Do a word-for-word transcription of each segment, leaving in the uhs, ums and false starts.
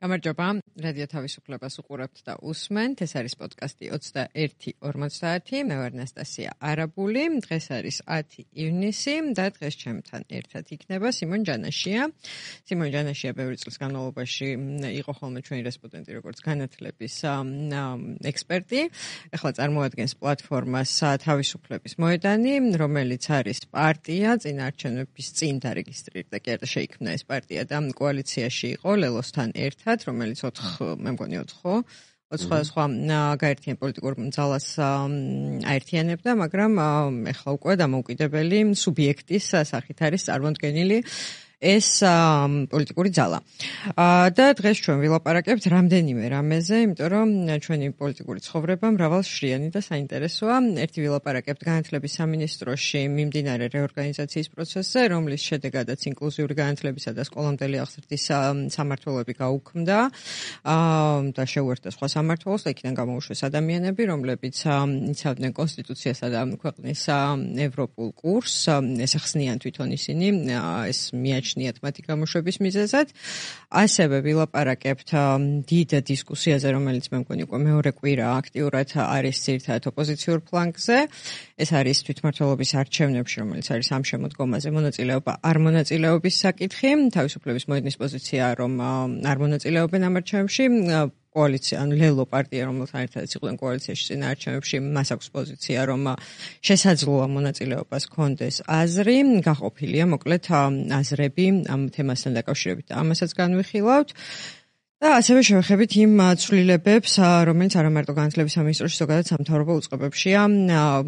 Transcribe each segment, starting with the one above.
გამარჯობა, რადიო თავისუფლებას უყურებთ და უსმენთ. ეს არის პოდკასტი ოცდაერთი ორმოცდაათი. მე ვარ ნასტასია არაბული. დღეს არის ათი ივნისი და დღეს ჩემთან ერთად იქნება სიმონ ჯანაშია. სიმონ ჯანაშია ბევრი წლის განმავლობაში იყო ხოლმე ჩვენი რესპონდენტი როგორც განათლების ექსპერტი. ახლა წარმოადგენს პლატფორმას თავისუფლების მოედანი, რომელიც არის პარტია, წინაარჩევნების წინ დარეგისტრირდა კი არა შეიქმნა ეს პარტია და კოალიციაში იყო ლელოსთან ერთად, რომელიც ოთხ, მე მგონი ოთხ, ოთხ სხვა გაერთიან პოლიტიკურ ძალას აერთიანებდა, მაგრამ ეხლა უკვე დამოუკიდებელი სუბიექტის სახით არის წარმოდგენილი ეს პოლიტიკური ძალა. და დღეს ჩვენ ვილაპარაკებთ რამდენიმე რამეზე, იმიტომ რომ ჩვენი პოლიტიკური ცხოვრება მრავალშრიანი და საინტერესოა. ერთი ვილაპარაკებთ განათლების სამინისტროში მიმდინარე რეორგანიზაციის პროცესზე, რომლის შედეგადაც ინკლუზიური განათლებისა და სკოლამდელი აღზრდის სამმართველოები გაუქმდა და შეუერთდა სხვა სამმართველოს და იქიდან გამოუშვეს ადამიანები, რომლებიც იცავდნენ კონსტიტუციასა და ქვეყნის ევროპულ კურსს. ესახსნიან თვითონ ისინი ეს მიაჩნიათ მათი გამოშვების მიზეზად. ასევე ვილაპარაკებთ დიდ დისკუსიაზე, რომელიც მე მგონი უკვე მეორე კვირა აქტიურად არის ძირითადად ოპოზიციურ ფლანგზე. ეს არის თვითმმართველობის არჩევნებში, რომელიც არის ამ შემოდგომაზე მონაწილეობა არ მონაწილეობის საკითხი. თავისუფლების მოედნის პოზიცია, რომ არ მონაწილეობენ ამ არჩევნებში. კოალიცია, ანუ ლელო პარტია, რომელთან ერთადაც იყვნენ კოალიციაში წინა არჩევნებში, მას აქვს პოზიცია, რომ შესაძლოა მონაწილეობას ჰქონდეს აზრი, გაყოფილია მოკლედ აზრები ამ თემასთან დაკავშირებით და ამასაც განვიხილავთ. და ასევე შევეხებით იმ ცვლილებებს, რომელიც არა მარტო განათლების სამინისტროში, ზოგადად სამთავრობო უწყებებშია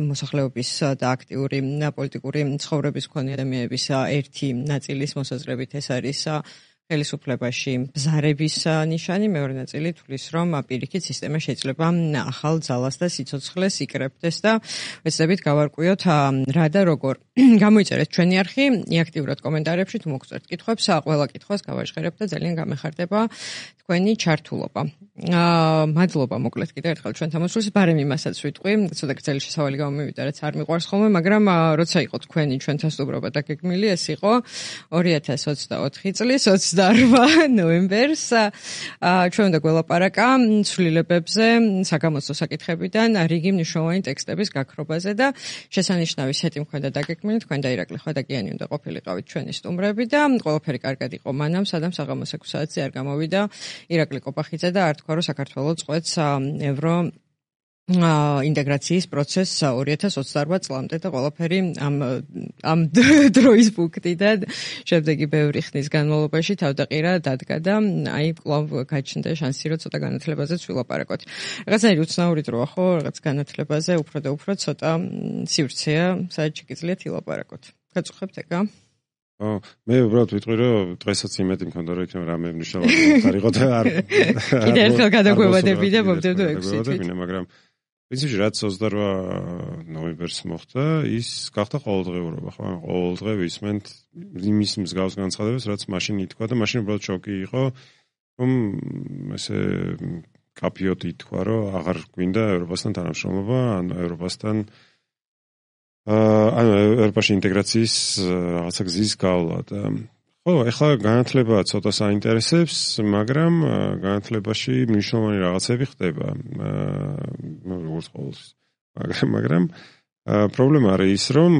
მოსახლეობის და აქტიური პოლიტიკური ცხოვრების მქონე ადამიანების ერთი ნაწილის მოსაზრებით ეს არის ხელისუფლებაში ბზარების ნიშანი, მეორე ნაწილი თulis რომ პირიქით სისტემა შეიძლება ახალ ძალას და სიცოცხლეს იკრებდეს და ვეცდებით გავარკვიოთ რა და როგორ. გამოიწერეთ ჩვენი არხი, აქტიურად კომენტარებში თუ მოგწევთ კითხვებს, ყველა კითხვას გავაჟღერებ და ძალიან გამეხარდება თქვენი ჩართულობა. აა მადლობა მოკლედ კიდევ ერთხელ ჩვენთან მოსვლის, ბარემ იმასაც ვიტყვი, ცოტა გრძელი შესავალი გამომივიდა, რაც არ მიყვარს ხოლმე, მაგრამ როცა იყო თქვენი ჩვენთან სტუმრობა დაგეგმილი, ეს იყო ორი ათას ოცდაოთხი წლის ოცდაორმა ნოემბერს. აა ჩვენ უნდა გველაპარაკა ცვლილებებზე, საგამოცდო საკითხებიდან, რიგი მნიშვნელოვანი ტექსტების გაქრობაზე და შესანიშნავი სეტი მქონდა დაგეგმილი, თქვენ და ირაკლი ხვედაგიანი უნდა ყოფილიყავით ჩვენი სტუმრები და ყველაფერი კარგად იყო მანამ, სანამ საღამოს ექვსი საათზე არ გამოვიდა ირაკლი კოპახიძე და არ თქვა, რომ საქართველოს წყვეტს ევრო ინტეგრაციის პროცესს ორი ათას ოცდაორმა წლამდე და ყველაფერი ამ ამ დროის პუნქტიდან შემდეგი ბევრი ხნის განმავლობაში თავდაყირა დადგა და აი კვლავ გაჩნდა შანსი, რომ ცოტა განათლებაზეც ვილაპარაკოთ. რაღაცნაირი უცნაური დროა, ხო, რაღაც განათლებაზე უფრო და უფრო ცოტა სივრცეა, სადაც შეგიძლიათ ილაპარაკოთ. გაწუხებთ ეგა? ო, მე უბრალოდ ვიტყვი, რომ დღესაც იმედი მქონდა, რომ იქნება რამე მნიშვნელოვანი ხარიყო და არ კიდევ ერთხელ გადაგვევადები და მომდევნო ექვსი თვით, მაგრამ პრინციპში რაც ოცდაორმა ნოემბერს მოხდა, ის გახდა ყოველდღიურობა, ხო? ყოველდღე ვისმენთ იმის მსგავს განცხადებას, რაც მაშინ ითქვა და მაშინ უბრალოდ შოკი იყო, რომ ესე კაფიოდ ითქვა, რომ აღარ გვინდა ევროპასთან თანამშრომლობა, ან ევროპასთან ანუ ევროპაში ინტეგრაციის რაღაცა გზის გავლა და ხო, ეხლა განათლება ცოტა საინტერესებს, მაგრამ განათლებაში მნიშვნელოვანი რაღაცები ხდება. როგორც ყოველთვის. მაგრამ მაგრამ პრობლემა არის ის, რომ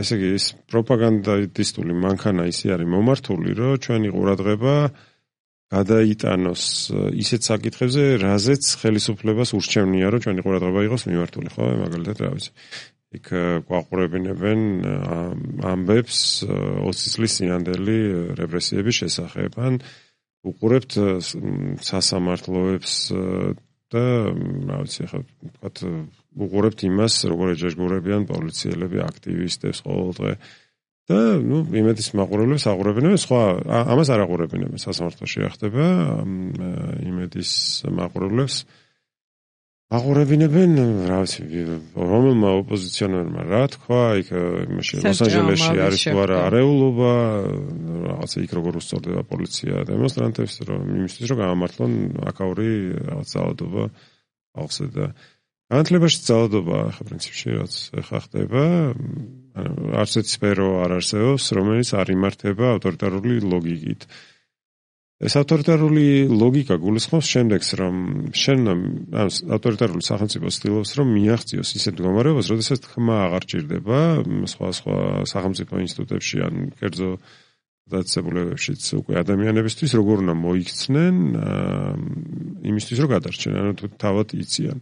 ესე იგი ეს პროპაგანდისტული მანქანა ისე არის მომართული, რომ ჩვენი ყურადღება გადაიტანოს ისეთ საკითხებზე, რაზეც ხელისუფლებას ურჩევნია, რომ ჩვენი ყურადღება იყოს მიმართული, ხო, მაგალითად რა ვიცი. იქ გვაყურებინებენ ამბებს ოცი წლის წინანდელი რეპრესიების შესახებ, ან უყურებთ სასამართლოებს და რა ვიცი, ხა ვთქვათ, უყურებთ იმას, როგორ ეჯაჟღურებიან პოლიციელები აქტივისტებს ყოველდღე და ნუ იმედის მაყურებლებს აყურებინებენ, სხვა ამას არ აყურებინებენ, სასამართლოში ახდება იმედის მაყურებლებს აყურებინებენ, რა ვიცი, რომელმა ოპოზიციონერმა რა თქვა, იქ იმაში ლოს-ანჯელესში არის თუ არა არეულობა, რაღაცა იქ როგორ უსწორდება პოლიცია დემონსტრანტებს, რომ იმისთვის რომ გამართლონ აკაური რაღაც ძალადობა ხალხზე და განათლებაში ძალადობა ხა პრინციპში რაც ხა ხდება, ანუ არც ერთ სფერო არ არსებობს, რომელიც არ იმართება ავტორიტარული ლოგიკით. ეს ავტორიტარული ლოგიკა გულისხმობს შემდეგს, რომ შენ ამ ავტორიტარული სახელმწიფო ცდილობს, რომ მიაღწიოს ისეთ მდგომარეობას, როდესაც თქმა აღარ ჭირდება სხვა სხვა სახელმწიფო ინსტიტუტებში ან კერძო დაწესებულებებშიც უკვე ადამიანებისთვის როგორ უნდა მოიქცნენ იმისთვის, რომ გადარჩენ, ანუ თუ თავად იციან.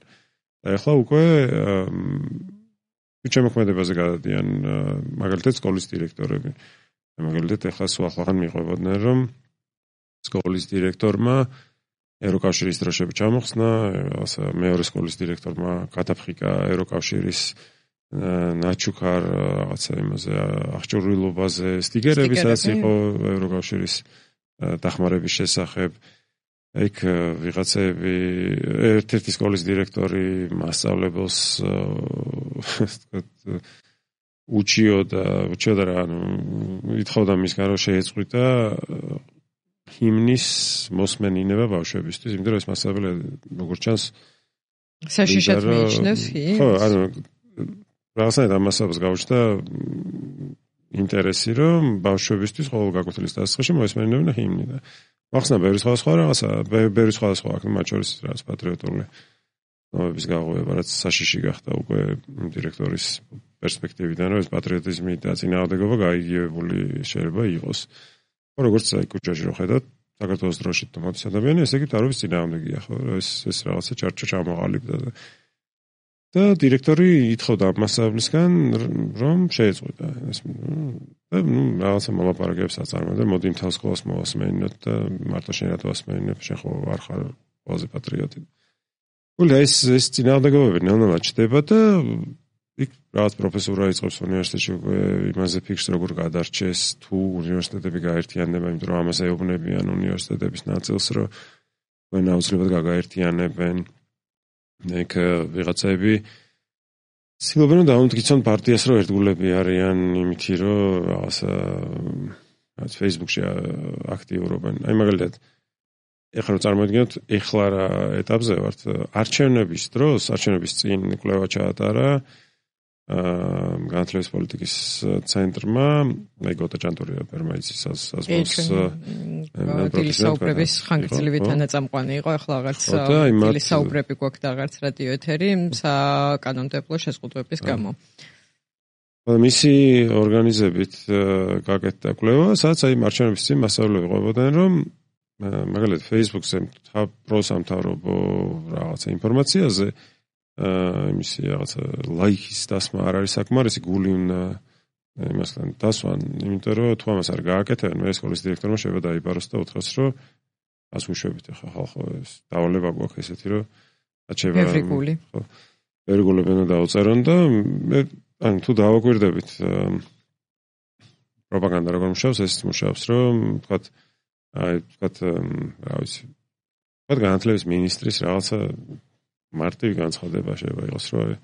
და ახლა უკვე შემოქმედებაზე გადადიან მაგალითად სკოლის დირექტორები. მაგალითად ახლა სულ ახლახან მიყვებოდნენ, რომ სკოლის დირექტორმა ევროკავშირის დროშები ჩამოხსნა, ასე მეორე სკოლის დირექტორმა გადაფხიკა ევროკავშირის ნაჩუქარ რაღაცა იმაზე აღჭურვილობაზე სტიკერები, სადაც იყო ევროკავშირის დახმარების შესახებ. იქ ვიღაცები ერთ-ერთი სკოლის დირექტორი მასწავლებელს უჩიოდა, უჩიოდა რა, ანუ ითხოვდა მისგან რომ შეეწყვიტა ჰიმნის მოსმენინება ბავშვებისთვის, იმიტომ რომ ეს მასწავლებელი როგორც ჩანს საშიშად მიიჩნევს ჰიმნს. ხო, ანუ რაღაცნაირად ამ მასწავლებლს გაუჩნდა ინტერესი, რომ ბავშვებისთვის ყოველ გაკვეთილის დასაწყისში მოესმენინებინა ჰიმნი და ახსნა ბევრი სხვადასხვა რაღაცა, ბევრი სხვადასხვა აქ მათ შორის რაღაც პატრიოტული ნომების გაღვივა, რაც საშიში გახდა უკვე დირექტორის პერსპექტივიდან, რომ ეს პატრიოტიზმი და წინააღმდეგობა გაიგივებული შეიძლება იყოს. ხო, როგორც აი კუჩაში რო ხედავთ, საქართველოს დროშით თუ მოდის ადამიანი, ესე იგი თავის წინააღმდეგია, ხო, ეს ეს რაღაცა ჩარჩო ჩამოყალიბდა და და დირექტორი ითხოვდა ამ მასწავლებლისგან, რომ შეეწყვიტა ეს და ნუ რაღაცა მოლაპარაკებებს აწარმოებდა, მოდი მთელ სკოლას მოვასმენინოთ და მარტო შენ რატო ასმენინებ, შენ ხო არ ხარ ყველაზე პატრიოტი. გული ეს ეს წინააღმდეგობები ნელ-ნელა ჩდება და იქ რაღაც პროფესორა იწყებს უნივერსიტეტში უკვე იმაზე ფიქრს როგორ გადარჩეს თუ უნივერსიტეტები გაერთიანდება, იმიტომ რომ ამას ეუბნებიან უნივერსიტეტების ნაწილს, რომ თქვენ აუცილებლად გაგაერთიანებენ. იქ ვიღაცები ცდილობენ რომ დაუმტკიცონ პარტიას, რომ ერთგულები არიან იმითი, რომ რაღაცა რაც Facebook-ში აქტიურობენ. აი მაგალითად ეხლა რომ წარმოვიდგინოთ, ეხლა რა ეტაპზე ვართ, არჩევნების დროს, არჩევნების წინ კვლევა ჩაატარა განათლების პოლიტიკის ცენტრმა, აი გოტა ჭანტურია პერმაიცის საზღვაოს დილისაუბრების ხანგრძლივი თანაწამყვანი იყო, ახლა აღარც დილისაუბრები გვაქვს და აღარც რადიო ეთერი საკანონმდებლო შეზღუდვების გამო. მისი ორგანიზებით გაკეთდა კვლევა, სადაც აი არჩევნების წინ მასწავლებლები ყვებოდნენ, რომ მაგალითად Facebook-ზე პროსამთავრობო რაღაცა ინფორმაციაზე იმისი რაღაცა ლაიქის დასმა არ არის საკმარისი, გული უნდა იმასთან დასვან, იმიტომ რომ თუ ამას არ გააკეთებენ, მე სკოლის დირექტორმა შეიძლება დაიბაროს და უთხრას, რომ ას უშვებით ახლა ხალხო, ეს დავალება გვაქვს ესეთი, რომ აჩება ბევრი გული. ხო, ბევრი გულები უნდა დაუწერონ და მე ან თუ დავაკვირდებით პროპაგანდა როგორ მუშაობს, ეს მუშაობს, რომ ვთქვათ, აი ვთქვათ, რა ვიცი, ვთქვათ განათლების მინისტრის რაღაცა მარტივი განცხადება შეიძლება იყოს, რომ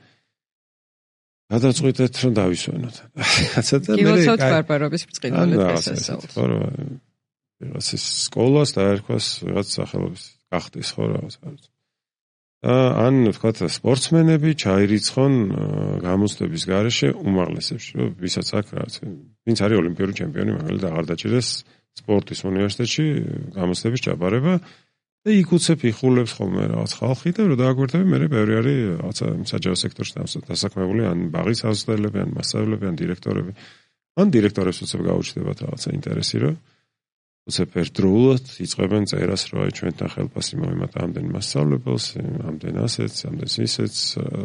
გადაწყვიტეთ, რომ დავისვენოთ. რაღაცა და მე გილოცავთ ბარბარობის ბრწყინვალედ გასასწაულს. ხო, რაღაც სკოლას დაერქვას რაღაც სახელობის გახდეს, ხო, რაღაცა. და ან ვთქვათ სპორტსმენები ჩაირიცხონ გამოცდების გარეშე უმაღლესებში, რომ ვისაც აქვს რაღაც, ვინც არის ოლიმპიური ჩემპიონი, მაგალითად აღარ დაჭირდეს სპორტის უნივერსიტეტში გამოცდების ჩაბარება. და იქ უცებ იხულებს ხოლმე რაღაც ხალხი და რომ დააგვირდები, მე ბევრი არის რაღაცა საჯარო სექტორში დასაქმებული, ან ბაღის აღზრდელები, ან მასწავლებლები, ან დირექტორები. ან დირექტორებს უცებ გაუჩნდებათ რაღაცა ინტერესი, რომ უცებ ერთდროულად იწყებენ წერას, რომ აი ჩვენთან ხელფასი მოვიმატა ამდენ მასწავლებელს, ამდენ ასეთს, ამდენ ისეთს,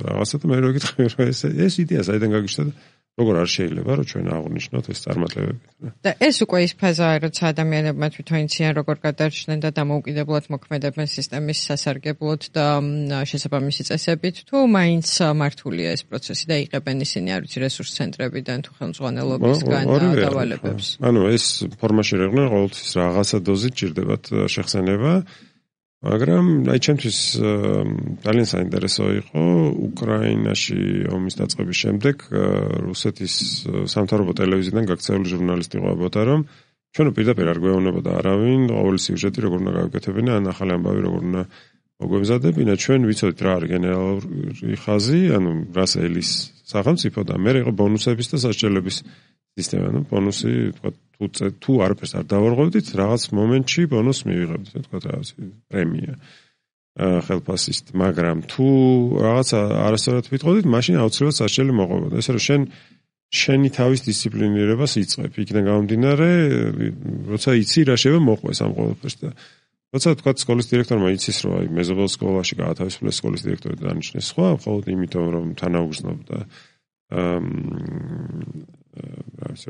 რაღაცა და მე რო გითხრა, რომ ეს ეს იდეა საიდან გაგიჩნდა და როგორ არ შეიძლება რომ ჩვენ აღვნიშნოთ ეს წარმატებები. და ეს უკვე ის ფაზაა, როცა ადამიანებმა თვითონ იციან როგორ გადარჩნენ და დამოუკიდებლად მოქმედებენ სისტემის სასარგებლოდ და შესაბამისი წესებით, თუ მაინც მართულია ეს პროცესი და იღებენ ისინი არ ვიცი რესურს ცენტრებიდან თუ ხელმძღვანელობისგან დავალებებს. ანუ ეს ფორმაში რეღნე ყოველთვის რაღაცა დოზი ჭირდებათ შეხსენება. მაგრამ აი ჩემთვის ძალიან საინტერესო იყო უკრაინაში ომის დაწყების შემდეგ რუსეთის სამთავრობო ტელევიზიიდან გაქცეული ჟურნალისტი ყვებოდა, რომ ჩვენ პირდაპირ არ გვეუბნებოდა არავინ ყოველი სიუჟეტი როგორ უნდა გავიკეთებინა, ან ახალი ამბავი როგორ უნდა მოგვემზადებინა, ჩვენ ვიცოდით რა არის გენერალური ხაზი, ანუ რას ელის სახელმწიფო და მე იყო ბონუსების და სასჯელების სისტემა, ну, ბონუსი, თქვა, თუ თუ არაფერს არ დავარღვევდით, რაღაც მომენტში ბონუს მივიღებდით, თქვა, რაღაც პრემია. ხელფასist, მაგრამ თუ რაღაც არასწორად ვიტყოდით, მაშინ აუცილებლად სასჯელი მოყვებოდა. ესე რომ შენ შენი თავის დისციპლინირებას იწყებ. იქიდან გამომდინარე, როცა იცი რა შევა მოყვეს ამ ყოველფერს და როცა თქვა სკოლის დირექტორმა იცის, რომ აი მეზობელ სკოლაში გაათავისუფლეს სკოლის დირექტორი და დანიშნეს სხვა, მხოლოდ იმიტომ რომ თანაუგრძნობდა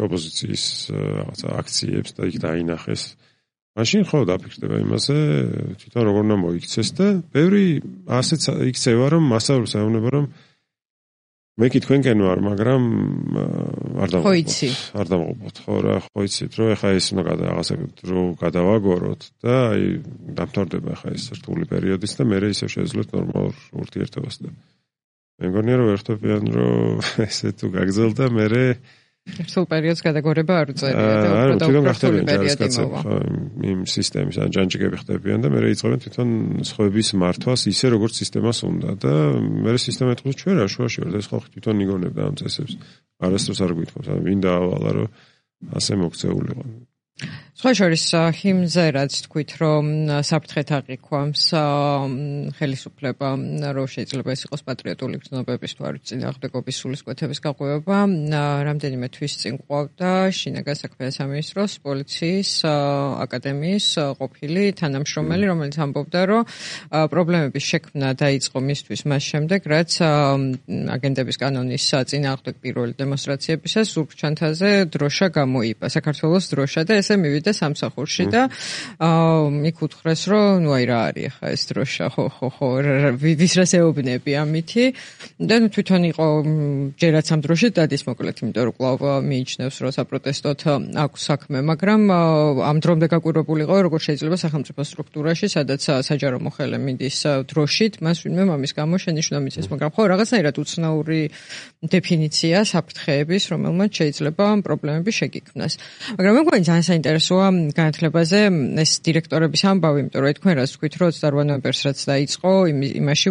ოპოზიციის რაღაცა აქციებს და იქ დაინახეს. მაშინ ხო დაფიქრდება იმაზე, თვითონ როგორ უნდა მოიქცეს და ბევრი ასეც იქცევა, რომ მასწავლებლებს ეუბნება, რომ მე კი თქვენკენ ვარ, მაგრამ არ დავყვოთ. არ დავყვოთ, ხო რა, ხო იცით, რომ ეხა ეს უნდა რაღაცა რო გადავაგოროთ და აი დამთავრდება ეხა ეს რთული პერიოდიც და მე ისევ შეძლოთ ნორმალურ ურთიერთობას და მე მგონია რომ ერთობიან რომ ესე თუ გაგრძელდა მე რთულ პერიოდს გადაგორება არ უწევია და უფრო და უფრო რთული პერიოდი მოვა. იმ სისტემის ან ჯანჯიკები ხდებიან და მე იწყებენ თვითონ სხვების მართვას ისე როგორც სისტემას უნდა და მე სისტემა ეთქვის ჩვენ რა შუაში ვარ და ეს ხალხი თვითონ იგონებდა ამ წესებს. არასდროს არ გვითხოვს, ან ვინ დაავალა რომ ასე მოქცეულიყო. სხვა შორის ჰიმზე რაც თქვით რომ საფრთხეთ აღიქვამს ხელისუფლება რომ შეიძლება ეს იყოს პატრიოტული გრძნობების თუ არ წინააღმდეგობის სულისკვეთების გაყვება რამდენიმე თვის წინ ყვავდა შინაგან საქმეთა სამინისტროს პოლიციის აკადემიის ყოფილი თანამშრომელი რომელიც ამბობდა რომ პრობლემების შექმნა დაიწყო მისთვის მას შემდეგ რაც აგენტების კანონის წინააღმდეგ პირველი დემონსტრაციებისას ზურგჩანთაზე დროშა გამოიπა საქართველოს დროშა და ესე მივიდა სამსახურში და იქ უთხრეს რომ ნუ აი რა არის ახლა ეს დროშა ხო ხო ხო ვის რას ეუბნები ამითი და ნუ თვითონ იყო ჯერაც ამ დროშით დადის მოკლედ იმიტომ რომ კვლავ მიიჩნევს რომ საპროტესტოდ აქვს საქმე მაგრამ ამ დრომდე გაკვირვებული იყო როგორ შეიძლება სახელმწიფო სტრუქტურაში სადაც საჯარო მოხელე მიდის დროშით მას ვინმე მამის გამო შენიშვნა მიცეს მაგრამ ხო რაღაცნაირად უცნაური დეფინიცია საფრთხეების რომელმაც შეიძლება პრობლემები შეგიქმნას მაგრამ მე მგონი ძალიან საინტერესოა განათლებაზე ეს დირექტორების ამბავი, იმიტომ რომ თქვენ რაც თქვით, რომ ოცდაოთხ ნოემბერს რაც დაიწყო, იმაში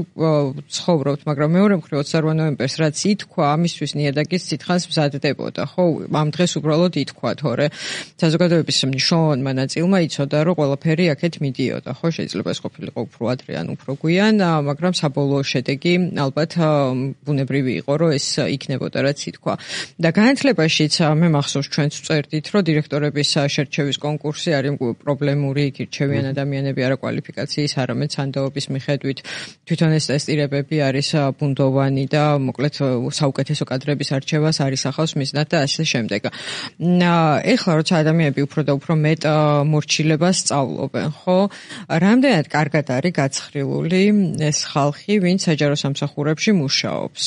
ცხოვრობთ, მაგრამ მეორე მხრივ ოცდაოთხ ნოემბერს რაც ითქვა, ამისთვის ნიადაგის ცითხანს მზადდებოდა, ხო? ამ დღეს უბრალოდ ითქვა, თორე საზოგადოების მნიშვნელოვანმა ნაწილმა იცოდა, რომ ყველაფერი აქეთ მიდიოდა, ხო? შეიძლება ეს ყოფილიყო უფრო ადრე ან უფრო გვიან, მაგრამ საბოლოო შედეგი ალბათ ბუნებრივი იყო, რომ ეს იქნებოდა, რაც ითქვა. და განათლებაშიც მე მახსოვს ჩვენც წერდით, რომ დირექტორების შერჩევის კონკურსი არის პრობლემური, იქ რჩევიან ადამიანები არა კვალიფიკაციის, არამედ სანდოობის მიხედვით. თვითონ ეს ტესტირებები არის ბუნდოვანი და მოკლედ საუკეთესო კადრების არჩევას არის ახავს მიზნად და ასე შემდეგ. ეხლა როცა ადამიანები უფრო და უფრო მეტ მორჩილებას სწავლობენ, ხო? რამდენად კარგად არის გაცხრილული ეს ხალხი, ვინც საჯარო სამსახურებში მუშაობს?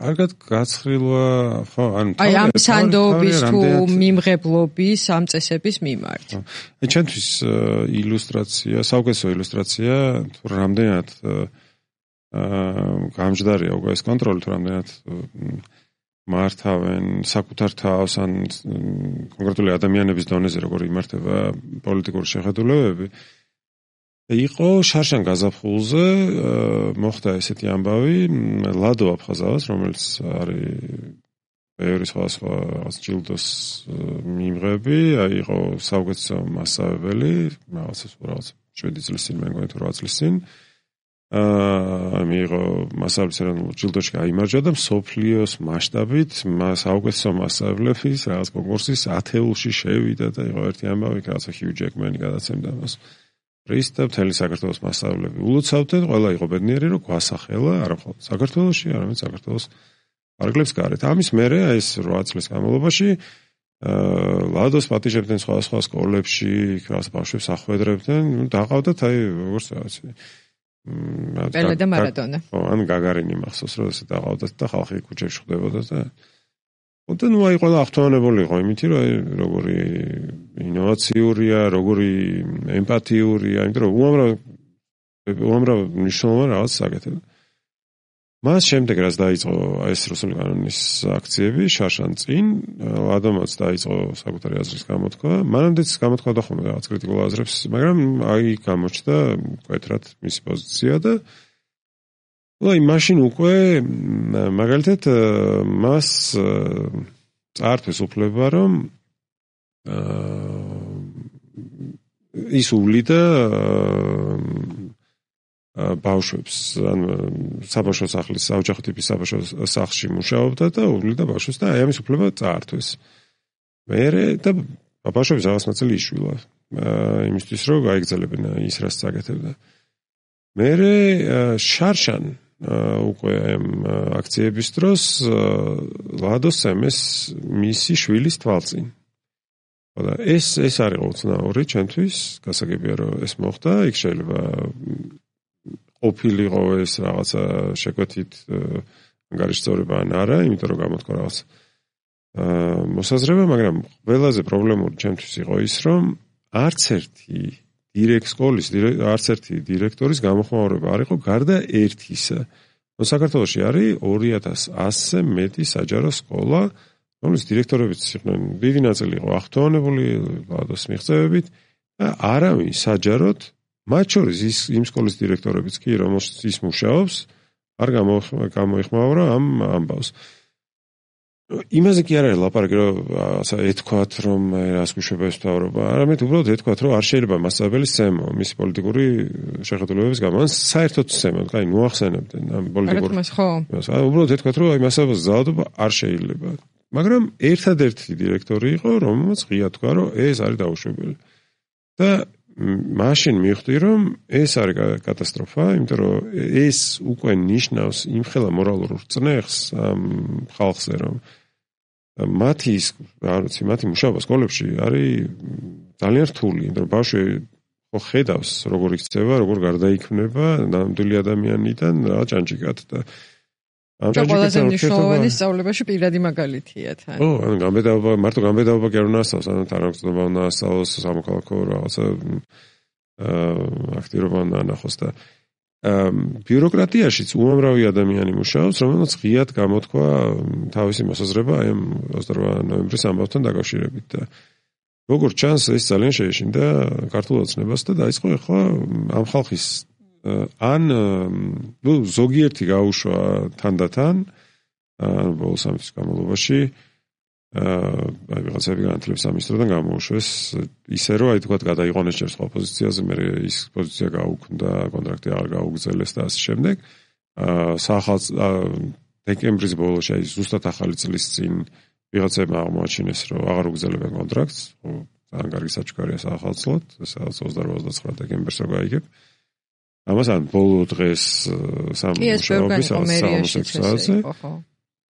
კარგად გაცხრილვა, ხო, ანუ აი ამ სანდოობის თუ მიმღებლობის ამ წესების მიმართ. აი ჩვენთვის ილუსტრაცია, საუკეთესო ილუსტრაცია თუ რამდენად აა გამჯდარია უკვე ეს კონტროლი თუ რამდენად მართავენ საკუთარ თავს ან კონკრეტული ადამიანების დონეზე როგორ იმართება პოლიტიკური შეხედულებები. იყო შარშან გაზაფხულზე მოხდა ესეთი ამბავი ლადო აფხაზავას რომელიც არის ბევრი სხვადასხვა ჯილდოს მიმღები აი იყო საუკეთესო მასწავლებელი რაღაცა რაღაც შვიდი წლის წინ მე მგონი თუ რვა წლის წინ აა მიიღო მასწავლებლის ეროვნულ ჯილდოში გაიმარჯვა და მსოფლიოს მასშტაბით საუკეთესო მასწავლებლების რაღაც კონკურსის ათეულში შევიდა და იყო ერთი ამბავი რაღაცა ჰიუ ჯეკმენი გადაცემდა მას პრისტა მთელი საქართველოს მასწავლებლები ულოცავდნენ, ყველა იყო ბედნიერი, რომ გვასახელა, არა მხოლოდ საქართველოში, არამედ საქართველოს პარკლებს გარეთ. ამის მერე ეს რვა წლის განმავლობაში ლადოს პატიჟებდნენ სხვადასხვა სკოლებში, იქ ბავშვებს ახვედრებდნენ, დაყავდათ აი როგორც რაღაცა. პელე და მარადონა. ხო, ან გაგარინი მახსოვს, რომ ესე დაყავდათ და ხალხი ქუჩებში ხვდებოდა და და ნუ აი ყველა ახთოვანებული იყო იმითი რომ აი როგორი ინოვაციურია, როგორი ემპათიურია, იმიტომ რომ უამრავ უამრავ მნიშვნელოვან რაღაც საკეთებდა. მას შემდეგ რაც დაიწყო ეს რუსული კანონის აქციები შარშან წინ, ლადომაც დაიწყო საკუთარი აზრის გამოთქვა. მანამდეც გამოთქვოდა ხოლმე რაღაც კრიტიკულ აზრებს, მაგრამ აი გამოჩნდა მკვეთრად მისი პოზიცია და აი მაშინ უკვე მაგალითად მას წაართვეს უფლება, რომ ის უვლიდა ბავშვებს, ან საბავშვო სახლის, საოჯახო ტიპის საბავშვო სახლში მუშაობდა და უვლიდა ბავშვებს და აი ამის უფლება წაართვეს. მერე და ბავშვებს რაღაც ნაწილი იშვილა, იმისთვის რომ გაიგრძელებინა ის რაც წაკეთებდა. მერე შარშან უკვე ამ აქციების დროს ლადოს სემეს მისი შვილის თვალწინ. და ეს ეს არის უცნაური ჩვენთვის, გასაგებია რომ ეს მოხდა, იქ შეიძლება ყოფილიყო ეს რაღაცა შეკვეთით ანგარიშწორება ან არა, იმიტომ რომ გამოთქვა რაღაც მოსაზრება, მაგრამ ყველაზე პრობლემური ჩემთვის იყო ის, რომ არც ერთი დირექტ სკოლის, არც ერთი დირექტორის გამოხმაურება არ იყო გარდა ერთისა. საქართველოში არის ორი ათას ასზე მეტი საჯარო სკოლა, რომლის დირექტორებიც იყვნენ, დიდი ნაწილი იყო ახტოვანებული ლადოს მიღწევებით და არავინ საჯაროდ, მათ შორის ის იმ სკოლის დირექტორებიც კი, რომელშიც ის მუშაობს, არ გამოიხმაურა ამ ამბავს. იმაზე კი არ არის ლაპარაკი, რომ ეთქვათ, რომ რას გვიშვება ეს მთავრობა, არამედ უბრალოდ ეთქვათ, რომ არ შეიძლება მასწავლებლის ზემო მისი პოლიტიკური შეხედულებების გამო, ან საერთოდ ზემო, აი მოახსენებდნენ ამ პოლიტიკურ. უბრალოდ ეთქვათ, რომ აი მასწავლებლის ძალადობა არ შეიძლება. მაგრამ ერთადერთი დირექტორი იყო, რომელმაც ღია თქვა, რომ ეს არის დაუშვებელი. და მაშინ მივხვდი, რომ ეს არის კატასტროფა, იმიტომ რომ ეს უკვე ნიშნავს იმხელა მორალურ წნეხს ამ ხალხზე, რომ მათი ის, არ ვიცი, მათი მუშაობა სკოლებში არის ძალიან რთული, იმიტომ რომ ბავშვი ხო ხედავს, როგორ იქცევა, როგორ გარდაიქმნება ნამდვილი ადამიანიდან რა ჭანჭიკად და ამ ჭანჭიკად მნიშვნელოვანი სწავლებაში პირადი მაგალითია თან. ო, ანუ გამბედაობა, მარტო გამბედაობა კი არ უნდა ასწავლოს, ანუ თანამგზნობა უნდა ასწავლოს, სამოქალაქო რაღაცა აქტიურობა უნდა ანახოს და ბიუროკრატიაშიც უამრავი ადამიანი მუშაობს, რომელსაც ღიად გამოთქვა თავისი მოსაზრება აი ამ ოცდაორმა ნოემბრის ამბავთან დაკავშირებით და როგორც ჩანს ეს ძალიან შეეშინდა ქართულ ოცნებას და დაიწყო ახლა ამ ხალხის ან ნუ ზოგიერთი გაუშვა თანდათან ან ბოლო სამი წლის განმავლობაში აი ვიღაცები განათლების სამინისტროდან გამოუშვეს ისე რომ აი თქვათ გადაიყვანეს ჯერ სხვა პოზიციაზე, მე ის პოზიცია გაუქმდა, კონტრაქტი აღარ გაუგრძელეს და ასე შემდეგ. სახალხო დეკემბრის ბოლოში აი ზუსტად ახალი წლის წინ ვიღაცებმა აღმოაჩინეს რომ აღარ უგრძელებენ კონტრაქტს, ძალიან კარგი საჩუქარია სახალხოდ, სადაც ოცდაორ ოცდაცხრა დეკემბერს რო გაიგებ. ამას ან ბოლო დღეს სამუშაობის სამოსექსაზე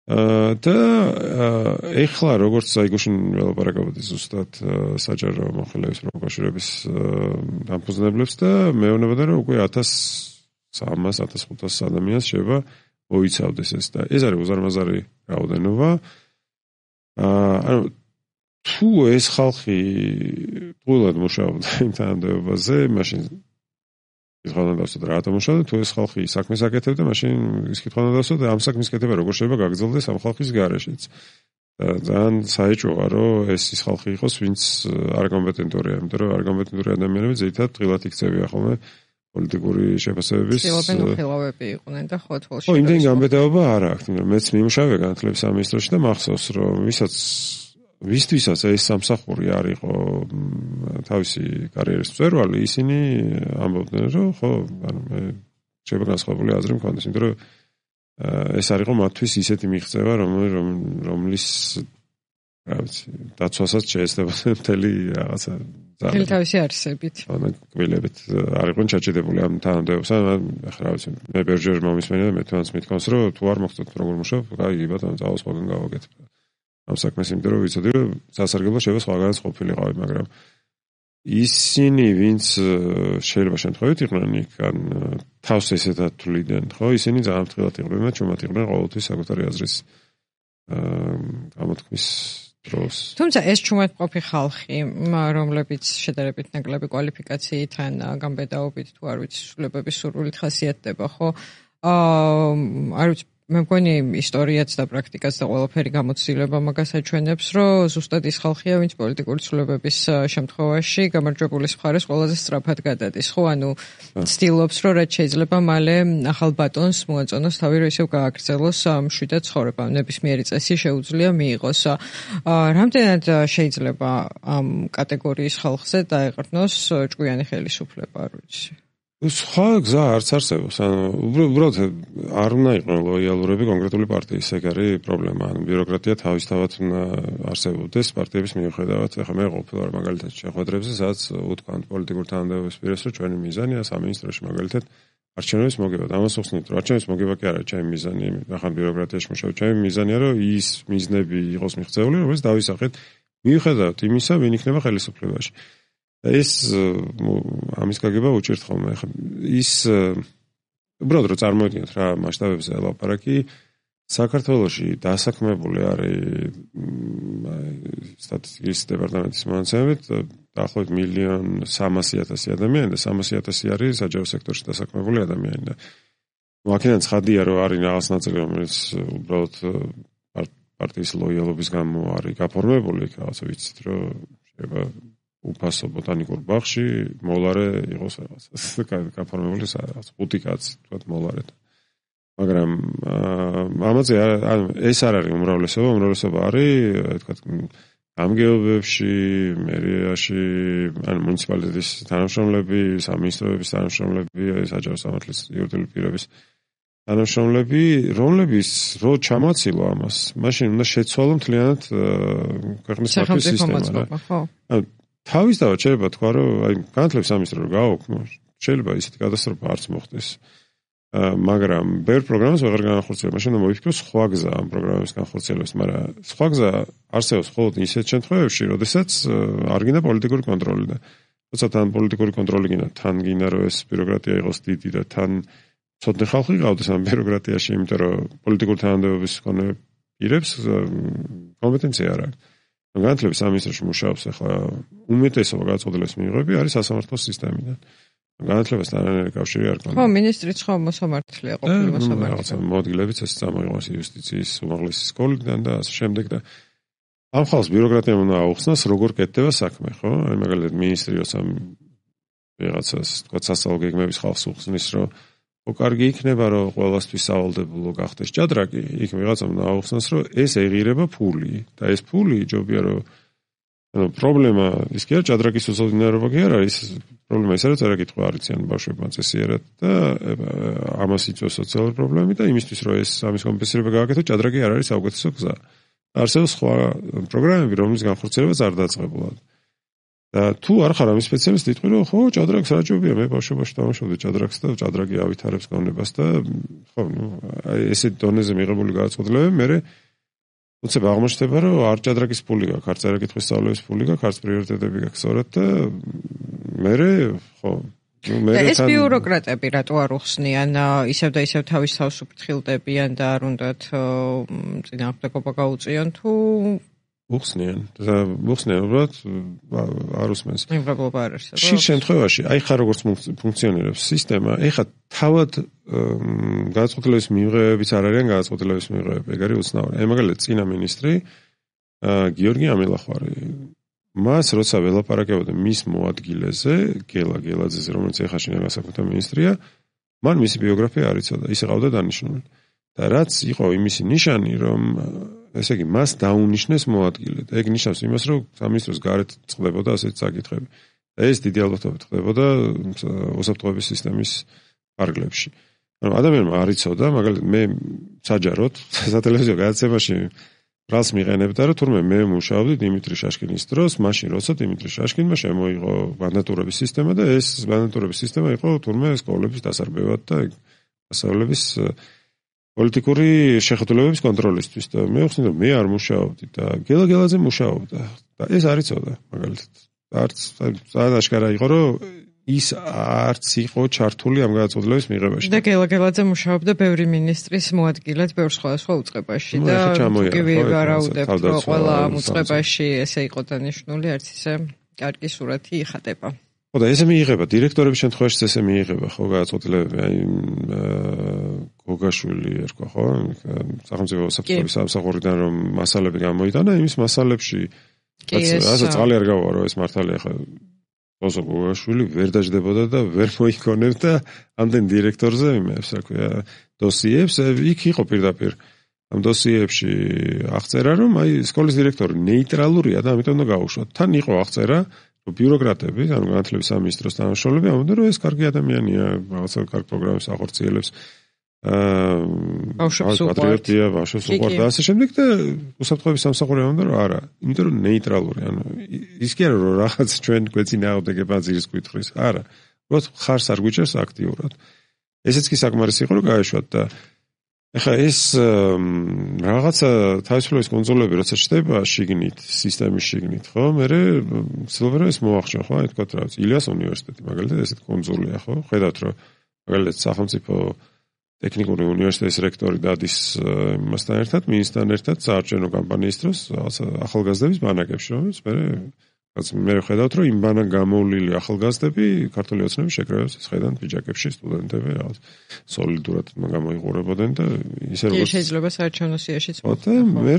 და ეხლა როგორც აი გუშინ ველაპარაკობდი ზუსტად საჯარო მომხელეების პროფესორების დამფუძნებლებს და მეუბნებოდა რომ უკვე ათას სამას ათას ხუთას ადამიანს შეიძლება მოიცავდეს ეს და ეს არის უზარმაზარი რაოდენობა. ანუ თუ ეს ხალხი თულად მუშაობდა იმ თანამდებობაზე, მაშინ ის ხალხი დავსვათ რა თამაშობდა, თუ ეს ხალხი საქმეს აკეთებდა, მაშინ ის კითხვა დავსვათ ამ საქმის კეთება როგორ შეიძლება გაგრძელდეს ამ ხალხის გარეშეც. და ძალიან საეჭვოა, რომ ეს ის ხალხი იყოს, ვინც არ კომპეტენტურია, იმიტომ რომ არ კომპეტენტური ადამიანები ზეითად დღილად იქცევია ხოლმე პოლიტიკური შეფასებების. ცდილობენ უხილავები იყვნენ და ხო თვალში. ხო, იმდენი გამბედაობა არ აქვს, მაგრამ მეც მიმუშავე განათლების სამინისტროში და მახსოვს, რომ ვისაც ვისთვისაც ეს სამსახური არ იყო თავისი კარიერის მწვერვალი, ისინი ამბობდნენ, რომ ხო, ანუ მე შეიძლება განსხვავებული აზრი მქონდეს, იმიტომ რომ ეს არ იყო მათთვის ისეთი მიღწევა, რომლის რა ვიცი, დაცვასაც შეეცდებოდნენ მთელი რაღაცა მთელი თავისი არსებით. ანუ კბილებით არ იყვნენ ჩაჭედებული ამ თანამდებობასთან, ახლა რა ვიცი, მე ბერჯერ მომისმენია და მე თვითონაც მithkons, რომ თუ არ მოხდეთ როგორ მუშაობ, კაი, ბატონო, წავალ სხვაგან გავაკეთებ. ამ საქმეს იმიტომ რომ ვიცოდი რომ სასარგებლო შეიძლება სხვაგანაც ყოფილიყავი, მაგრამ ისინი ვინც შეიძლება შემთხვევით იყვნენ იქ ან თავს ესეთად თვლიდნენ, ხო, ისინი ძალიან ფრთხილად იყვნენ და ჩუმად იყვნენ ყოველთვის საკუთარი აზრის გამოთქმის დროს. თუმცა ეს ჩუმადმყოფი ხალხი, რომლებიც შედარებით ნაკლები კვალიფიკაციით ან გამბედაობით თუ არ ვიცი, სრულებების სურვილით ხასიათდება, ხო? აა არ ვიცი მე მგონი ისტორიაც და პრაქტიკაც და ყველაფერი გამოცდილება მაგას აჩვენებს, რომ ზუსტად ის ხალხია, ვინც პოლიტიკური ცვლილებების შემთხვევაში გამარჯვებულის მხარეს ყველაზე სწრაფად გადადის. ხო, ანუ ცდილობს, რომ რაც შეიძლება მალე ახალ ბატონს მოაწონოს თავი, რომ ისევ გააგრძელოს მშვიდად ცხოვრება. ნებისმიერი წესი შეუძლია მიიღოს. რამდენად შეიძლება ამ კატეგორიის ხალხზე დაეყრდნოს ჭკვიანი ხელისუფლება, არ ვიცი. სხვა გზა არც არსებობს. ანუ უბრალოდ არ უნდა იყვნენ ლოიალურები კონკრეტული პარტიის, ეგ არის პრობლემა. ანუ ბიუროკრატია თავისთავად უნდა არსებობდეს პარტიების მიუხედავად. ეხლა მე ყოფილი ვარ მაგალითად შეხვედრებზე, სადაც უთქვამთ პოლიტიკურ თანამდებობის პირებს, რომ ჩვენი მიზანია სამინისტროში მაგალითად არჩევნების მოგება. ამას ვხსნით, რომ არჩევნების მოგება კი არა ჩემი მიზანი, ახლა ბიუროკრატიაში მუშაობ. ჩემი მიზანია, რომ ის მიზნები იყოს მიღწეული, რომელიც დავისახეთ მიუხედავად იმისა, ვინ იქნება ხელისუფლებაში. ეს ამის გაგება უჭირთ ხოლმე. ხა ის უბრალოდ რომ წარმოიდგინოთ რა მასშტაბებზე ელაპარაკი, საქართველოში დასაქმებული არის სტატისტიკის დეპარტამენტის მონაცემებით დაახლოებით მილიონ სამასი ათასი ადამიანი და სამასი ათასი არის საჯარო სექტორში დასაქმებული ადამიანი და აქედან ცხადია რომ არის რაღაც ნაწილი რომელიც უბრალოდ პარტიის ლოიალობის გამო არის გაფორმებული, რაღაცა ვიცით რომ შეიძლება უფასო ბოტანიკურ ბაღში მოლარე იყოს რაღაცა გაფორმებული რაღაც ხუთი კაცი თქვა მოლარე. მაგრამ ამაზე ეს არ არის უმრავლესობა, უმრავლესობა არის თქვა გამგეობებში, მერიაში, ან მუნიციპალიტეტის თანამშრომლები, სამინისტროების თანამშრომლები, საჯარო სამართლის იურიდიული პირების თანამშრომლები, რომლებიც რო ჩამოაცილო ამას, მაშინ უნდა შეცვალო მთლიანად ქვეყნის პარტიის სისტემა. ხო. თავისთავად შეიძლება თქვა, რომ აი განათლების სამინისტრო რო გააოქმო, შეიძლება ისეთი კატასტროფა არც მოხდეს. მაგრამ ბევრ პროგრამას ვეღარ განახორციელებ, მაშინ უნდა მოიფიქროს სხვა გზა ამ პროგრამების განხორციელებას, მაგრამ სხვა გზა არსებობს მხოლოდ ისეთ შემთხვევებში, როდესაც არ გინდა პოლიტიკური კონტროლი და როცა თან პოლიტიკური კონტროლი გინდა, თან გინდა რომ ეს ბიუროკრატია იყოს დიდი და თან ცოტნე ხალხი ყავდეს ამ ბიუროკრატიაში, იმიტომ რომ პოლიტიკური თანამდებობის მქონე პირებს კომპეტენცია არ აქვს. განათლების სამინისტროში მუშაობს ახლა უმეტესობა გადაწყვეტილების მიღებები არის სასამართლო სისტემიდან. განათლებასთან არანაირი კავშირი არ ქონია. ხო, მინისტრიც ხო მოსამართლეა, ყოფილი მოსამართლე. რაღაცა მოადგილებიც ეს წამოიღოს იუსტიციის უმაღლესი სკოლიდან და ასე შემდეგ და ამ ხალხს ბიუროკრატიამ უნდა აუხსნას, როგორ კეთდება საქმე, ხო? აი მაგალითად მინისტრი როცა რაღაცას, თქვა სასწავლო გეგმების ხალხს უხსნის, რომ ო კარგი იქნება, რომ ყველასთვის სავალდებულო გახდეს ჭადრაკი, იქ ვიღაცამ უნდა აუხსნას, რომ ეს ეღირება ფული და ეს ფული ჯობია რომ ანუ პრობლემა ის კი არა ჭადრაკის უზრუნველობა კი არა, ის პრობლემა ის არის, რა კითხვა არიციან ბავშვებმა წესიერად და ამას იწვევს სოციალური პრობლემები და იმისთვის რომ ეს ამის კომპენსირება გააკეთო, ჭადრაკი არ არის საუკეთესო გზა. არსებობს სხვა პროგრამები, რომლის განხორციელებაც არ დაწყებულა. და თუ არ ხარ ამის სპეციალისტი, იტყვი რომ ხო, ჭადრაკს რა ჯობია, მე ბავშვობაში დავამშავდი ჭადრაკს და ჭადრაკი ავითარებს გონებას და ხო, ნუ აი ესეთ დონეზე მიღებული გადაწყვეტილებები მე უცებ აღმოჩნდება, რომ არ ჭადრაკის ფული გაქვს, არც არაკითხვის სწავლების ფული გაქვს, არც პრიორიტეტები გაქვს, სწორად და მე ხო, ნუ მე ეს ბიუროკრატები რატო არ უხსნიან, ისევ და ისევ თავის თავს უფრთხილდებიან და არ უნდათ წინააღმდეგობა გაუწიონ თუ უხსნიან და უხსნიან, უბრალოდ არ უსმენს. მიღებულობა არ არსებობს. შიგ შემთხვევაში, აი ხა როგორც ფუნქციონირებს სისტემა, ეხა თავად გადაწყვეტილების მიღებებიც არ არიან გადაწყვეტილების მიღებები, ეგ არის უცნაური. აი მაგალითად წინა მინისტრი გიორგი ამილახვარი, მას როცა ველაპარაკებოდა მის მოადგილეზე, გელა გელაძეზე, რომელიც ეხა შინაგან საქმეთა მინისტრია, მან მისი ბიოგრაფია არ იცოდა, ის ეყავდა დანიშნული. და რაც იყო იმისი ნიშანი, რომ ესე იგი მას დაუნიშნეს მოადგილე და ეგ ნიშნავს იმას, რომ სამინისტროს გარეთ წყდებოდა ასეთი საკითხები. და ეს დიდი ალბათობით ხდებოდა უსაფრთხოების სისტემის ფარგლებში. ანუ ადამიანმა არ იცოდა, მაგალითად მე საჯაროდ სატელევიზიო გადაცემაში რას მიყენებდა, რომ თურმე მე მუშაობდი დიმიტრი შაშკინის დროს, მაშინ როცა დიმიტრი შაშკინმა შემოიღო ბანდატურების სისტემა და ეს ბანდატურების სისტემა იყო თურმე სკოლების დასარბევად და ასავლების პოლიტიკური შეხედულებების კონტროლისთვის და მე ვხსნი რომ მე არ მუშაობდი და გელა გელაძე მუშაობდა და ეს არ იცოდა მაგალითად არც აშკარა იყო რომ ის არც იყო ჩართული ამ გადაწყვეტილების მიღებაში და გელა გელაძე მუშაობდა ბევრი მინისტრის მოადგილედ ბევრ სხვადასხვა უწყებაში და კი ვარაუდებ რომ ყველა ამ უწყებაში ესე იყო დანიშნული არც ისე კარგი სურათი იხატება. ხო და ესე მიიღება დირექტორების შემთხვევაში ესე მიიღება ხო გადაწყვეტილებები აი გოგაშვილი ერქვა ხო სახელმწიფო საფრთხების სამსახურიდან რომ მასალები გამოიტანა იმის მასალებში ასე წყალი არ გავა რომ ეს მართალია ხო ოზო გოგაშვილი ვერ დაждდებოდა და ვერ მოიქონებდა ამდენ დირექტორზე იმებს რა ქვია დოსიებს იქ იყო პირდაპირ ამ დოსიებში აღწერა რომ აი სკოლის დირექტორი ნეიტრალურია და ამიტომ უნდა გაუშვათ თან იყო აღწერა ბიუროკრატები, ანუ განათლების სამინისტროს თანამშრომლები ამბობდნენ, რომ ეს კარგი ადამიანია, რაღაცა კარგ პროგრამებს ახორციელებს. აა პატრიოტია, ბავშვებს უყვართ და ასე შემდეგ და უსაფრთხოების სამსახური ამბობდა, რომ არა, იმიტომ რომ ნეიტრალური, ანუ ის კი არა რომ რაღაც ჩვენ გვეწინააღმდეგება ძირის კუთხის, არა. უბრალოდ ხარს არ გვიჭერს აქტიურად. ესეც კი საკმარისი იყო რომ გაეშვათ და ეხლა ეს რაღაცა თავისუფლების კონტროლები როცა ჩდება შიგნით, სისტემის შიგნით, ხო? მერე ცდილობენ ეს მოახშენ, ხო? აი თქვათ რაღაც ილიას უნივერსიტეტი, მაგალითად ესეთ კონტროლია, ხო? ხედავთ რომ მაგალითად სახელმწიფო ტექნიკური უნივერსიტეტის რექტორი დადის იმასთან ერთად, მინისტრთან ერთად საარჩევნო კამპანიის დროს რაღაცა ახალგაზრდების ბანაკებში, რომელიც მერე რაც მე ხედავთ რომ იმ ბანაკ გამოვლილი ახალგაზრდები ქართული ოცნების შეკრებას ხედავთ ბიჯაკებში სტუდენტები რაღაც სოლიდურად გამოიყურებოდნენ და ისე როგორც შეიძლება საარჩევნო სიაშიც მოხდა მე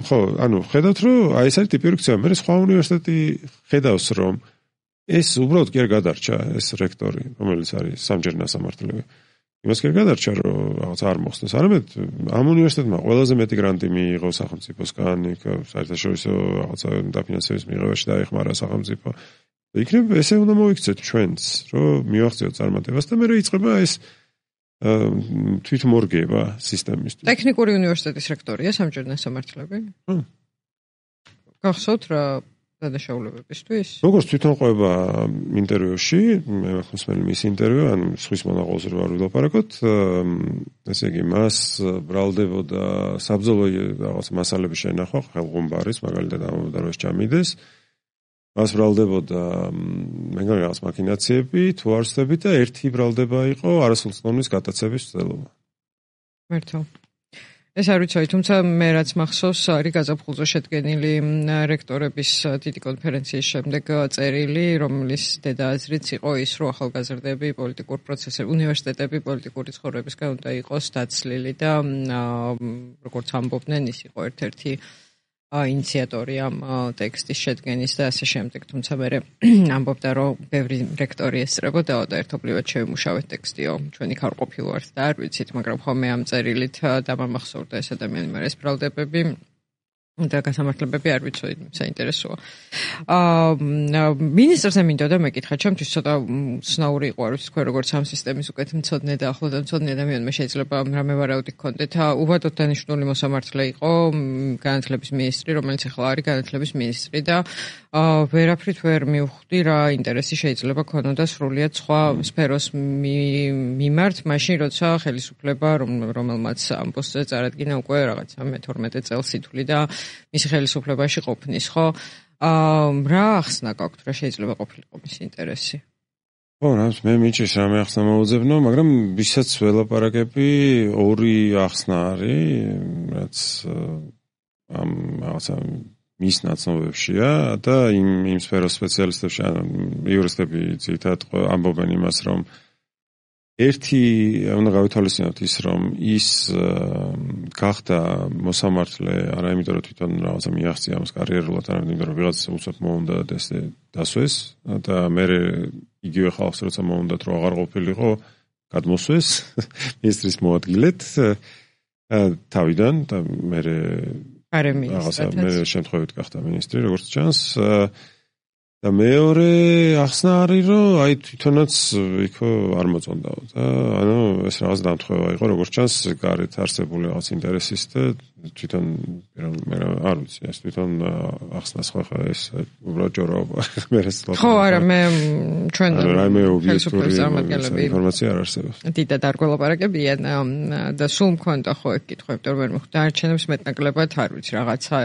ხო ანუ ხედავთ რომ აი ეს არის ტიპური ქცევა მე სხვა უნივერსიტეტი ხედავს რომ ეს უბრალოდ კი არ გადარჩა ეს რექტორი რომელიც არის სამჯერ ნასამართლებელი იმას კი არ გადარჩა რომ რაღაც არ მოხსნეს არამედ ამ უნივერსიტეტმა ყველაზე მეტი გრანტი მიიღო სახელმწიფოსგან იქ საერთაშორისო რაღაცა დაფინანსების მიღებაში დაეხმარა სახელმწიფო იქნებ ესე უნდა მოიქცეთ ჩვენც რომ მივახციოთ წარმატებას და მე რა იწყება ეს თვითმორგება სისტემისთვის ტექნიკური უნივერსიტეტის რექტორია სამჯერ ნასამართლებელი გახსოვთ რა დადაშაულებებისთვის? როგორც თვითონ ყვება ინტერვიუში, მე ხმსმელი მის ინტერვიუ, ან სხვის მონაღოლზე რა ვილაპარაკოთ, ესე იგი, მას ბრალდებოდა საბრძოლო რაღაც მასალების შენახვა, ხელღუმბარის, მაგალითად ამბობდა რომ ეს ჩამიდეს. მას ბრალდებოდა მეგონი რაღაც მაქინაციები, თუ არსები და ერთი ბრალდება იყო არასრულწლოვნის გატაცების ცდელობა. მართლა ეს არ ვიცი, თუმცა მე რაც მახსოვს, არის გაზაფხულზე შედგენილი რექტორების დიდი კონფერენციის შემდეგ წერილი, რომლის დედააზრიც იყო ის, რომ ახალგაზრდები პოლიტიკურ პროცესებში, უნივერსიტეტები პოლიტიკური ცხოვრებისგან უნდა იყოს დაცლილი და როგორც ამბობდნენ, ის იყო ერთ-ერთი ინიციატორი ამ ტექსტის შედგენის და ასე შემდეგ, თუმცა მე ამბობდა, რომ ბევრი რექტორი ესწრებოდაო და ერთობლივად შევიმუშავეთ ტექსტიო, ჩვენი ხარ ყოფილვართ და არ ვიცით, მაგრამ ხოლმე ამ წერილით დამამახსოვრდა ეს ადამიანი, მაგრამ ეს ბრალდებები და გასამართლებები არ ვიცოდი, საინტერესოა. აა მინისტრს მინდოდა მეკითხა, ჩემთვის ცოტა ცნაური იყო, არ ვიცი თქვენ როგორც ამ სისტემის უკეთ მცოდნე და ახლოდან მცოდნე ადამიანმა შეიძლება რამე ვარაუდი გქონდეთ. უვადოდ დანიშნული მოსამართლე იყო განათლების მინისტრი, რომელიც ახლა არის განათლების მინისტრი და აა ვერაფრით ვერ მივხვდი რა ინტერესი შეიძლება ქონოდა სრულიად სხვა სფეროს მიმართ, მაშინ როცა ხელისუფლება რომელმაც ამ პოსტზე წარადგინა უკვე რაღაცა მეთორმეტე წელს ითვლი და მისი ხელისუფლებაში ყოფნის, ხო? აა რა ახსნა გაქვთ, რა შეიძლება ყოფილიყო მის ინტერესი? ხო, რამს მე მიჭირს რამე ახსნა მოუძებნო, მაგრამ ვისაც ველაპარაკები, ორი ახსნა არის, რაც ამ რაღაცა მის ნაცნობებშია და იმ იმ სფეროს სპეციალისტებში, ანუ იურისტები ძირითადად ამბობენ იმას, რომ ერთი უნდა გავითვალისწინოთ ის, რომ ის გახდა მოსამართლე არა იმიტომ, რომ თვითონ რაღაცა მიაღწია ამას კარიერულად, არამედ იმიტომ, რომ ვიღაც უცებ მოუნდა დასვეს და მე იგივე ხალხს როცა მოუნდათ, რომ აღარ ყოფილიყო, გადმოსვეს მინისტრის მოადგილედ თავიდან და მე რაღაცა მე შემთხვევით გახდა მინისტრი, როგორც ჩანს და მეორე ახსნა არის, რომ აი თვითონაც იქო არ მოწონდაო და ანუ ეს რაღაც დამთხევა იყო, როგორც ჩანს, გარეთ არსებული რაღაც ინტერესის და თვითონ მე არ ვიცი, ეს თვითონ ახსნას ხო ხა ეს უბრალოდ ჯორაობა. მე ეს ხო, არა, მე ჩვენ რაიმე ობიექტური ინფორმაცია არ არსებობს. დიდად არ გველაპარაკებიან და სულ მქონდა ხო ეგ კითხვები, რომ ვერ მიხვდა არჩევნებს მეტნაკლებად არ ვიცი, რაღაცა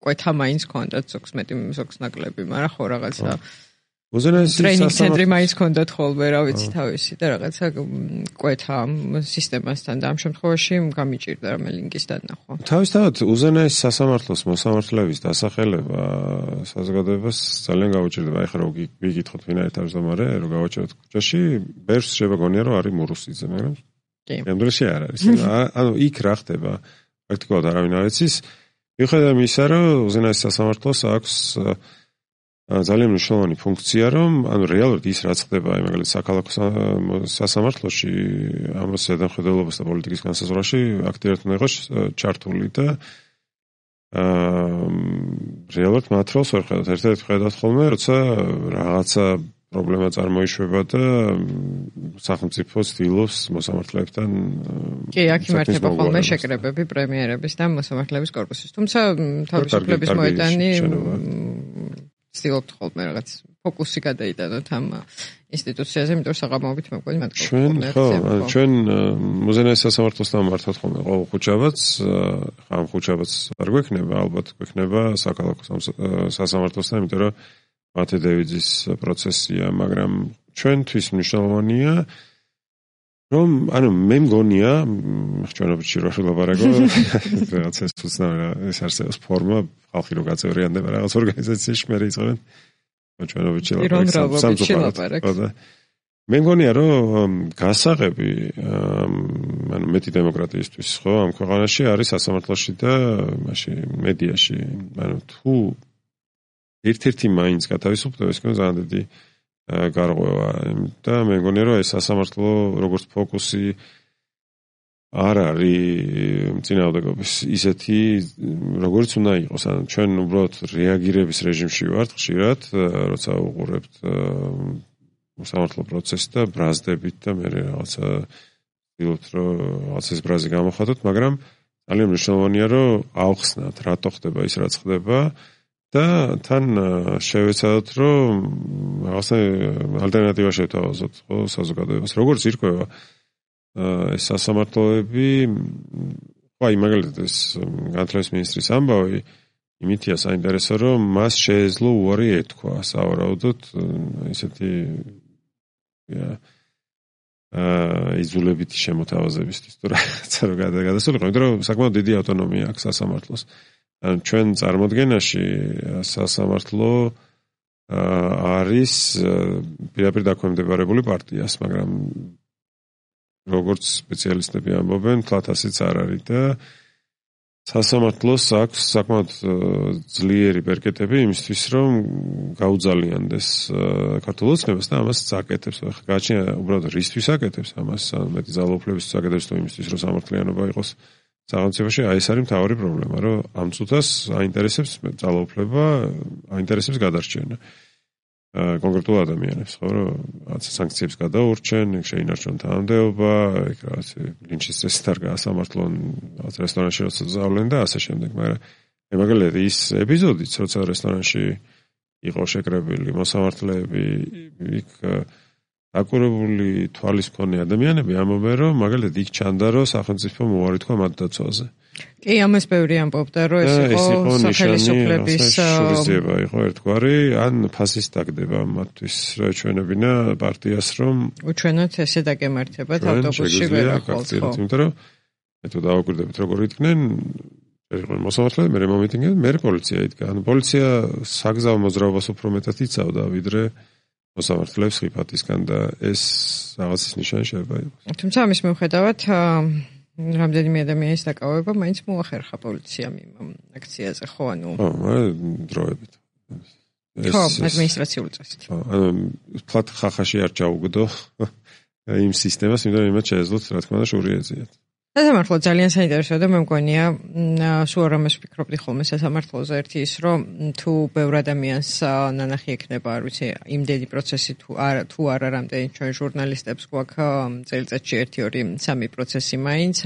ყვეთა მაინც ქონდათ ზოგს მეტი ზოგს ნაკლები, მაგრამ ხო რაღაცა უზენაესი ტრეინინგ ცენტრი მაინც ჰქონდათ ხოლმე, რა ვიცი, თავისი და რაღაცა კვეთა ამ სისტემასთან და ამ შემთხვევაში გამიჭირდა რამე ლინკის დანახვა. თავისთავად უზენაესი სასამართლოს მოსამართლეების დასახელება საზოგადოებას ძალიან გაუჭირდება. ეხლა რო ვიკითხოთ ვინ არის თავმჯდომარე, რო გავაჭიროთ ქუჩაში, ბერს შეგონია რომ არის მურუსიძე, მაგრამ კი. ამდენში არ არის. ანუ იქ რა ხდება? პრაქტიკულად არავინ არ იცის. მიუხედავად იმისა, რომ უზენაესი სასამართლოს აქვს ძალიან მნიშვნელოვანი ფუნქცია, რომ ანუ რეალურად ის რაც ხდება, მაგალითად საქალაქო სასამართლოში ამას ზედამხედველობას და პოლიტიკის განსაზღვრავში აქტიურად უნდა იყოს ჩართული და აა რეალურად მათ როლს ვერ ხედავთ. ერთ-ერთი ხედავთ ხოლმე, როცა რაღაცა პრობლემა წარმოიშვება და სახელმწიფო ცდილობს მოსამართლეებთან კი, აქ იმართება ხოლმე შეკრებები პრემიერების და მოსამართლეების კორპუსის. თუმცა თავისუფლების მოედანი ცდილობთ ხოლმე რაღაც ფოკუსი გადაიტანოთ ამ ინსტიტუციაზე, იმიტომ რომ საღამოობით მე მგონი მათ ჩვენ ხო, ჩვენ უზენაეს სასამართლოსთან მართვათ ხოლმე ყოველ ხუთშაბათს, ხა ამ ხუთშაბათს არ გვექნება, ალბათ გვექნება საქალაქო სასამართლოსთან, იმიტომ რომ მათე დევიძის პროცესია, მაგრამ ჩვენთვის მნიშვნელოვანია რომ ანუ მე მგონია ხჩვენობითში რო ვილაპარაკო რაღაც ეს უცნაური ეს არსებობს ფორმა ხალხი რო გაწევრიანდება რაღაც ორგანიზაციაში მე რიცხენ ხჩვენობითში ლაპარაკო მე მგონია რომ გასაღები ანუ მეტი დემოკრატიისთვის ხო ამ ქვეყანაში არის სასამართლოში და მაშინ მედიაში ანუ თუ ერთ-ერთი მაინც გათავისუფლდება ეს კენ ძალიან დიდი გარღვევა და მე მგონია რომ ეს სასამართლო როგორც ფოკუსი არ არის წინააღმდეგობის ისეთი როგორც უნდა იყოს ან ჩვენ უბრალოდ რეაგირების რეჟიმში ვართ ხშირად როცა უყურებთ სასამართლო პროცესს და ბრაზდებით და მე რაღაცა ვცდილობთ რომ რაღაც ეს ბრაზი გამოხატოთ მაგრამ ძალიან მნიშვნელოვანია რომ ავხსნათ რატო ხდება ის რაც ხდება და თან შევეცადოთ რომ რაღაცა ალტერნატივა შევთავაზოთ ხო საზოგადოებას როგორც ირკვევა ეს სასამართლოები ხო აი მაგალითად ეს განათლების მინისტრის ამბავი იმითია საინტერესო რომ მას შეეძლო უარი ეთქვა სავარაუდოდ ისეთი აა იზოლებითი შემოთავაზებისთვის თუ რაღაცა რო გადასულიყო იმიტომ რომ საკმაოდ დიდი ავტონომია აქვს სასამართლოს ჩვენ წარმოდგენაში სასამართლო არის პირდაპირ დაქვემდებარებული პარტიას, მაგრამ როგორც სპეციალისტები ამბობენ, თლათ ასეც არ არის და სასამართლოს აქვს საკმაოდ ძლიერი ბერკეტები იმისთვის, რომ გაუძალიანდეს ქართულ ოცნებას და ამას აკეთებს. ახლა გააჩნია უბრალოდ რისთვის აკეთებს ამას, მეტი ძალაუფლებისთვის აკეთებს თუ იმისთვის, რომ სამართლიანობა იყოს სახელმწიფოში აი ეს არის მთავარი პრობლემა, რომ ამ წუთას აინტერესებს ძალაუფლება, აინტერესებს გადარჩენა. აა კონკრეტულ ადამიანებს, ხო, რომ რაღაც სანქციებს გადაურჩენ, შეინარჩუნონ თანამდებობა, ეგ რაღაც ლინჩის წესით არ გაასამართლონ, რაღაც რესტორანში როცა ზავლენ და ასე შემდეგ, მაგრამ მე მაგალითად ის ეპიზოდიც, როცა რესტორანში იყო შეკრებილი მოსამართლეები, იქ აკურებული თვალის მქონე ადამიანები ამბობენ რომ მაგალითად იქ ჩანდა რომ სახელმწიფო მოუარი თქვა მათ დაცვაზე. კი, ამას ბევრი ამბობდა რომ ეს იყო სახელმწიფოების შურისძიება იყო ერთგვარი, ან ფასის დაგდება მათთვის რა ჩვენებინა პარტიას რომ უჩვენოთ ესე დაგემართებათ ავტობუსში ვერახვალთ. იმიტომ რომ მე თუ დავაკვირდებით როგორ იდგნენ ერთხელ მოსამართლეები მე მომიტინგებდნენ მე პოლიცია იდგა. ანუ პოლიცია საგზაო მოძრაობას უფრო მეტად იცავდა ვიდრე მოსამართლეებს ხიფათისგან და ეს რაღაცის ნიშანი შეიძლება იყოს. თუმცა ამის მიუხედავად რამდენიმე ადამიანის დაკავება მაინც მოახერხა პოლიციამ იმ აქციაზე, ხო, ანუ ხო, დროებით. ხო, ადმინისტრაციული წესით. ხო, ანუ ფლატ ხახაში არ ჩაუგდო იმ სისტემას, იმიტომ რომ იმათ შეეძლოთ რა თქმა უნდა შური ეძიათ. სასამართლო ძალიან საინტერესოა და მე მგონია სულ რამეს ვფიქრობდი ხოლმე სასამართლოზე ერთი ის რომ თუ ბევრ ადამიანს ნანახი ექნება არ ვიცი იმდენი პროცესი თუ არა თუ არა რამდენი ჩვენ ჟურნალისტებს გვაქვს წელიწადში ერთი ორი სამი პროცესი მაინც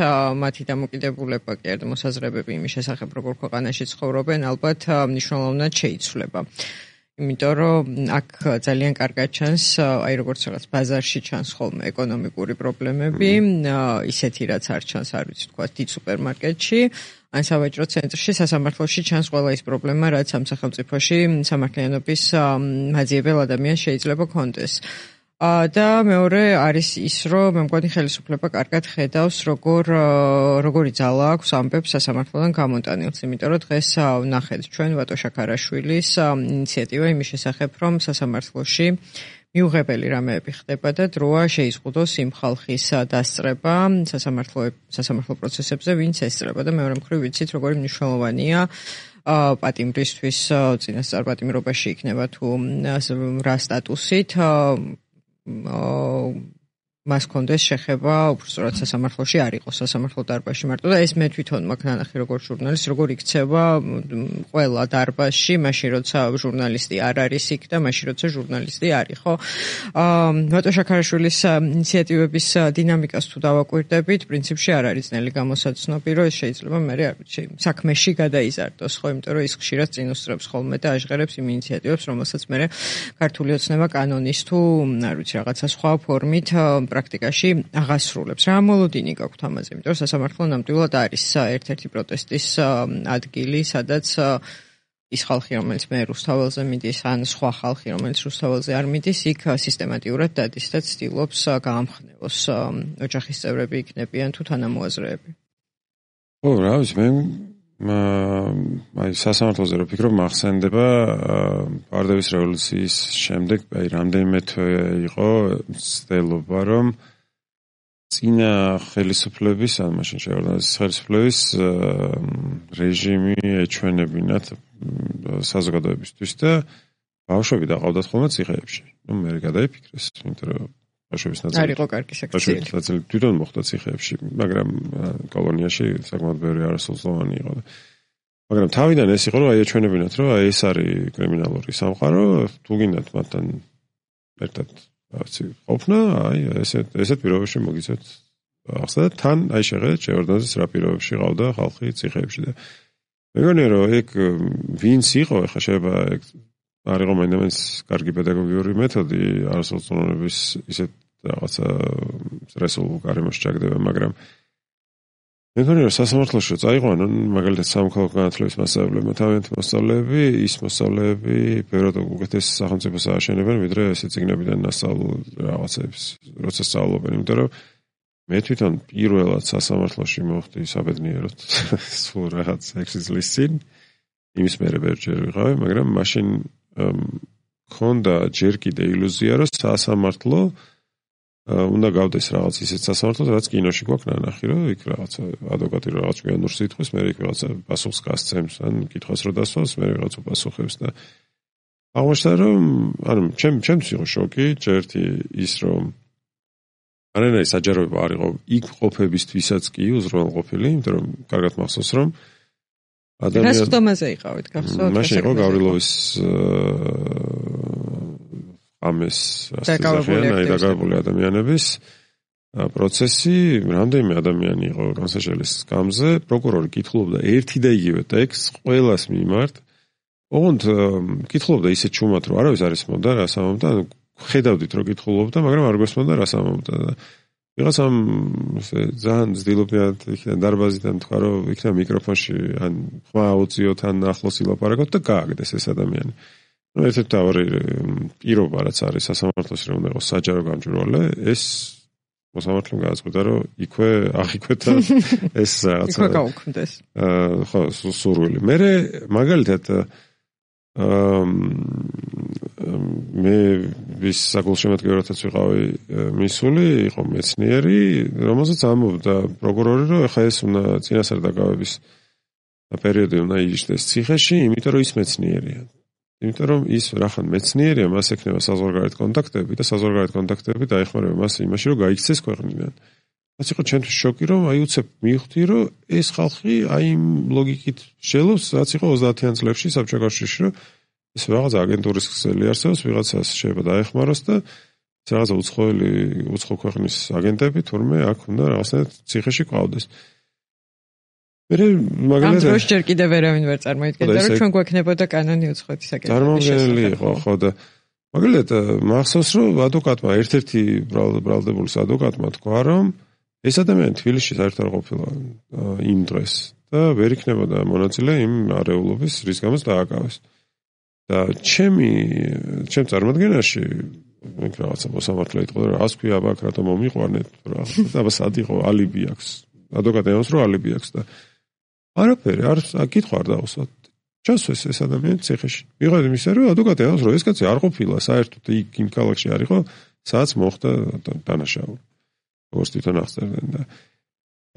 მათი დამოკიდებულება კი არა მოსაზრებები იმის შესახებ როგორ ქვეყანაში ცხოვრობენ ალბათ მნიშვნელოვნად შეიცვლება. იმიტომ რომ აქ ძალიან კარგად ჩანს, აი როგორც რაღაც ბაზარში ჩანს ხოლმე ეკონომიკური პრობლემები, ისეთი რაც არ ჩანს, არ ვიცი თქვა, დიდ სუპერმარკეტში, ან სავაჭრო ცენტრში, სასამართლოში ჩანს ყველა ის პრობლემა, რაც ამ სახელმწიფოში სამართლიანობის მაძიებელ ადამიანს შეიძლება კონდეს. და მეორე არის ის, რომ მე მგონი ხელისუფლება კარგად ხედავს, როგორ როგორი ძალა აქვს ამბებს სასამართლოდან გამოტანილს, იმიტომ რომ დღეს ვნახეთ ჩვენ ვატო შაქარაშვილის ინიციატივა იმის შესახებ, რომ სასამართლოში მიუღებელი რამეები ხდება და დროა შეიზღუდოს იმ ხალხის დასწრება სასამართლო სასამართლო პროცესებზე, ვინც ესწრება და მეორე მხრივ ვიცით, როგორი მნიშვნელოვანია პატიმრისთვის წინასწარ პატიმრობაში იქნება თუ რა სტატუსით მას კონდეს შეხება უბრალოდ სასამართლოში არ იყოს სასამართლო დარბაზში მარტო და ეს მე თვითონ მაქვს ნანახი როგორც ჟურნალისტი როგორ იქცევა ყველა დარბაზში მაშინ როცა ჟურნალისტი არ არის იქ და მაშინ როცა ჟურნალისტი არის ხო ვატო შაქარაშვილის ინიციატივების დინამიკას თუ დავაკვირდებით პრინციპში არ არის ძნელი გამოსაცნობი რომ ეს შეიძლება მე არ ვიცი საქმეში გადაიზარდოს ხო იმიტომ რომ ის ხშირად წინუსწრებს ხოლმე და აჟღერებს იმ ინიციატივებს რომელსაც მე ქართული ოცნება კანონის თუ არ ვიცი რაღაცა სხვა ფორმით პრაქტიკაში აღასრულებს. რა მოლოდინი გაქვთ ამაზე? იმიტომ რომ სასამართლო ნამდვილად არის ერთ-ერთი პროტესტის ადგილი, სადაც ის ხალხი, რომელიც მე რუსთაველზე მიდის, ან სხვა ხალხი, რომელიც რუსთაველზე არ მიდის, იქ სისტემატიურად დადის და ცდილობს გაამხნევოს ოჯახის წევრები იქნებიან თუ თანამოაზრეები. ო, რა ვიცი, მე აი სასამართლოზე რო ფიქრობ, მახსენდება პარდევის რევოლუციის შემდეგ, აი რამდენიმე თვე იყო ცდილობა, რომ წინა ხელისუფლების, ან მაშინ შეორდანეს ხელისუფლების რეჟიმი ეჩვენებინათ საზოგადოებისთვის და ბავშვები დაყავდათ ხოლმე ციხეებში. ნუ მე გადაიფიქრეს, იმიტომ რომ ბავშვების ნაწილი არ იყო კარგი საქციელი. ბავშვების ნაწილი თვითონ მოხდა ციხეებში, მაგრამ კოლონიაში საკმაოდ ბევრი არასრულწლოვანი იყო და მაგრამ თავიდან ეს იყო რომ აი ეჩვენებინათ რომ აი ეს არის კრიმინალური სამყარო, თუ გინდათ მათთან ერთად რაღაცი ყოფნა, აი ესეთ ესეთ პირობებში მოგიცეთ ახსნა და თან აი შეხედეთ შეორდანეს რა პირობებში ყავდა ხალხი ციხეებში და მეგონია რომ ეგ ვინც იყო ახლა შეიძლება ეგ არ იყო მაინც კარგი პედაგოგიური მეთოდი არასრულწლოვნების ისეთ რაღაცა სტრესულ გარემოში ჩაგდება, მაგრამ მე მგონი რომ სასამართლოში წაიყვანონ მაგალითად სამოქალაქო განათლების მასწავლებლებმა თავიანთი მოსწავლეები, ის მოსწავლეები ბევრად უკეთეს სახელმწიფოს ააშენებენ, ვიდრე ესე წიგნებიდან ნასწავლულ რაღაცებს, როცა სწავლობენ, იმიტომ რომ მე თვითონ პირველად სასამართლოში მოვხდი საბედნიეროდ სულ რაღაც ექვსი წლის წინ, იმის მერე ბევრჯერ ვიყავი, მაგრამ მაშინ ხონდა ჯერ კიდე ილუზია, რომ სასამართლო უნდა გავდეს რაღაც ისეთ სასამართლოს, რაც კინოში გვაქვს ნანახი, რომ იქ რაღაცა ადვოკატი რაღაც ჭკვიანურს ითხოვს, მე იქ რაღაცა პასუხს გასცემს, ან კითხვას რო დასვას, მე რაღაც უპასუხებს და აღმოჩნდა, რომ ანუ ჩემ ჩემთვის იყო შოკი, ჯერთი ის რომ არანაირი საჯაროება არ იყო იქ ყოფებისთვისაც კი უზრუნველყოფილი, იმიტომ რომ კარგად მახსოვს, რომ ადამიანი რას ხდომაზე იყავით, გახსოვთ? მაშინ იყო გავრილოვის ამეს ასწავლიან დაკავებული ადამიანების პროცესი, რამდენიმე ადამიანი იყო განსაჯელის სკამზე, პროკურორი კითხულობდა ერთი და იგივე ტექსტს ყველას მიმართ. ოღონდ კითხულობდა ისეთ ჩუმად, რომ არავის არ ისმოდა რას ამბობდა, ანუ ხედავდით რომ კითხულობდა, მაგრამ არ გვესმოდა რას ამბობდა და ვიღაცამ ესე ძალიან ძდილობდათ იქიდან დარბაზიდან თქვა რომ იქნა მიკროფონში ან ხმა აუწიოთ ან ახლოს ილაპარაკოთ და გააგდეს ეს ადამიანი. ну ერთ-ერთი თავი პირობა რაც არის სასამართლოში რომ უნდა იყოს საჯარო გამჭვირვალე, ეს მოსამართლემ გააწყდა რომ იქვე აღიქვეთა ეს რაღაცა იქვე გაუქმდეს. აა ხო სურვილი. მე მაგალითად აა მე ვის საგულშემატკივრადაც ვიყავი მისული, იყო მეცნიერი, რომელსაც ამბობდა პროკურორი, რომ ეხა ეს უნდა წინასწარ დაკავების პერიოდი უნდა იჯდეს ციხეში, იმიტომ რომ ის მეცნიერია. იმიტომ რომ ის რახან მეცნიერია, მას ექნება საზღვარგარეთ კონტაქტები და საზღვარგარეთ კონტაქტები დაეხმარება მას იმაში, რომ გაიქცეს ქვეყნიდან. რაც იყო ჩემთვის შოკი, რომ აი უცებ მივხვდი, რომ ეს ხალხი აი იმ ლოგიკით შეძლებს, რაც იყო ოცდაათიან წლებში საბჭოთა კავშირში, რომ ეს რაღაც აგენტურის ქსელი არსებობს, ვიღაცას შეიძლება დაეხმაროს და ეს რაღაცა უცხოელი, უცხო ქვეყნის აგენტები თურმე აქ უნდა რაღაცნაირად ციხეში ყავდეს. მე მაგალითად ამ დროს ჯერ კიდევ ვერავინ ვერ წარმოიდგენდა რომ ჩვენ გვექნებოდა კანონი უცხოეთის საკითხის წარმოუდგენელი იყო ხო და მაგალითად მახსოვს რომ ადვოკატმა ერთ-ერთი ბრალდებულის ადვოკატმა თქვა რომ ეს ადამიანი თბილისში საერთოდ არ ყოფილა იმ დღეს და ვერ იქნებოდა მონაწილე იმ არეულობის რის გამოც დააკავეს და ჩემი ჩემ წარმოდგენაში მე რაღაცა მოსამართლე იყო რომ ას ქვია აბა რატომ მომიყვანეთ რა აბა სად იყო ალიბი აქვს ადვოკატი ამას რომ ალიბი აქვს და არაფერი არ კითხვა არ დაუსვათ ჩასვეს ეს ადამიანი ციხეში მიღეთ იმისა რომ ადვოკატი ამას რომ ეს კაცი არ ყოფილა საერთოდ იქ იმ ქალაქში არ იყო სადაც მოხდა დანაშაული როგორც თვითონ აღწერდნენ და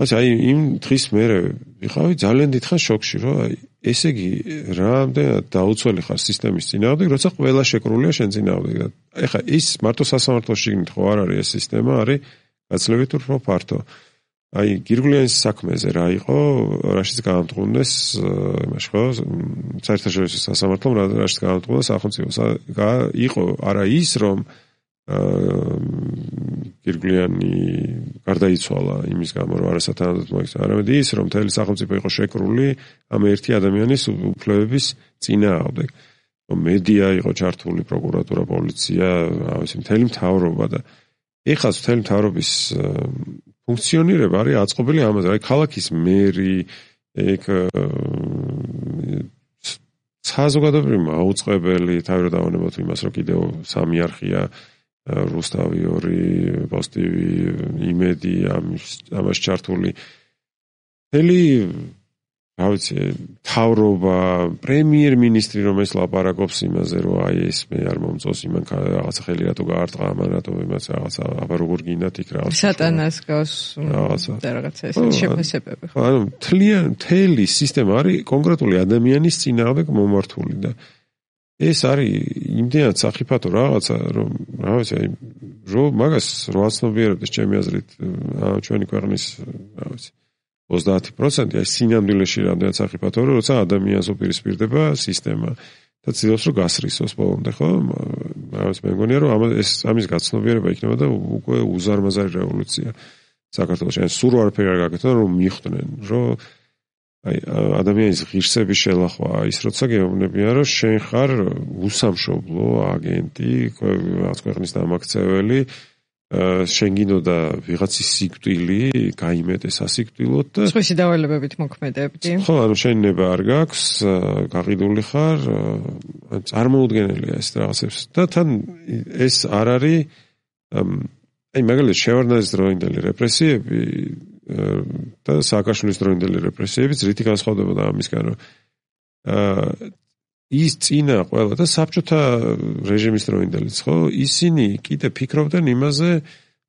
ასე აი იმ დღის მერე ვიყავი ძალიან დიდხანს შოკში რომ აი ესე იგი რამდენად დაუცველი ხარ სისტემის წინააღმდეგ როცა ყველა შეკრულია შენ წინააღმდეგ და ეხა ის მარტო სასამართლოში შიგნით ხო არ არის ეს სისტემა არის გაცილებით უფრო ფართო აი გირგვლიანის საქმეზე რა იყო რაშიც გაამტყუნეს იმაში ხო საერთაშორისო სასამართლომ რაშიც გაამტყუნეს სახელმწიფოს იყო არა ის რომ გირგვლიანი გარდაიცვალა იმის გამო რომ არასათანადოდ მოიქცა არამედ ის რომ მთელი სახელმწიფო იყო შეკრული ამ ერთი ადამიანის უფლებების წინააღმდეგ რომ მედია იყო ჩართული პროკურატურა პოლიცია ავსი მთელი მთავრობა და ეხლა მთელი მთავრობის ფუნქციონირება არის აწყობილი ამაზე აი ქალაქის მერი ეგ საზოგადოებრივი მაუწყებელი თავი რომ დავანებოთ იმას რომ კიდევ სამი არხია რუსთავი ორი პოსტივი იმედი ამას ჩართული მთელი რა ვიცი თავრობა პრემიერ-მინისტრი რომ ეს ლაპარაკობს იმაზე რომ აი ეს მე არ მომწონს იმან რაღაცა ხელი რატო გაარტყა ამან რატო იმას რაღაცა აბა როგორ გინდათ იქ რაღაცა სატანას გავს და რაღაცა ესეთი შეფასებები ხო ანუ თლიან მთელი სისტემა არის კონკრეტული ადამიანის წინააღმდეგ მომართული და ეს არის იმდენად სახიფათო რაღაცა რომ რა ვიცი აი რომ მაგას რო აცნობიერებდეს ჩემი აზრით ჩვენი ქვეყნის რა ვიცი ოცდაათი პროცენტი აი სინამდვილეში რამდენად სახიფათოა რომ როცა ადამიანს უპირისპირდება სისტემა და ცდილობს რომ გასრისოს ბოლომდე ხო რა ვიცი მე მგონია რომ ეს ამის გაცნობიერება იქნება და უკვე უზარმაზარი რევოლუცია საქართველოში ან სულ არაფერი არ გაკეთონ რომ მიხვდნენ რომ აი ადამიანის ღირსების შელახვა ის როცა გეუბნებიან რომ შენ ხარ უსამშობლო აგენტი რაღაც ქვეყნის დამაქცეველი შენ გინდოდა ვიღაცის სიკვდილი გაიმეტეს ასიკვდილოდ და სხვისი დავალებებით მოქმედებდი ხო ანუ შენ ნება არ გაქვს გაყიდული ხარ წარმოუდგენელია ეს რაღაცებს და თან ეს არ არის აი მაგალითად შევარდნაძის დროინდელი რეპრესიები და სააკაშვილის დროინდელი რეპრესიებიც რითი განსხვავდებოდა ამისგან რომ ის წინა ყველა და საბჭოთა რეჟიმის დროინდელიც ხო ისინი კიდე ფიქრობდნენ იმაზე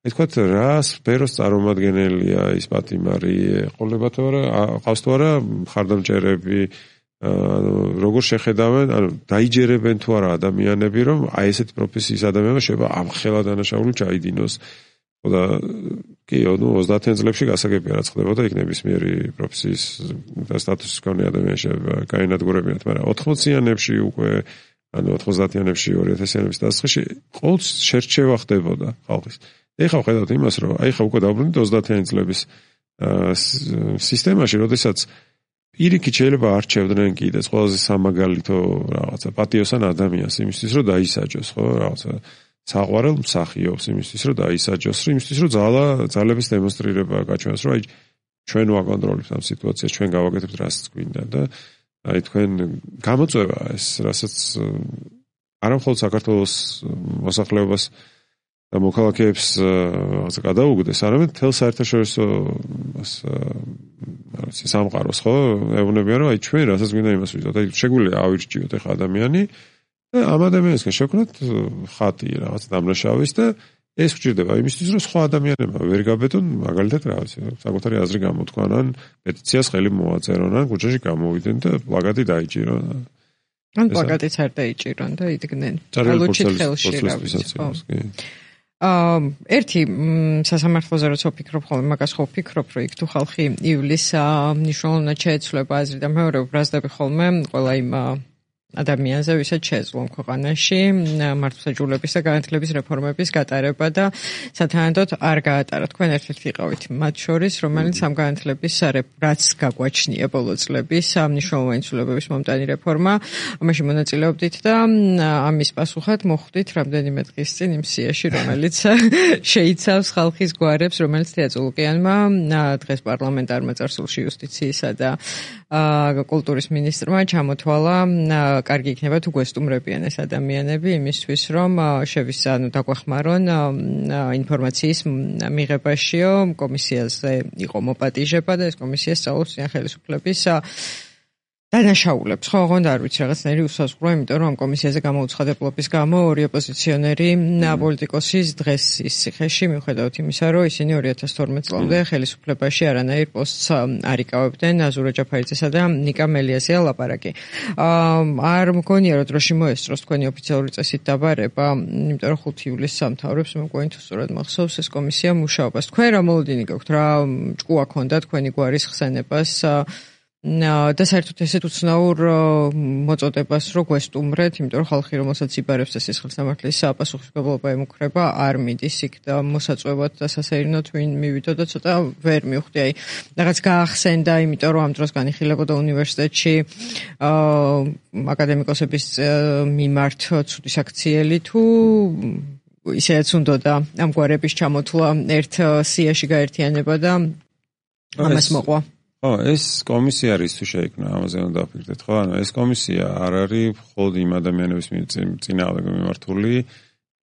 აი თქვათ რა სფეროს წარმომადგენელია ის პატიმარი ყოლება თუ არა ყავს თუ არა მხარდამჭერები ანუ როგორ შეხედავენ ანუ დაიჯერებენ თუ არა ადამიანები რომ აი ესეთი პროფესიის ადამიანმა შეიძლება ამხელა დანაშაული ჩაიდინოს და კი ანუ ოცდაათიან წლებში გასაგებია რაც ხდებოდა იქ ნებისმიერი პროფესიის და სტატუსის მქონე ადამიანში გაენადგურებინათ მაგრამ ოთხმოციანებში უკვე ანუ ოთხმოცდაათიანებში ორი ათასიანების დასაწყისში ყოველთვის შერჩევა ხდებოდა ხალხის ეხლა ვხედავთ იმას რომ აი ხა უკვე დავბრუნდით ოცდაათიანი წლების სისტემაში როდესაც პირიქით შეიძლება არჩევდნენ კიდეც ყველაზე სამაგალითო რაღაცა პატიოსან ადამიანს იმისთვის რომ დაისაჯოს ხო რაღაცა საყვარელ მსახიობს იმისთვის რომ დაისაჯოს იმისთვის რომ ძალა ძალების დემონსტრირება გაჩვენოს რომ აი ჩვენ ვაკონტროლებთ ამ სიტუაციას ჩვენ გავაკეთებთ რასაც გვინდა და აი თქვენ გამოწვევა ეს რასაც არა მხოლოდ საქართველოს მოსახლეობას და მოქალაქეებს რაღაცა გადაუგდეს არამედ თელ საერთაშორისო ასე სამყაროს ხო ეუბნებიან რომ აი ჩვენ რასაც გვინდა იმას ვიზოთ აი შეგვიძლია ავირჩიოთ ახლა ადამიანი ამ ადამიანისგან შევქნათ ხატი რაღაც დამნაშავის და ეს გვჭირდება იმისთვის რომ სხვა ადამიანებმა ვერ გაბედონ მაგალითად რა ვიცი საკუთარი აზრი გამოთქვან ან პეტიციას ხელი მოაწერონ ან ქუჩაში გამოვიდნენ და პლაკატი დაიჭირონ ან პლაკატიც არ დაიჭირონ და იდგნენ ალუჩით ხელში რა ვიცი აა ერთი სასამართლოზე როცა ვფიქრობ ხოლმე მაგას ხო ვფიქრობ რომ იქ თუ ხალხი ივლისს მნიშვნელოვნად შეეცვლება აზრი და მეორე ვბრაზდები ხოლმე ყველა იმ ადამიანზე, ვისაც შეძლო ქვეყანაში მართლმსაჯულების და განათლების რეფორმების გატარება და სათანადოდ არ გაატარა. თქვენ ერთ-ერთი იყავით მათ შორის, რომელიც ამ განათლების რაც გაგვაჩნია ბოლო წლების მნიშვნელოვანი ცვლილებების მომტანი რეფორმა, ამაში მონაწილეობდით და ამის პასუხად მოხვდით რამდენიმე დღის წინ იმ სიაში, რომელიც შეიცავს ხალხის გვარებს, რომელიც თეატრო ლუკიანმა დღეს პარლამენტარმა წარსულში იუსტიციისა და კულტურის მინისტრმა ჩამოთვალა კარგი იქნება თუ გვესტუმრებიან ეს ადამიანები იმისთვის რომ შევისა ანუ დაგვეხმარონ ინფორმაციის მიღებაშიო კომისიაზე იყო მოპატიჟება და ეს კომისია სწავლობს წინ ხელისუფლების დანაშაულებს. ხო, ოღონდ არ ვიცი რაღაცნაირი უსაზღვრო, იმიტომ რომ ამ კომისიაზე გამოუცხადებლობის გამო ორი ოპოზიციონერი პოლიტიკოსის დღეს ის ციხეში მიუხედავად იმისა, რომ ისინი ორი ათას თორმეტ წლამდე ხელისუფლებაში არანაირ პოსტს არ იკავებდნენ, აზურა ჯაფარიძესა და ნიკა მელიაზეა ლაპარაკი. არ მგონია რომ დროში მოესწროს თქვენი ოფიციალური წესით დაბარება, იმიტომ რომ ხუთი ივლისს სამთავრებს მეგონი თუ სწორად მახსოვს ეს კომისია მუშაობას. თქვენ რა მოლოდინი გაქვთ, რა ჭკუა ქონდა თქვენი გვარის ხსენებას და საერთოდ ესეთ უცნაურ მოწოდებას რო გვესტუმრეთ, იმიტომ რომ ხალხი რომელსაც იბარებს ეს სისხლის სამართლის საპასუხისმგებლობა ემუქრება, არ მიდის იქ და მოსაწვევად და სასეირნოდ ვინ მივიდო და ცოტა ვერ მივხვდი, აი რაღაც გაახსენდა, იმიტომ რომ ამ დროს განიხილებოდა უნივერსიტეტში აკადემიკოსების მიმართ ცუდი საქციელი თუ ისეც უნდოდა ამ გვარების ჩამოთვლა ერთ სიაში გაერთიანება და ამას მოყვა. ხო, ეს კომისია არის თუ შეიქმნა, ამაზე უნდა დაფიქრდეთ, ხო? ანუ ეს კომისია არ არის მხოლოდ იმ ადამიანების წინააღმდეგ მიმართული,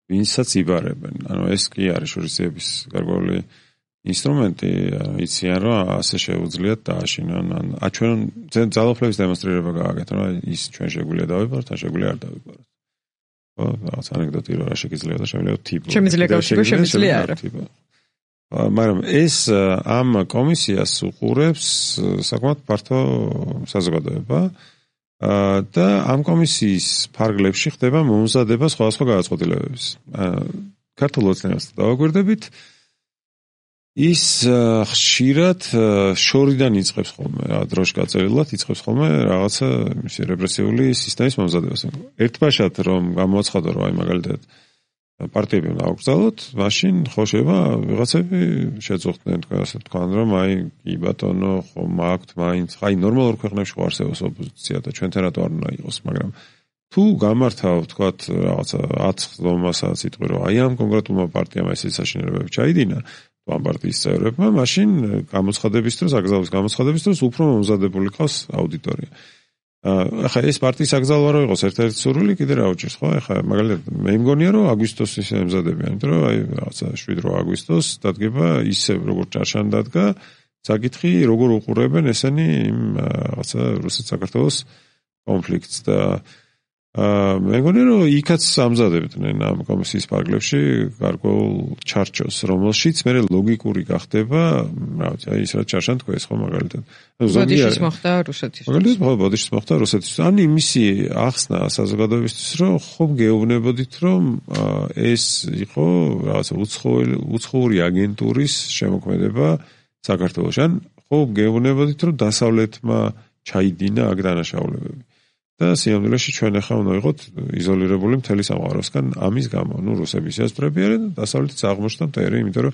ვინცაც იბარებენ. ანუ ეს კი არის შურისძიების გარკვეული ინსტრუმენტი, იციან რომ ასე შეუძლიათ დააშინონ. ან ჩვენ ძალაუფლების დემონსტრირება გააკეთონ, რომ ის ჩვენ შეგვიძლია დავიბაროთ, ან შეგვიძლია არ დავიბაროთ. ხო, რაღაც ანეკდოტი რა შეიძლება და შემიძლია თიპო. შემიძლია გავშიგო, შემიძლია არა. მაგრამ ეს ამ კომისიას უყურებს საკმაოდ ფართო საზოგადოება და ამ კომისიის ფარგლებში ხდება მომზადება სხვადასხვა გადაწყვეტილებების. ქართულ ოცნებას დავაგვირდებით, ის ხშირად შორიდან იწყებს ხოლმე, რა დროში გაწერილად იწყებს ხოლმე რაღაცა მისი რეპრესიული სისტემის მომზადებას. ერთბაშად რომ გამოაცხადო რომ აი მაგალითად პარტიები უნდა აღგზავნოთ, მაშინ ხო შეიძლება ვიღაცები შეწუხდნენ ასე თქვან რომ აი კი ბატონო ხომ აქვთ მაინც აი ნორმალურ ქვეყნებში ხო არსებობს ოპოზიცია და ჩვენთან რატო არ უნდა იყოს, მაგრამ თუ გამართავ თქვათ რაღაცა ათს სიტყვი რომ აი ამ კონკრეტულმა პარტიამ ეს საშინელებები ჩაიდინა თუ ამ პარტიის წევრებმა, მაშინ გამოცხადების დროს, აკრძალვის გამოცხადების დროს უფრო მომზადებული ყავს აუდიტორია. ახლა ეს პარტიის აკრძალვა რო იყოს ერთ-ერთი სურვილი კიდე რა უჭირს, ხო? ახლა მაგალითად მე მგონია რომ აგვისტოსს ისე ემზადებიან, იმიტომ რომ აი რაღაცა შვიდ რვა აგვისტოს დადგება ისე როგორც ჭარშან დადგა, საკითხი როგორ უყურებენ ესენი იმ რაღაცა რუსეთ-საქართველოს კონფლიქტს და მე მგონია რომ იქაც ამზადებდნენ ამ კომისიის ფარგლებში გარკვეულ ჩარჩოს, რომელშიც მე ლოგიკური გახდება, რა ვიცი, აი ის რა ჭარშან თქვა ეს ხო მაგალითად. ბოდიშის მოხდა რუსეთის. მაგალითად ხო ბოდიშის მოხდა რუსეთის. ან იმისი ახსნა საზოგადოებისთვის რომ ხომ გეუბნებოდით რომ ეს იყო რაღაცა უცხოური აგენტურის შემოქმედება საქართველოში. ან ხომ გეუბნებოდით რომ დასავლეთმა ჩაიდინა აქ დანაშაულებები. და სიამოვნებაში ჩვენ ახლა უნდა ვიყოთ იზოლირებული მთელი სამყაროსგან ამის გამო. ნუ რუსები შეასწრები არიან და დასავლეთიც აღმოჩნდა მტერი, იმიტომ რომ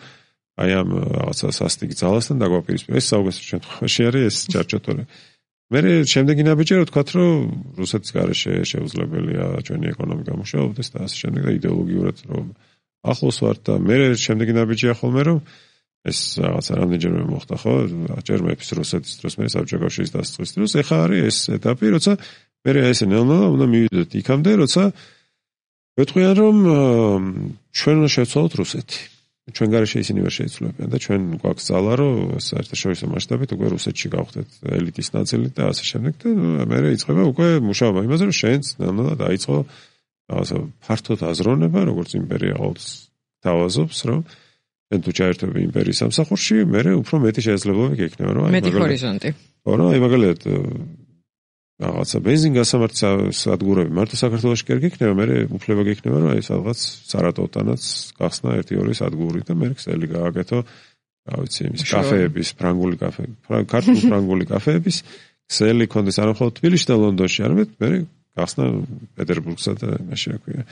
აი ამ რაღაცა სასტიკ ძალასთან დაგვაპირისპირა. ეს საუკეთესო შემთხვევაში არის ეს ჩარჩოთორე. მე შემდეგი ნაბიჯი რა ვთქვათ, რომ რუსეთის გარეშე შეუძლებელია ჩვენი ეკონომიკა მუშაობდეს და ასე შემდეგ და იდეოლოგიურად რომ ახლოს ვართ და მე შემდეგი ნაბიჯია ხოლმე რომ ეს რაღაცა რამდენჯერმე მოხდა ხო? ჯერ მეფის რუსეთის დროს, მე საბჭოთა კავშირის დასაწყისის დროს, ეხლა არის ეს ეტაპი, როცა მე ესე ნელ-ნელა უნდა მივიდოთ იქამდე, როცა ვეთქვიან რომ ჩვენ უნდა შევცვალოთ რუსეთი. ჩვენ გარეშე ისინი ვერ შეიცვლებიან და ჩვენ გვაქვს ძალა, რომ საერთაშორისო მასშტაბით უკვე რუსეთში გავხდეთ ელიტის ნაწილი და ასე შემდეგ და მე იწყება უკვე მუშაობა იმაზე, რომ შენც ნელ-ნელა დაიწყო რაღაცა ფართოდ აზროვნება, როგორც იმპერია ყოველთვის თავაზობს, რომ ჩვენ თუ ჩაერთვები იმპერიის სამსახურში, მე უფრო მეტი შესაძლებლობები გექნება, რომ აი მეტი ჰორიზონტი. ხო, რა, აი მაგალითად რაღაცა ბენზინგასამართის სადგურები მარტო საქართველოში კი არ გექნება, მე უფლება გექნება, რომ აი სადღაც სარატოვთანაც გახსნა ერთი ორი სადგური და მე ქსელი გააკეთო, რა ვიცი, იმის კაფეების, ფრანგული კაფე, ქართული ფრანგული კაფეების ქსელი კონდეს არა მხოლოდ თბილისში და ლონდონში, არამედ მე გახსნა პეტერბურგსა და მაშინ რა ქვია.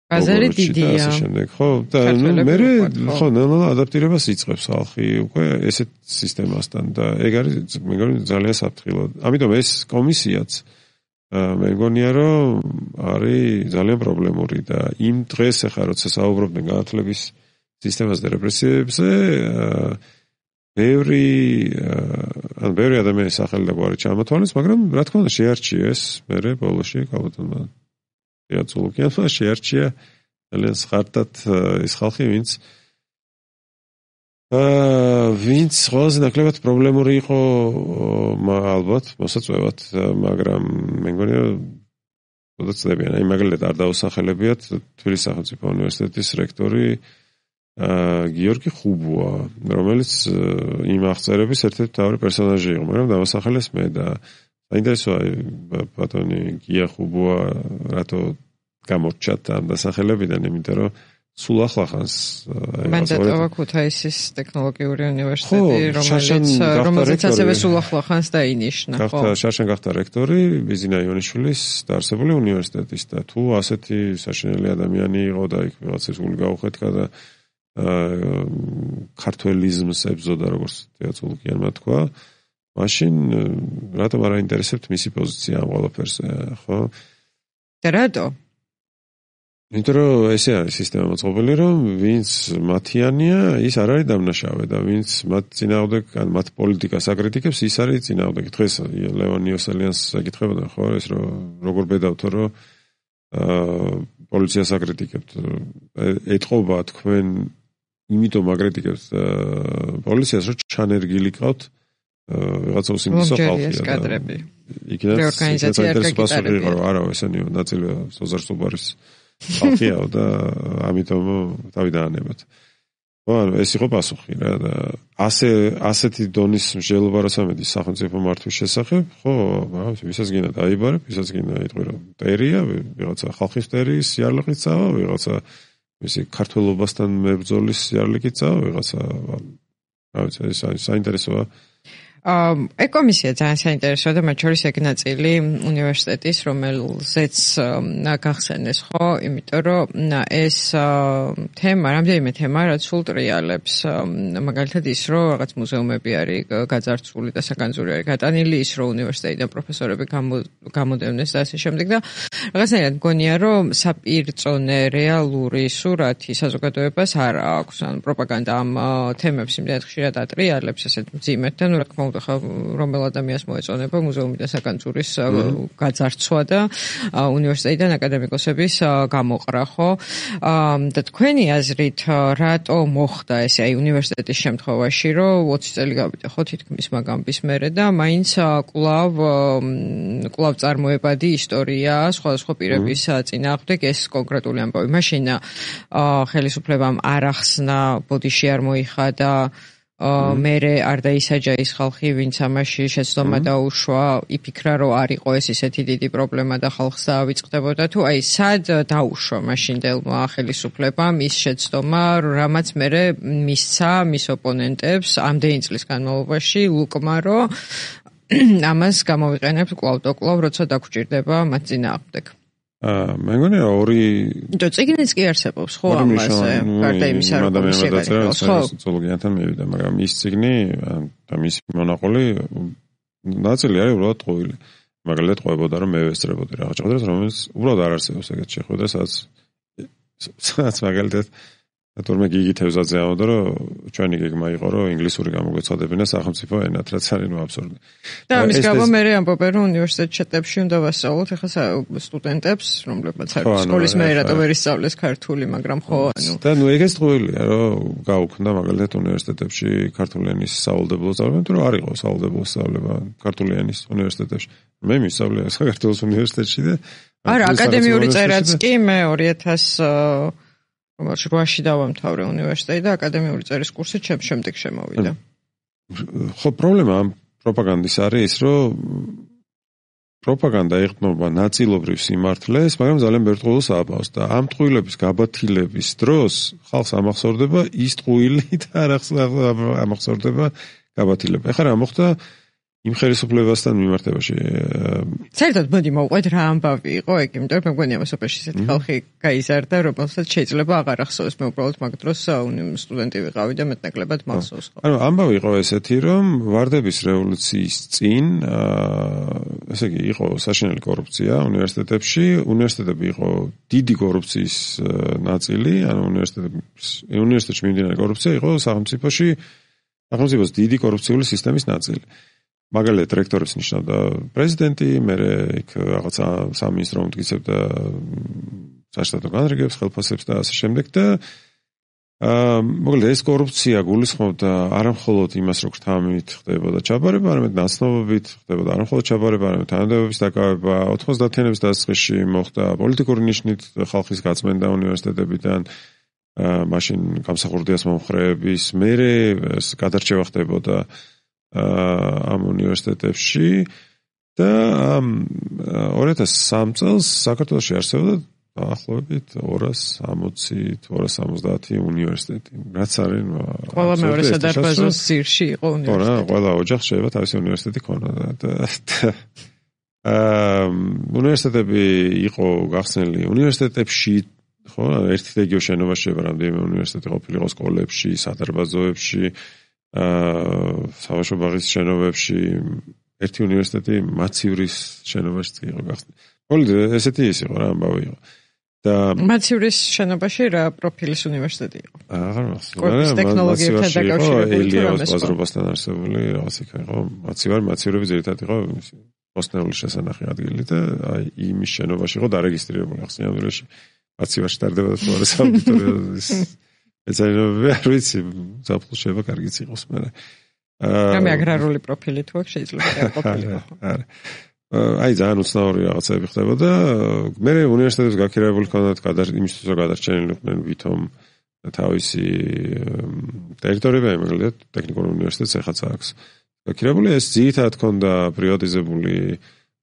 ბაზარი დიდია. შემდეგ ხო და მე ხო ნელა ადაპტირებას იწყებს ხალხი უკვე ესეთ სისტემასთან და ეგ არის მე მგონი ძალიან საფრთხილო. ამიტომ ეს კომისიაც მე მგონია რომ არის ძალიან პრობლემური და იმ დღეს ახლა როცა საუბრობდნენ განათლების სისტემაზე და რეპრესიებზე ბევრი ან ბევრი ადამიანის სახელი და გვარი ჩამოთვალეს, მაგრამ რა თქმა უნდა შეარჩიეს მე ბოლოში კალბატონმა იაცულუკიანმა შეარჩია ძალიან სხარტად ის ხალხი ვინც აა ვინც ყველაზე ნაკლებად პრობლემური იყო ალბათ მოსაწვევად, მაგრამ მე მგონი რომ ოდაცდებიან, აი მაგალითად არ დაუსახელებიათ თბილისის სახელმწიფო უნივერსიტეტის რექტორი აა გიორგი ხუბუა, რომელიც იმ აღწერების ერთ-ერთი მთავარი პერსონაჟი იყო, მაგრამ დავასახელეს მე და საინტერესოა ბატონი გია ხუბუა რატო გამორჩათ ამ დასახელებიდან, იმიტომ რომ სულ ახლახანს მან დატოვა ქუთაისის ტექნოლოგიური უნივერსიტეტი, რომელიც რომელიც ასევე სულ ახლახანს დაინიშნა, ხო? გახდა შარშან გახდა რექტორი ბიზინა იონიშვილის დაარსებული უნივერსიტეტის და თუ ასეთი საშინელი ადამიანი იყო და იქ ვიღაცას გული გაუხეთქა და ქართველიზმს ებზოდა, როგორც თეატრულკიანმა თქვა, მაშინ რატომ არ აინტერესებთ მისი პოზიცია ამ ყველაფერზე, ხო? და რატო? იმიტომ რომ ესე არის სისტემა მოწყობილი, რომ ვინც მათიანია, ის არ არის დამნაშავე და ვინც მათ წინააღმდეგ, ან მათ პოლიტიკას აკრიტიკებს, ის არის წინააღმდეგი. დღეს ლევონ იოსელიანს აკითხებოდა, ხო, ეს რომ როგორ ბედავთო, რომ აა პოლიციას აკრიტიკებთ. ეთყობა თქვენ იმიტომ აკრიტიკებთ პოლიციას, რომ ჩანერგილი ყავთ ვიღაცა უსინდისო ხალხია და იქიდან რეორგანიზაცია არ გაკეთებია. არა, ესენი ნაწილი სოზარსტუბარის ხალხია და ამიტომ თავი დაანებათ. ხო, ეს იყო პასუხი რა და ასე ასეთი დონის მსჯელობა რასამედის სახელმწიფო მართვის შესახებ, ხო, ვისაც გინდა დაიბარებ, ვისაც გინდა იტყვი რომ მტერია, ვიღაცა ხალხის მტერის სიარლიყით წავა, ვიღაცა მისი ქართველობასთან მებრძოლის სიარლიყით წავა, ვიღაცა რა ვიცი, ეს საინტერესოა. აი კომისია ძალიან საინტერესოა და მათ შორის ეგ ნაწილი უნივერსიტეტის, რომელზეც გახსენეს, ხო, იმიტომ რომ ეს თემა, რამდენიმე თემა, რაც სულ ტრიალებს, მაგალითად ის, რომ რაღაც მუზეუმები არის გაძარცვული და საგანძური არის გატანილი, ის, რომ უნივერსიტეტიდან პროფესორები გამოდევნეს და ასე შემდეგ და რაღაცნაირად მგონია, რომ საპირწონე რეალური სურათი საზოგადოებას არ აქვს, ანუ პროპაგანდა ამ თემებს იმდენად ხშირად ატრიალებს, ესეთ მძიმედ და ნუ რა თქმა უნდა რომელ ადამიანს მოეწონება მუზეუმიდან საგანძურის გაძარცვა და უნივერსიტეტიდან აკადემიკოსების გამოყრა, ხო? და თქვენი აზრით, რატო მოხდა ესე აი უნივერსიტეტის შემთხვევაში, რომ ოცი წელი გავიდა, ხო, თითქმის მაგამბის მერე და მაინც კვლავ კვლავ წარმოებადი ისტორია სხვადასხვა პირების წინააღმდეგ ეს კონკრეტული ამბავი. მაშინ ხელისუფლებამ არ ახსნა, ბოდიში არ მოიხადა მერე არ დაისაჯა ის ხალხი, ვინც ამაში შეცდომა დაუშვა, იფიქრა, რომ არ იყო ეს ისეთი დიდი პრობლემა და ხალხს დაავიწყდებოდა, თუ აი სად დაუშვა მაშინდელმა ხელისუფლებამ ის შეცდომა, რამაც მერე მისცა მის ოპონენტებს ამდენი წლის განმავლობაში ლუკმა, რომ ამას გამოვიყენებთ კვლავ და კვლავ, როცა დაგვჭირდება მათ წინააღმდეგ. აა მე მგონი რომ ორი და წიგნიც კი არსებობს, ხო, ამაზე, გარდა იმისა, რომ ხო, ზოოლოგიასთან მივიდა, მაგრამ ის წიგნი და მისი მონაყოლი ნაწილი არის უბრალოდ ტყუილი. მაგალითად ყვებოდა, რომ მე ვესწრებოდი რაღაც შეხვედრას, რომელიც უბრალოდ არ არსებობს ეგეთ შეხვედრა, სადაც სადაც მაგალითად თორმეტ გიგი თევზაძე ამბობდა, რომ ჩვენი გეგმა იყო, რომ ინგლისური გამოგვეცოდებინა სახელმწიფო ენად, რაც არის ნუ აბსურდი. და ამის გამო მე ამბობენ, რომ უნივერსიტეტ შეტებში უნდა ვასწავლოთ ახლა სტუდენტებს, რომლებმაც არის სკოლის მე რატო ვერ ისწავლეს ქართული, მაგრამ ხო, ანუ და ნუ ეგეც ტყუილია, რომ გაუქმდა მაგალითად უნივერსიტეტებში ქართული ენის სავალდებულო სწავლება, თუ არ იყო სავალდებულო სწავლება ქართული ენის უნივერსიტეტებში. მე მისწავლე საქართველოს უნივერსიტეტში და არა, აკადემიური წერაც კი მე ორი ათას რომელშიც რვაში დავამთავრე უნივერსიტეტი და აკადემიური წერის კურსი ჩემ შემდეგ შემოვიდა. ხო, პრობლემა ამ პროპაგანდის არის ის, რომ პროპაგანდა იღრმობა ნაწილობრივ სიმართლეს, მაგრამ ძალიან ბევრ ტყუილს აბავს და ამ ტყუილების გაბათილების დროს ხალხს ამახსოვრდება ის ტყუილი და არ ამახსოვრდება გაბათილება. ეხლა რა მოხდა იმ ხელისუფლებასთან მიმართებაში. საერთოდ მოდი მოვყვეთ რა ამბავი იყო ეგ, იმიტომ რომ მეგონია მოსოფლში ისეთი ხალხი გაიზარდა, რომელსაც შეიძლება აღარ ახსოვს, მე უბრალოდ მაგ დროს სტუდენტი ვიყავი და მეტნაკლებად მახსოვს. ანუ ამბავი იყო ესეთი, რომ ვარდების რევოლუციის წინ, ესე იგი, იყო საშინელი კორუფცია უნივერსიტეტებში, უნივერსიტეტები იყო დიდი კორუფციის ნაწილი, ანუ უნივერსიტეტებში უნივერსიტეტში მიმდინარე კორუფცია იყო სახელმწიფოში, სახელმწიფოს დიდი კორუფციული სისტემის ნაწილი. მაგალითად რექტორებს ნიშნავდა პრეზიდენტი, მერე იქ რაღაცა სამინისტრო უმტკიცებდა საშტატო განრიგებს, ხელფასებს და ასე შემდეგ და აა მოკლედ ეს კორუფცია გულისხმობდა არამხოლოდ იმას, რომ ქრთამით ხდებოდა ჩაბარება, არამედ ნაცნობობით ხდებოდა არამხოლოდ ჩაბარება, არამედ თანამდებობის დაკავება, ოთხმოცდაათიანების დასაწყისში მოხდა პოლიტიკური ნიშნით ხალხის გაწმენდა უნივერსიტეტებიდან, აა მაშინ გამსახურდიას მომხრეების, მერე ეს გადარჩევა ხდებოდა ამ უნივერსიტეტებში და ორი ათას სამი წელს საქართველოში არსებობდა დაახლოებით ორას ორმოცი ორას სამოცდაათი უნივერსიტეტი. რაც არის ყველა მეორე სადარბაზოს ძირში იყო უნივერსიტეტი. ხო, ყველა ოჯახს შეიძლება თავისი უნივერსიტეტი ქონოდა და აა უნივერსიტეტები იყო გახსნილი უნივერსიტეტებში, ხო, ერთი და იგივე შენობაში შეიძლება რამდენიმე უნივერსიტეტი ყოფილიყო სკოლებში, სადარბაზოებში, აა საბავშვო ბაღის შენობებში, ერთი უნივერსიტეტი მაცივრის შენობაში იყო გახსნილი. მოკლედ ესეთი ის იყო რა ამბავი იყო. და მაცივრის შენობაში რა პროფილის უნივერსიტეტი იყო? აღარ მახსოვს. კორპუს ტექნოლოგიებთან დაკავშირებული ელიაოს ბაზრობასთან არსებული რაღაც იქ იყო. მაცივარი მაცივრები ძირითადად იყო მოსნეული შესანახი ადგილი და აი იმის შენობაში იყო დარეგისტრირებული ახსნიანურში. მაცივარში ტარდებოდა თუ არა საუბრის ეცაინებები, არ ვიცი, საფუძველი შეიძლება კარგიც იყოს, მაგრამ აა რამე აგრარული პროფილი თუ აქვს შეიძლება ყოფილიყო. არა. აი ძალიან უცნაური რაღაცები ხდებოდა. მე უნივერსიტეტებს გაქირავებული ჰქონდათ გადარ იმისთვის რომ გადარჩენილიყვნენ ვითომ თავისი ტერიტორიები, მაგალითად ტექნიკურ უნივერსიტეტს ეხაც აქვს გაქირავებული. ეს ძირითადად ჰქონდა პრივატიზებული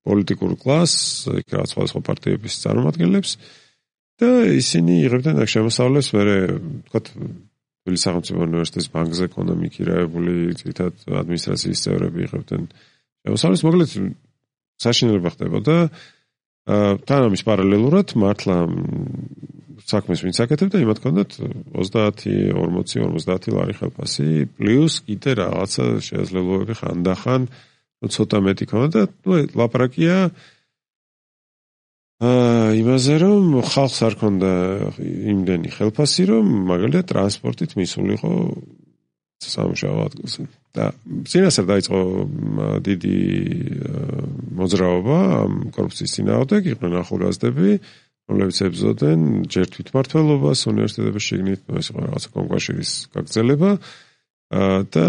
პოლიტიკურ კლასს, იქ რაღაც სხვადასხვა პარტიების წარმომადგენლებს და ისინი იღებდნენ აქ შემოსავლებს, მერე ვთქვათ თბილისის სახელმწიფო უნივერსიტეტის ბანკზე ჰქონდა მიქირაებული, ძირითადად ადმინისტრაციის წევრები იღებდნენ შემოსავლებს, მოკლედ საშინელება ხდებოდა. თან ამის პარალელურად მართლა საქმეს ვინც აკეთებდა, იმათ ჰქონდათ ოცდაათი, ორმოცი, ორმოცდაათი ლარი ხელფასი, პლუს კიდე რაღაცა შესაძლებლობები ხანდახან ცოტა მეტი ჰქონდა და ნუ ლაპარაკია აა იმაზე რომ ხალხს არ ჰქონდა იმდენი ხელფასი, რომ მაგალითად ტრანსპორტით მისულიყო სამუშაო ადგილზე. და წინასწარ დაიწყო დიდი მოძრაობა ამ კორუფციის წინააღმდეგ, იყვნენ ახალგაზრდები, რომლებიც ებრძოდნენ ჯერ თვითმმართველობას უნივერსიტეტების შიგნით, ეს იყო რაღაცა კონკურსის გაგრძელება და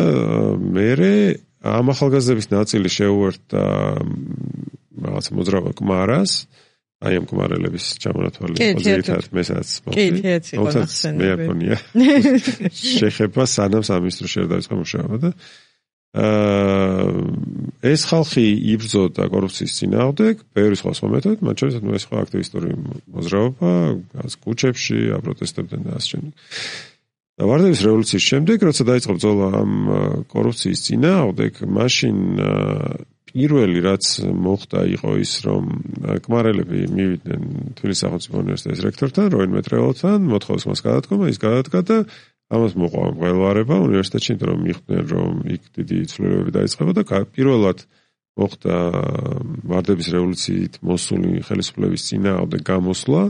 მერე ამ ახალგაზრდების ნაწილი შეუერთდა რაღაცა მოძრაობა კმარას, აი ამ კმარელების ჩამონათვალის პოზიციად მესაც კი, თეაც იყო ნახსენები. მე აკონია შეხება სანამ სამინისტროში არ დაიწყო მუშაობა და აა ეს ხალხი იბრძოდა კორუფციის წინააღმდეგ, ბევრი სხვა სხვა მეთოდით, მათ შორის ნუ ეს ხო აქტივისტური მოძრაობა, გას კუჩებში აპროტესტებდნენ და ასე შემდეგ. და ვარდების რევოლუციის შემდეგ, როცა დაიწყო ბრძოლა ამ კორუფციის წინააღმდეგ, მაშინ პირველი რაც მოხდა იყო ის, რომ კმარელები მივიდნენ თბილისის სახელმწიფო უნივერსიტეტის რექტორთან, როინ მეტრეველთან, მოთხოვეს მას გადადგომა, ის გადადგა და ამას მოყვა მღელვარება უნივერსიტეტში, იმიტომ რომ მიხვდნენ, რომ იქ დიდი ცვლილებები დაიწყება და პირველად მოხდა ვარდების რევოლუციით მოსული ხელისუფლების წინააღმდეგ გამოსვლა,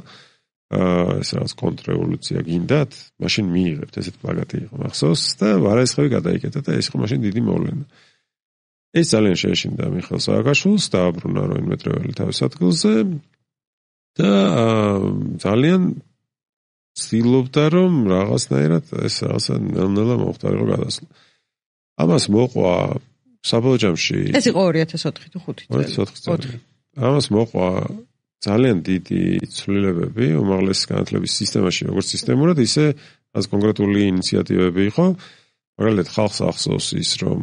ეს რაღაც კონტრრევოლუცია გინდათ, მაშინ მიიღებთ, ესეთ პლაკატი იყო მახსოვს და ვარაისხევი გადაიკეტა და ეს იყო მაშინ დიდი მოვლენა. ეს ძალიან შეეშინდა მიხეილ სააკაშვილს, დააბრუნა როინ მეტრეველი თავის ადგილზე და ძალიან ცდილობდა, რომ რაღაცნაირად ეს რაღაცა ნელ-ნელა მომხდარიყო გადასვლა. ამას მოყვა საბოლოო ჯამში ეს იყო ორი ათას ოთხი თუ ხუთი წელი. ამას მოყვა ძალიან დიდი ცვლილებები უმაღლესი განათლების სისტემაში, როგორც სისტემურად, ისე რაც კონკრეტული ინიციატივები იყო. მაგალითად ხალხს ახსოვს ის, რომ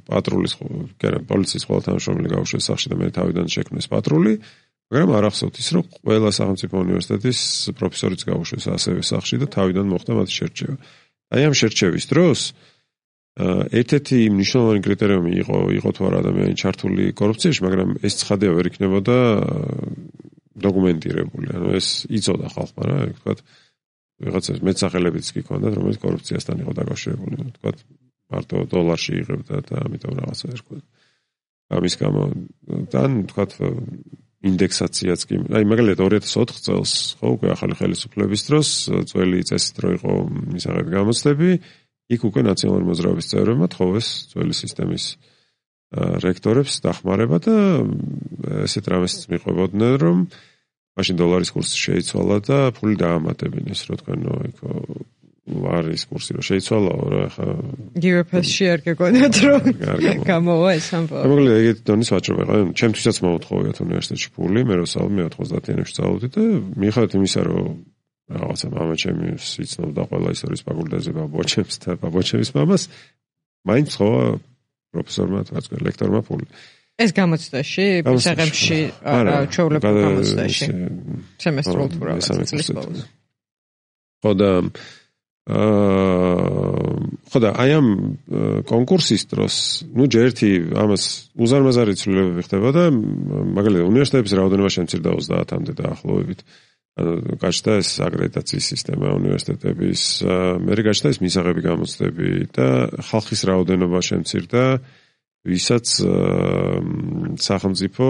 პატრულის, კერა პოლიციის ყველა თანამშრომელი გაუშვეს სახლში და მე თავიდან შექმნეს პატრული, მაგრამ არ ახსოვთ ის, რომ ყველა სახელმწიფო უნივერსიტეტის პროფესორიც გაუშვეს ასევე სახლში და თავიდან მოხდა მათი შერჩევა. აი ამ შერჩევის დროს ერთ-ერთი მნიშვნელოვანი კრიტერიუმი იყო იყო თუ არა ადამიანი ჩართული კორუფციაში, მაგრამ ეს ცხადია ვერ იქნებოდა დოკუმენტირებული. ანუ ეს იცოდა ხალხმა რა, ვთქვათ, ვიღაცა მეცახელებიც კი ქონდათ, რომელიც კორუფციასთან იყო დაკავშირებული, ვთქვათ, მარტო დოლარში იღებდა და ამიტომ რაღაცა ერქვა. ამის გამო თან ვთქვათ ინდექსაციაც კი, აი მაგალითად ორი ათას ოთხ წელს, ხო, უკვე ახალი ხელისუფლების დროს, ძველი წესით რო იყო მისაღები გამოცდები, იქ უკვე ნაციონალური მოძრაობის წევრებმა თხოვეს ძველი სისტემის რექტორებს დახმარება და ესეთ რამეს მიყვებოდნენ, რომ მაშინ დოლარის კურსი შეიცვალა და ფული დაამატებინეს, რო თქვენ, ნო, იქ ლარის კურსი რო შეიცვალაო რა, ხა გივრაფაში არ გეგონათ რომ გამოვა ეს ამბავი. მაგალითად ეგეთი დონის ვაჭრობა იყო, ჩემთვისაც მოუთხოვიათ უნივერსიტეტში ფული, მე რო სალმე ოცდაათიანებში წავედი და მიუხედავად იმისა, რომ რაღაცა მამა ჩემი იცნობდა ყველა ისტორიის ფაკულტეტზე ბაბუაჩემს და ბაბუაჩემის მამას, მაინც ხო პროფესორმა თქვა ლექტორმა ფული. ეს გამოცდაში, ბიზნესში, ჩვეულებრივ გამოცდაში. სემესტრულ თუ რაღაცა წლის ბოლოს. ხო და ხო და აი ამ კონკურსის დროს, ну ჯერთი ამას უზარმაზარი ცვლილებები ხდებოდა, მაგალითად უნივერსიტეტების რაოდენობა შემცირდა ოცდაათამდე დაახლოებით. გაჩნდა ეს აკრედიტაციის სისტემა უნივერსიტეტების, მერე გაჩნდა ეს მისაღები გამოცდები და ხალხის რაოდენობა შემცირდა, ვისაც სახელმწიფო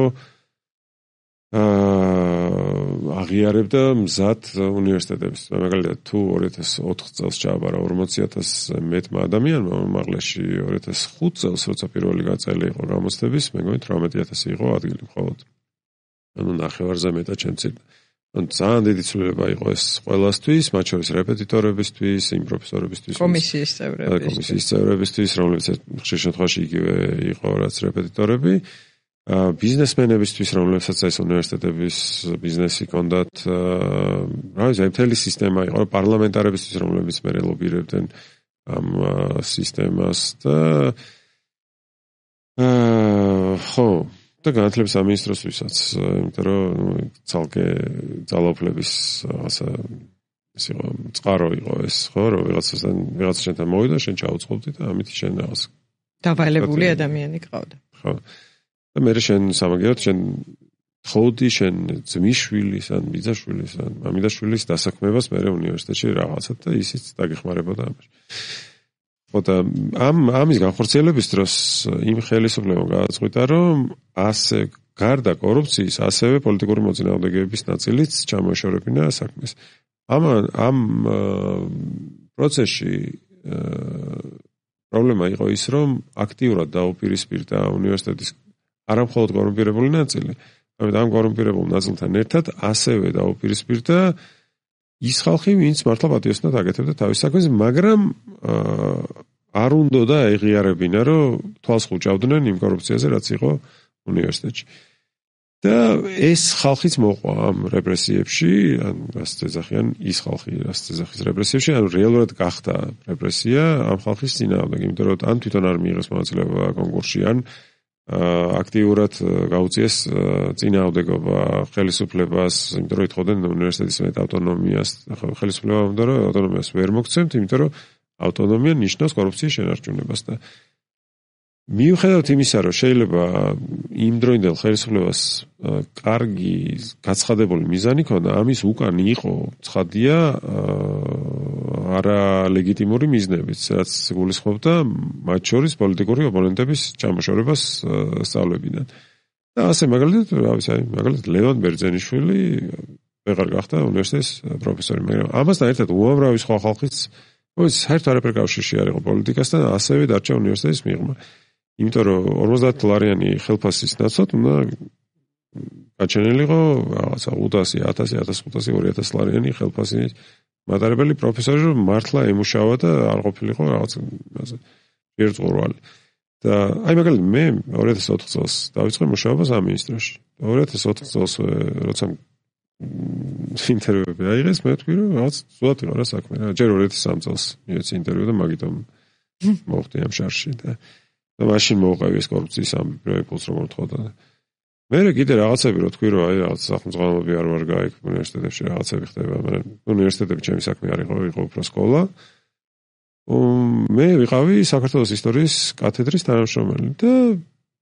აღიარებდა მზად უნივერსიტეტებს. მაგალითად, თუ ორი ათას ოთხ წელს ჩააბარა ორმოცი ათასზე მეტმა ადამიანმა, უმაღლესში ორი ათას ხუთ წელს, როცა პირველი გაწელი იყო გამოცდების, მეგონი თვრამეტი ათასი იყო ადგილი მხოლოდ. ანუ ნახევარზე მეტად შემცირდა. ძალიან დიდი ცვლილება იყო ეს ყველასთვის, მათ შორის რეპეტიტორებისთვის, იმ პროფესორებისთვის, კომისიის წევრებისთვის, კომისიის წევრებისთვის, რომლებიც ხშირ შემთხვევაში იგივე იყო რაც რეპეტიტორები, ბიზნესმენებისთვის, რომლებსაც ეს უნივერსიტეტების ბიზნესი ჰქონდათ, რა ვიცი, მთელი სისტემა იყო, პარლამენტარებისთვის, რომლებიც მერე ლობირებდნენ ამ სისტემას და ხო და განათლების სამინისტროსთვისაც, იმიტომ რომ ცალკე ძალაუფლების რაღაცა ეს იყო წყარო იყო ეს, ხო, რომ ვიღაცასთან ვიღაცა შენთან მოვიდა, შენ ჩაუწყობდი და ამით შენ რაღაც დავალებული ადამიანი გყავდა. ხო. და მე შენ სამაგიეროდ შენ ხოდი შენ ძმისშვილის ან ბიძაშვილის ან მამიდაშვილის დასაქმებას მე უნივერსიტეტში რაღაცა და ისიც დაგეხმარებოდა ამაში. ხო და ამ ამის განხორციელების დროს იმ ხელისუფლებამ გააწყვიტა, რომ ასე გარდა კორუფციის, ასევე პოლიტიკური მოწინააღმდეგეების ნაწილიც ჩამოეშორებინა საქმეს. ამ ამ პროცესში პრობლემა იყო ის, რომ აქტიურად დაუპირისპირდა უნივერსიტეტის არა მხოლოდ კორუმპირებული ნაწილი, ამიტომ ამ კორუმპირებულ ნაწილთან ერთად ასევე დაუპირისპირდა ის ხალხი, ვინც მართლა პატიოსნად აკეთებდა თავის საქმეს, მაგრამ არ უნდა და ეღიარებინა, რომ თვალს ხუჭავდნენ იმ კორუფციაზე, რაც იყო უნივერსიტეტში. და ეს ხალხიც მოყვა ამ რეპრესიებში, ან რასაც ეძახიან ის ხალხი, რასაც ეძახის რეპრესიებში, ან რეალურად გახდა რეპრესია ამ ხალხის წინააღმდეგ, იმიტომ რომ ან თვითონ არ მიიღეს მონაწილეობა კონკურსში, ან აქტიურად გაუწიეს წინააღმდეგობა ხელისუფლებას, იმიტომ რომ ითხოვდნენ უნივერსიტეტის მეტ ავტონომიას, ხელისუფლება უნდა რომ ავტონომიას ვერ მოგცემთ, იმიტომ რომ ავტონომია ნიშნავს კორუფციის შენარჩუნებას და მიუხედავად იმისა, რომ შეიძლება იმ დროინდელ ხელისუფლებას კარგი გაცხადებული მიზანი ჰქონდა, ამის უკან იყო ცხადია არალეგიტიმური მიზნებიც, რაც გულისხმობდა მათ შორის პოლიტიკური ოპონენტების ჩამოშორებას სწავლებიდან. და ასე მაგალითად, რა ვიცი, აი, მაგალითად ლევან ბერძენიშვილი ვეღარ გახდა უნივერსიტეტის პროფესორი, მაგრამ ამასთან ერთად უამრავი სხვა ხალხიც, ой, საერთოდ არაფერ კავშირში არ იყო პოლიტიკასთან, ასევე დარჩა უნივერსიტეტის მიღმა. იმიტომ რომ ორმოცდაათ დოლარიანი ხელფასის ნაცვლად უნდა გაჩენილიყო რაღაცა ოცდაათი, ათასი, ათასხუთასი, ორი ათასი დოლარიანი ხელფასის მატარებელი პროფესორი, რომ მართლა ემუშავა და არ ყოფილიყო რაღაც ერთწყურვალი. და აი მაგალითად მე ორი ათას ოთხ წელს დავიწყე მუშაობა სამინისტროში. ორი ათას ოთხ წელს როცა ინტერვიუები აიღეს, მე ვთქვი რომ რაღაც ზუსტად იყო რა საქმე რა. ჯერ ორი ათას სამი წელს მიეცი ინტერვიუ და მაგიტომ მოხდი ამ შარში და და მაშინ მოუყევი ეს კორუფციის ამ პროექტს როგორ თხოვდა. მე კიდე რაღაცები რო თქვი რომ აი რაღაც სახელმწიფოები არ ვარ გაიქ უნივერსიტეტებში რაღაცები ხდება, მაგრამ უნივერსიტეტები ჩემი საქმე არ იყო, იყო უფრო სკოლა. მე ვიყავი საქართველოს ისტორიის კათედრის თანამშრომელი და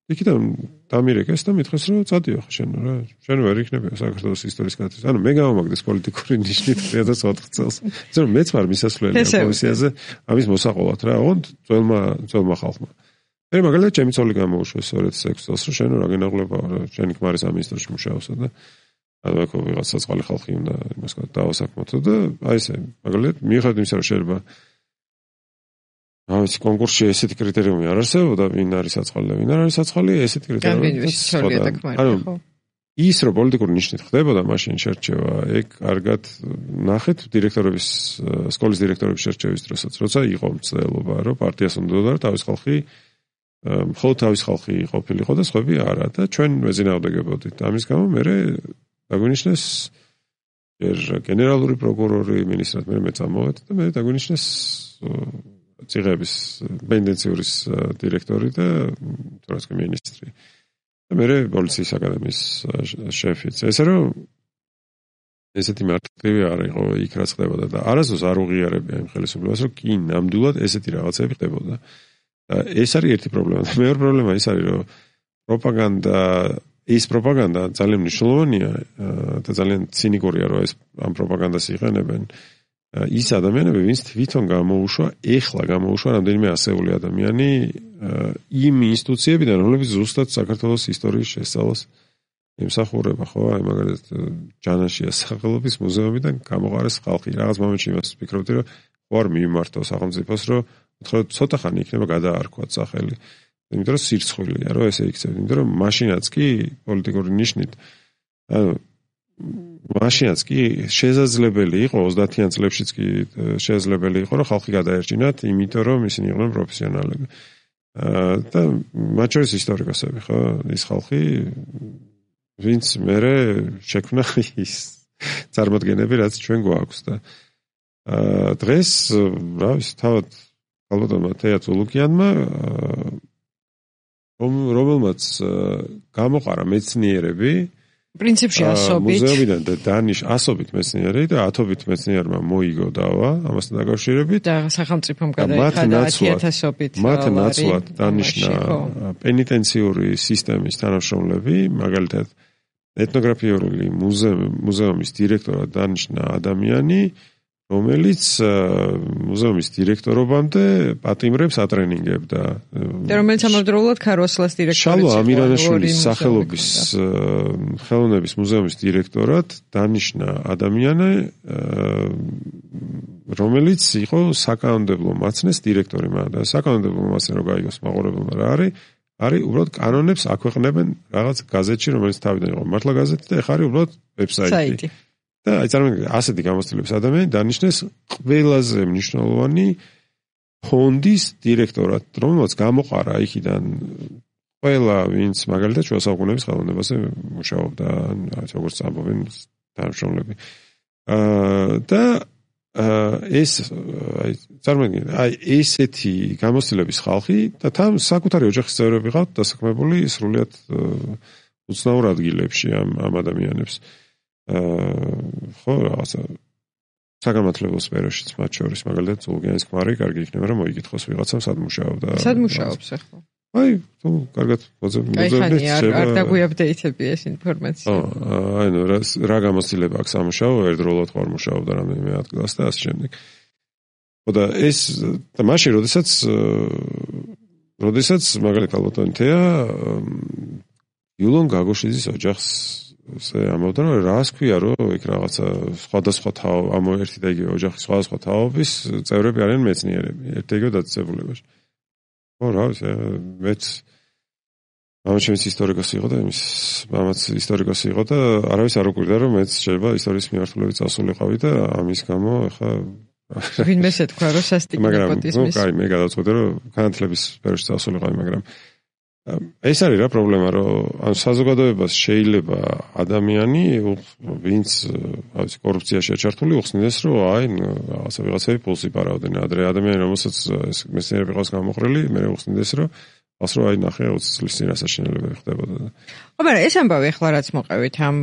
იქიდან დამირეკეს და მითხეს რომ წადიო ხა შენ რა შენ ვერ იქნები საქართველოს ისტორიის კათედრის ანუ მე გამომაგდეს პოლიტიკური ნიშნით two thousand four წელს ისე რომ მეც ვარ მისასვლელი პოზიციაზე ამის მოსაყოლად რა ოღონდ ძველმა ძველმა ხალხმა მე მაგალითად ჩემი ცოლი გამოუშვეს two thousand six წელს რომ შენ რა გენაღლება შენი ქმარი სამინისტროში მუშაობსა და ანუ აქ ვიღაც საწყალი ხალხი უნდა იმას დავასაქმოთო და აი ესე მაგალითად მიუხედავად იმისა რომ შეიძლება ავიც კონკურსში ესეთი კრიტერიუმი არ არსებობდა ვინ არის საწყალი და ვინ არ არის საწყალი ესეთი კრიტერიუმი ანუ ის რომ პოლიტიკური ნიშნით ხდებოდა მაშინ შერჩევა ეგ კარგად ნახეთ დირექტორების სკოლის დირექტორების შერჩევის დროსაც როცა იყო მცდელობა რომ პარტიას უნდა და თავის ხალხი მხოლოდ თავის ხალხი ყოფილიყო და სხვები არა და ჩვენ ვეძინაუდეგებოდით ამის გამო მე დაგვინიშნეს ჯერ გენერალური პროკურორი მინისტრად მე მე წამოვედი და მე დაგვინიშნეს ციღების პენდენციური დირექტორი და თორსკი მინისტრი. და მე პოლიციის აკადემიის შეფიც. ესე რომ ესეთი მარტივი არ იყო იქ რაც ხდებოდა და არასდროს არ უღიარებია იმ ხელისუფლებას რომ კი ნამდვილად ესეთი რაღაცები ხდებოდა. ეს არის ერთი პრობლემა და მეორე პრობლემა ის არის რომ პროპაგანდა ის პროპაგანდა ძალიან მნიშვნელოვანია და ძალიან ცინიკურია რომ ეს ამ პროპაგანდას იყენებენ. ის ადამიანები, ვინც თვითონ გამოუშვა, ეხლა გამოუშვა რამდენიმე ასეული ადამიანი იმ ინსტიტუციებიდან, რომლებიც ზუსტად საქართველოს ისტორიის შესწავლას ემსახურება, ხო? აი მაგალითად ჯანაშია სახელობის მუზეუმიდან გამოყარეს ხალხი. რაღაც მომენტში იმას ვფიქრობდი, რომ ხوار მიმართო სახელმწიფოს, რომ უთხრა ცოტა ხანი იქნება გადაარქვათ სახელი. იმიტომ რომ სირცხვილია, რომ ესე იქცევთ, იმიტომ რომ მაშინაც კი პოლიტიკური ნიშნით ანუ მაშინაც კი შესაძლებელი იყო ოცდაათიან წლებშიც კი შესაძლებელი იყო რომ ხალხი გადაერჩინათ იმიტომ რომ ისინი იყვნენ პროფესიონალები და მათ შორის ისტორიკოსები ხო ის ხალხი ვინც მერე შექმნა ის წარმოდგენები რაც ჩვენ გვაქვს და დღეს რა ვიცი თავად ალბათ თეა ცულუკიანმა რომელმაც გამოყარა მეცნიერები პრინციპში ასობით მუზეუმიდან და დანიშ ასობით მეცნიერი და ათობით მეცნიერმა მოიგო დავა ამასთან დაკავშირებით და სახელმწიფომ გადაიხადა ათიათასობით მათ ნაცვლად დანიშნა პენიტენციური სისტემის თანამშრომლები მაგალითად ეთნოგრაფიული მუზეუმის დირექტორად დანიშნა ადამიანი რომელიც მუზეუმის დირექტორობამდე პატიმრებს ატრენინგებდა და რომელიც ამავდროულად ქარვასლას დირექტორი შალვა ამირანაშვილის სახელობის ხელოვნების მუზეუმის დირექტორად დანიშნა ადამიანი რომელიც იყო საკანონმდებლო მაცნეს დირექტორი მაგრამ საკანონმდებლო მაცნე რო გაიგოს მაყურებელმა რა არის არის უბრალოდ კანონებს აქვეყნებენ რაღაც გაზეთში რომელიც თავიდან იყო მართლა გაზეთი და ეხლა არის უბრალოდ ვებსაიტი და აი წარმოგიდგენთ ასეთი გამოცდილების ადამიანი დანიშნეს ყველაზე მნიშვნელოვანი ფონდის დირექტორად, რომელმაც გამოყარა იქიდან ყველა ვინც მაგალითად შუა საუკუნეების ხელოვნებაზე მუშაობდა, როგორც ამბობენ თანამშრომლები. და ეს აი წარმოგიდგენთ, აი ესეთი გამოცდილების ხალხი და თან საკუთარი ოჯახის წევრები ყავთ დასაქმებული სრულიად უცნაურ ადგილებში ამ ამ ადამიანებს. ხო რაღაცა საგამართლებლო სფეროშიც მათ შორის მაგალითად ზულგიანის ქმარი კარგი იქნება რომ მოიგითხოს ვიღაცამ სად მუშაობდა სად მუშაობს ახლა აი თუ კარგად მოძებნებს არ დაგვიაპდეითებია ეს ინფორმაცია აი ნუ რა გამოცდილება აქვს სამუშაო ერთდროულად ხარ მუშაობდა რამდენიმე ადგილას და ასე შემდეგ ხო და ეს და მაშინ როდესაც როდესაც მაგალითად ალბათ თეა იულონ გაგოშიძის ოჯახს ესე ამბობდა რომ რას ქვია რომ იქ რაღაცა სხვადასხვა თაო ამ ერთი და იგივე ოჯახის სხვადასხვა თაობის წევრები არიან მეცნიერები ერთ და იგივე დაწესებულებაში. ხო რა ვიცი მეც მამაც ჩემს ისტორიკოსი იყო და იმის მამაც ისტორიკოსი იყო და არავის არ უკვირდა რომ მეც შეიძლება ისტორიის მიმართულებით წასულიყავი და ამის გამო ახლა ვინმეს ეთქვა რომ სასტიკი ნეპოტიზმის. ну, კაი მე გადავწყვეტე რომ განათლების სფეროში წასულიყავი მაგრამ ეს არის რა პრობლემა რომ ან საზოგადოებას შეიძლება ადამიანი ვინც ავიცი კორუფციაში ჩართული უხსნიდეს რომ აი რაღაცა ვიღაცები პულსი პარავდნენ ადრე ადამიანი რომელსაც ეს მეცნიერები ყავს გამოხრილი მე უხსნიდეს რომ ას რომ აი ნახე ოცი წლის წინ ასაშენელებები ხდებოდა ხო მაგრამ ეს ამბავი ახლა რაც მოყევით ამ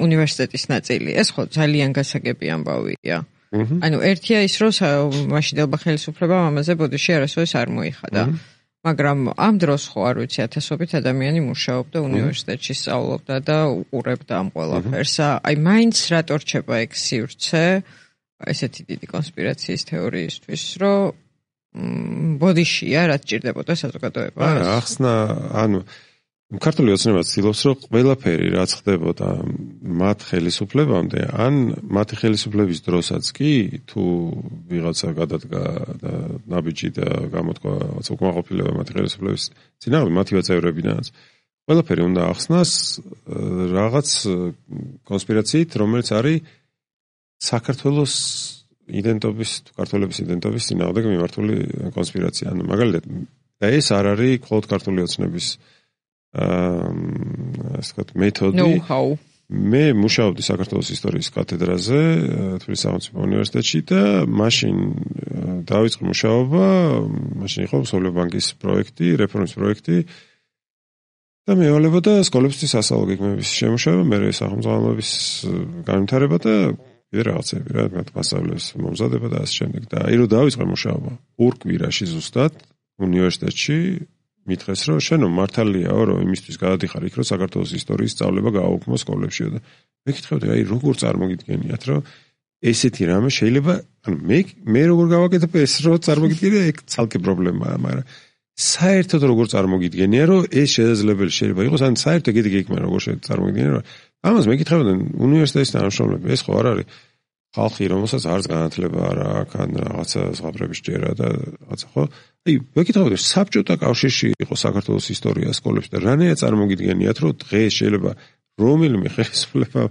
უნივერსიტეტის ნაწილი ეს ხო ძალიან გასაგები ამბავია ანუ ერთია ის, რომ მაშინდელმა ხელისუფლებამ ამაზე ბოდიში არასოდეს არ მოიხადა. მაგრამ ამ დროს ხო არ ვიცი ათასობით ადამიანი მუშაობდა უნივერსიტეტში, სწავლობდა და უყურებდა ამ ყველაფერს. აი მაინც რატო რჩება ეგ სივრცე ესეთი დიდი კონსპირაციის თეორიისთვის, რომ ბოდიშია, რაც ჭირდებოდა საზოგადოებას. არა, ახსნა, ანუ ქართული ოცნება ცდილობს, რომ ყველაფერი რაც ხდებოდა მათ ხელისუფლებამდე, ან მათი ხელისუფლების დროსაც კი, თუ ვიღაცა გადადგა და ნაბიჯი და გამოთქვა რაღაც უკმაყოფილება მათი ხელისუფლების წინააღმდეგ, მათივე წევრებიდანაც, ყველაფერი უნდა ახსნას რაღაც კონსპირაციით, რომელიც არის საქართველოს იდენტობის, ქართველების იდენტობის წინააღმდეგ მიმართული კონსპირაცია. ანუ მაგალითად, და ეს არ არის მხოლოდ ქართული ოცნების აა ასე ვთქვათ, მეთოდი. know-how. მე მუშაობდი საქართველოს ისტორიის კათედრაზე თბილისის სახელმწიფო უნივერსიტეტში და მაშინ დავიწყე მუშაობა, მაშინ იყო მსოფლიო ბანკის პროექტი, რეფორმის პროექტი და მევალებოდა სკოლებისთვის სასწავლო გეგმების შემუშავება, მერე სახელმწიფოების განვითარება და კიდე რაღაცები, რა, მასწავლებლების მომზადება და ასე შემდეგ. და აი რომ დავიწყე მუშაობა ორ კვირაში ზუსტად უნივერსიტეტში მითხეს, რომ შენო მართალიაო, რომ იმისთვის გადადიხარ იქ, რომ საქართველოს ისტორიის სწავლება გააუქმო სკოლებშიო და მეკითხებდი, აი როგორ წარმოგიდგენიათ, რომ ესეთი რამე შეიძლება, ანუ მე მე როგორ გავაკეთებ ეს, რომ წარმოგიდგენია, ეგ ცალკე პრობლემაა, მაგრამ საერთოდ როგორ წარმოგიდგენია, რომ ეს შესაძლებელი შეიძლება იყოს, ან საერთოდ ეგეთი გეკმა როგორ წარმოგიდგენია, რომ ამას მეკითხებდნენ უნივერსიტეტის თანამშრომლები, ეს ხო არ არის ხალხი, რომელსაც არც განათლება არ აქვს, ან რაღაცა ზღაპრების ჭერა და რაღაცა ხო? აი, მეკითხავდი, საბჭოთა კავშირში იყო საქართველოს ისტორია სკოლებში და რანაირად წარმოგიდგენიათ, რომ დღეს შეიძლება რომელიმე ხელისუფლება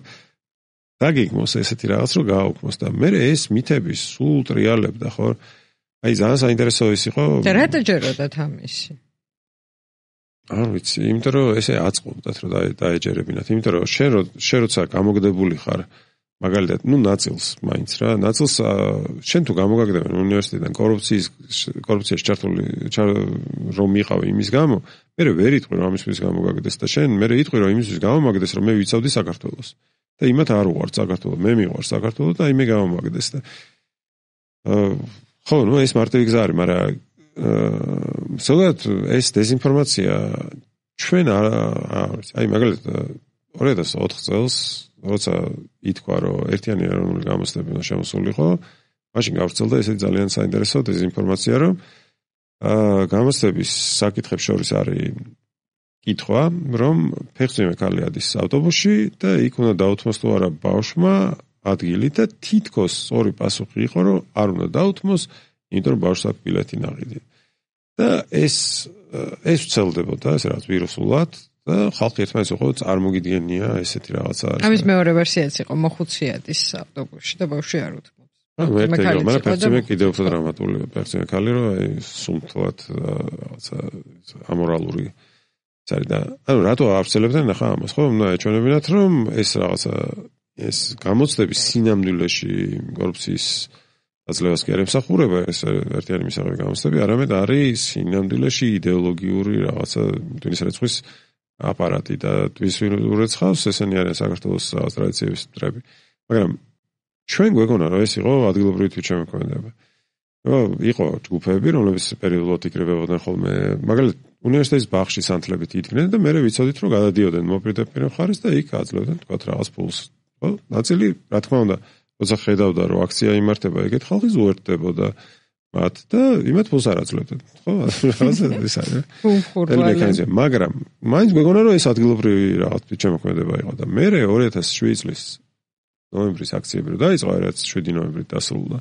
დაგეგმოს ესეთი რაღაც, რომ გააუქმოს და მე ეს მითები სულ ტრიალებდა, ხო? აი, ძალიან საინტერესო ის იყო. და რატო ჯეროდათ ამისი? არ ვიცი, იმიტომ რომ ესე აწყობდათ, რომ დაეჯერებინათ, იმიტომ რომ შენ შენ როცა გამოგდებული ხარ მაგალითად, ну, ნაწილს მაინც რა, ნაწილს შენ თუ გამოგაგდებენ უნივერსიტეტიდან კორუფციის კორუფციაში ჩართული რომ იყავი იმის გამო, მე ვერ იტყვი რომ ამისთვის გამოგაგდეს და შენ მე იტყვი რომ იმისთვის გამომაგდეს რომ მე ვიცავდი საქართველოს. და იმათ არ უყვართ საქართველო, მე მიყვარს საქართველო და აი მე გამომაგდეს და ხო, ну, ეს მარტივი გზა არის, მაგრამ ზოგადად ეს დეзинფორმაცია ჩვენ აი მაგალითად ორი ათას ოთხ წელს როცა ითქვა, რომ ერთიანი ეროვნული გამოცდები უნდა შემოსულიყო, მაშინ გავრცელდა ესეთი ძალიან საინტერესო დეзинფორმაცია, რომ აა გამოცდების საკითხებს შორის არის კითხვა, რომ ფეხმძიმე ქალი ადის ავტობუსში და იქ უნდა დაუთმოს თუ არა ბავშვმა ადგილი და თითქოს ორი პასუხი იყო, რომ არ უნდა დაუთმოს, იმიტომ რომ ბავშვს აქვს ბილეთი ნაღიდი. და ეს ეს ვცელდებოდა, ეს რაღაც ვირუსულად და ხალხი ერთმანეთს უყო წარმოგიდგენია ესეთი რაღაცა არის. ამის მეორე ვერსიაც იყო მოხუციადის ავტობუსში და ბავშვი არ უთმობს. ანუ ერთი იყო, მაგრამ ფეხმძიმე კიდევ უფრო დრამატულია, ფეხმძიმე ქალი რომ აი სუმთლად რაღაცა ამორალური წარი და ანუ რატო ავრცელებდნენ ახლა ამას, ხო? უნდა ეჩვენებინათ, რომ ეს რაღაცა ეს გამოცდების სინამდვილეში კორუფციის აძლევას კი არ ემსახურება, ეს ერთიანი მისაღები გამოცდები, არამედ არის სინამდვილეში იდეოლოგიური რაღაცა ტვინის რეცხვის აპარატი და ტვის ურეცხავს, ესენი არიან საქართველოს ტრადიციების მტრები. მაგრამ ჩვენ გვეგონა, რომ ეს იყო ადგილობრივი თვითშემოქმედება. იყო ჯგუფები, რომლებიც პერიოდულად იკრიბებოდნენ ხოლმე, მაგალითად უნივერსიტეტის ბაღში სანთლებით იდგნენ და მერე ვიცოდით, რომ გადადიოდნენ მოპირდაპირე მხარეს და იქ აძლევდნენ თქვათ რაღაც ფულს. ხო, ნაწილი, რა თქმა უნდა, როცა ხედავდა, რომ აქცია იმართება, ეგეთ ხალხი ზუერთდებოდა მათ და იმათ ფულს არ აძლევდნენ. ხო, რაღაცა ეს არის. უმხურვალე. მაგრამ მაინც მეგონა, რომ ეს ადგილობრივი რაღაც თვითშემოქმედება იყო და მერე ორი ათას შვიდი წლის ნოემბრის აქციები რო დაიწყო, რაც შვიდი ნოემბრი დასრულდა.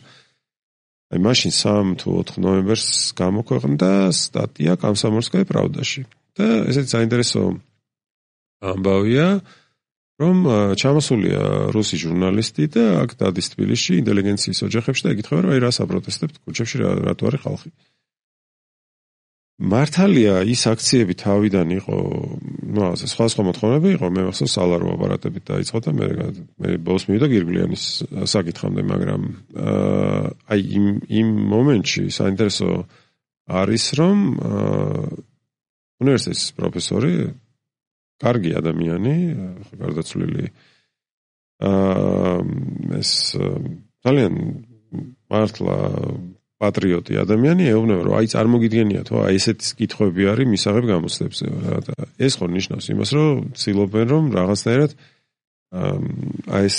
აი მაშინ სამ თუ ოთხ ნოემბერს გამოქვეყნდა სტატია კომსომოლსკაია პრავდაში. და ესეც საინტერესო ამბავია, რომ ჩამოსულია რუსი ჟურნალისტი და აქ დადის თბილისში ინტელიგენციის ოჯახებში და ეკითხება, რომ აი რას აპროტესტებთ ქუჩებში, რატო არის ხალხი. მართალია ის აქციები თავიდან იყო, ну, ასე სხვა-სხვა მოთხოვნები იყო, მე მახსოვს სალარო აპარატებით დაიწყო და მე მე ბოლოს მივიდა გირგლიანის საკითხამდე, მაგრამ აი იმ იმ მომენტში საინტერესო არის, რომ უნივერსიტეტის პროფესორი, კარგი ადამიანი, გარდაცვლილი, აა ეს ძალიან მართლა პატრიოტი ადამიანი ეუბნება, რომ აი წარმოგიდგენია თუ აი ესეთი კითხვები არის მისაღებ გამოცდებზე რა და ეს ხო ნიშნავს იმას, რომ ცდილობენ რომ რაღაცნაირად აი ეს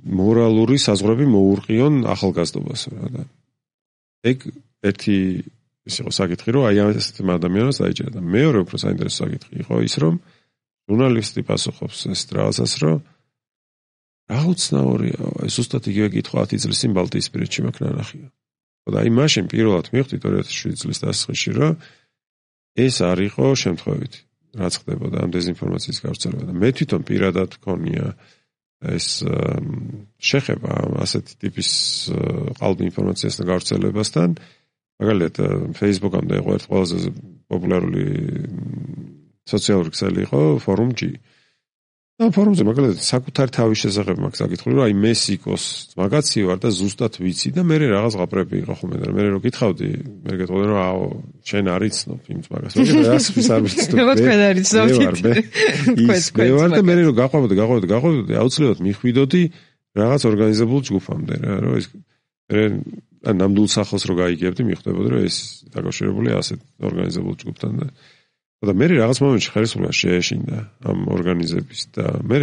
მორალური საზღვრები მოურყიონ ახალგაზრდობას რა და ეგ ერთი ის იყო საკითხი, რომ აი ესეთი ადამიანს დაიჭერა და მეორე უფრო საინტერესო საკითხი იყო ის, რომ ჟურნალისტი პასუხობს ეს რაღაცას, რომ რა უცნაურია, ეს ზუსტად იგივე კითხვა ათი წლის წინ ბალტიისპირეთში მაქვს ნანახია. და აი მაშინ პირველად მივხვდით ორი ათას შვიდი წლის დასაწყისში, რომ ეს არ იყო შემთხვევით, რაც ხდებოდა ამ დეзინფორმაციის გავრცელება და მე თვითონ პირადად მქონია ეს შეხება ასეთი ტიპის ყალბი ინფორმაციასთან გავრცელებასთან. მაგალითად, Facebook-ამდე იყო ერთ ყველაზე პოპულარული სოციალური ქსელი იყო Forum G. და ფორუმზე მაგალითად საკუთარი თავის შესახებ მაქვს საკითხული, რომ აი მე სიკოს მაგაცი ვარ და ზუსტად ვიცი და მე რაღაც ღაბრები იყო ხოლმე და მე რო გითხავდი, მე გეტყოდნენ რომ აო, შენ არ იცნობ იმ მაგას. მე რას არ ვიცნობ. მე თქვენ არ იცნობთ. ის მე ვარ და მე რო გაყვებოდი, გაყვებოდი, გაყვებოდი, აუცილებლად მიხვიდოდი რაღაც ორგანიზებულ ჯგუფამდე რა, რომ ეს მე ნამდვილ სახელს რო გაიგებდი, მიხვდებოდი რომ ეს დაკავშირებულია ასეთ ორგანიზებულ ჯგუფთან და და მე რაღაც მომენტში ხელისუფლება შეეშინდა ამ ორგანიზების და მე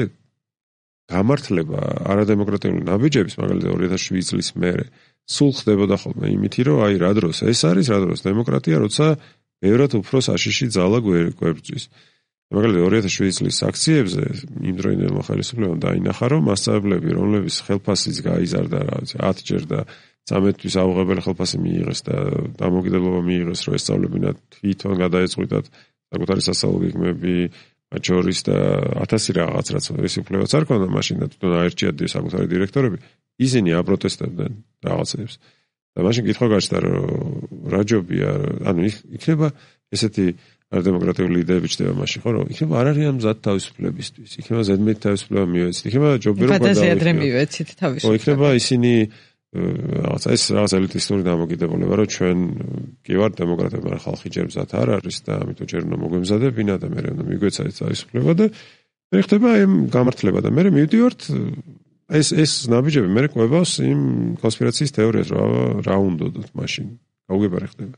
გამართლება არადემოკრატიული ნაბიჯების მაგალითად ორი ათას შვიდი წლის მერე სულ ხდებოდა ხოლმე იმითი რომ აი რა დროს ეს არის რა დროს დემოკრატია როცა ბევრად უფრო საშიში ძალა გვერდზვის მაგალითად ორი ათას შვიდი წლის აქციებზე იმ დროინდელმა ხელისუფლებამ დაინახა რომ მასწავლებლები რომლებიც ხელფასიც გაიზარდა რა ვიცი ათჯერ და წამეტთვის აუღებელი ხელფასი მიიღეს და დამოკიდებულება მიიღეს რომ ესწავლებინათ თვითონ გადაეწყვიტათ საკუთარი სასწავლო გეგმები, მათ შორის და ათასი რაღაც რაც ეს უფლებაც არ ქონდა მაშინ და თვითონ აერჩიათ საკუთარი დირექტორები, ისინი აპროტესტებდნენ რაღაცებს. და მაშინ კითხვა გაჩნდა, რომ რა ჯობია, ანუ იქნება ესეთი არდემოკრატიული იდეები ჩდება მაშინ, ხო, რომ იქნება არ არიან მზად თავისუფლებისთვის, იქნება ზედმეტი თავისუფლება მივეცით, იქნება ჯობია რომ გადავიდეთ. მივეცით თავისუფლება. იქნება ისინი რაღაც ეს რაღაც ელიტისტური დამოკიდებულება, რომ ჩვენ კი ვართ დემოკრატები, მაგრამ ხალხი ჯერ მზად არ არის და ამიტომ ჯერ უნდა მოგვემზადებინა და მე უნდა მიგვეცადეთ თავისუფლება და მე ხდება ამ გამართლება და მე მივდივართ ეს ეს ნაბიჯები მე ყვებას იმ კონსპირაციის თეორიას, რა რა უნდათ მაშინ. გაუგებარი ხდება.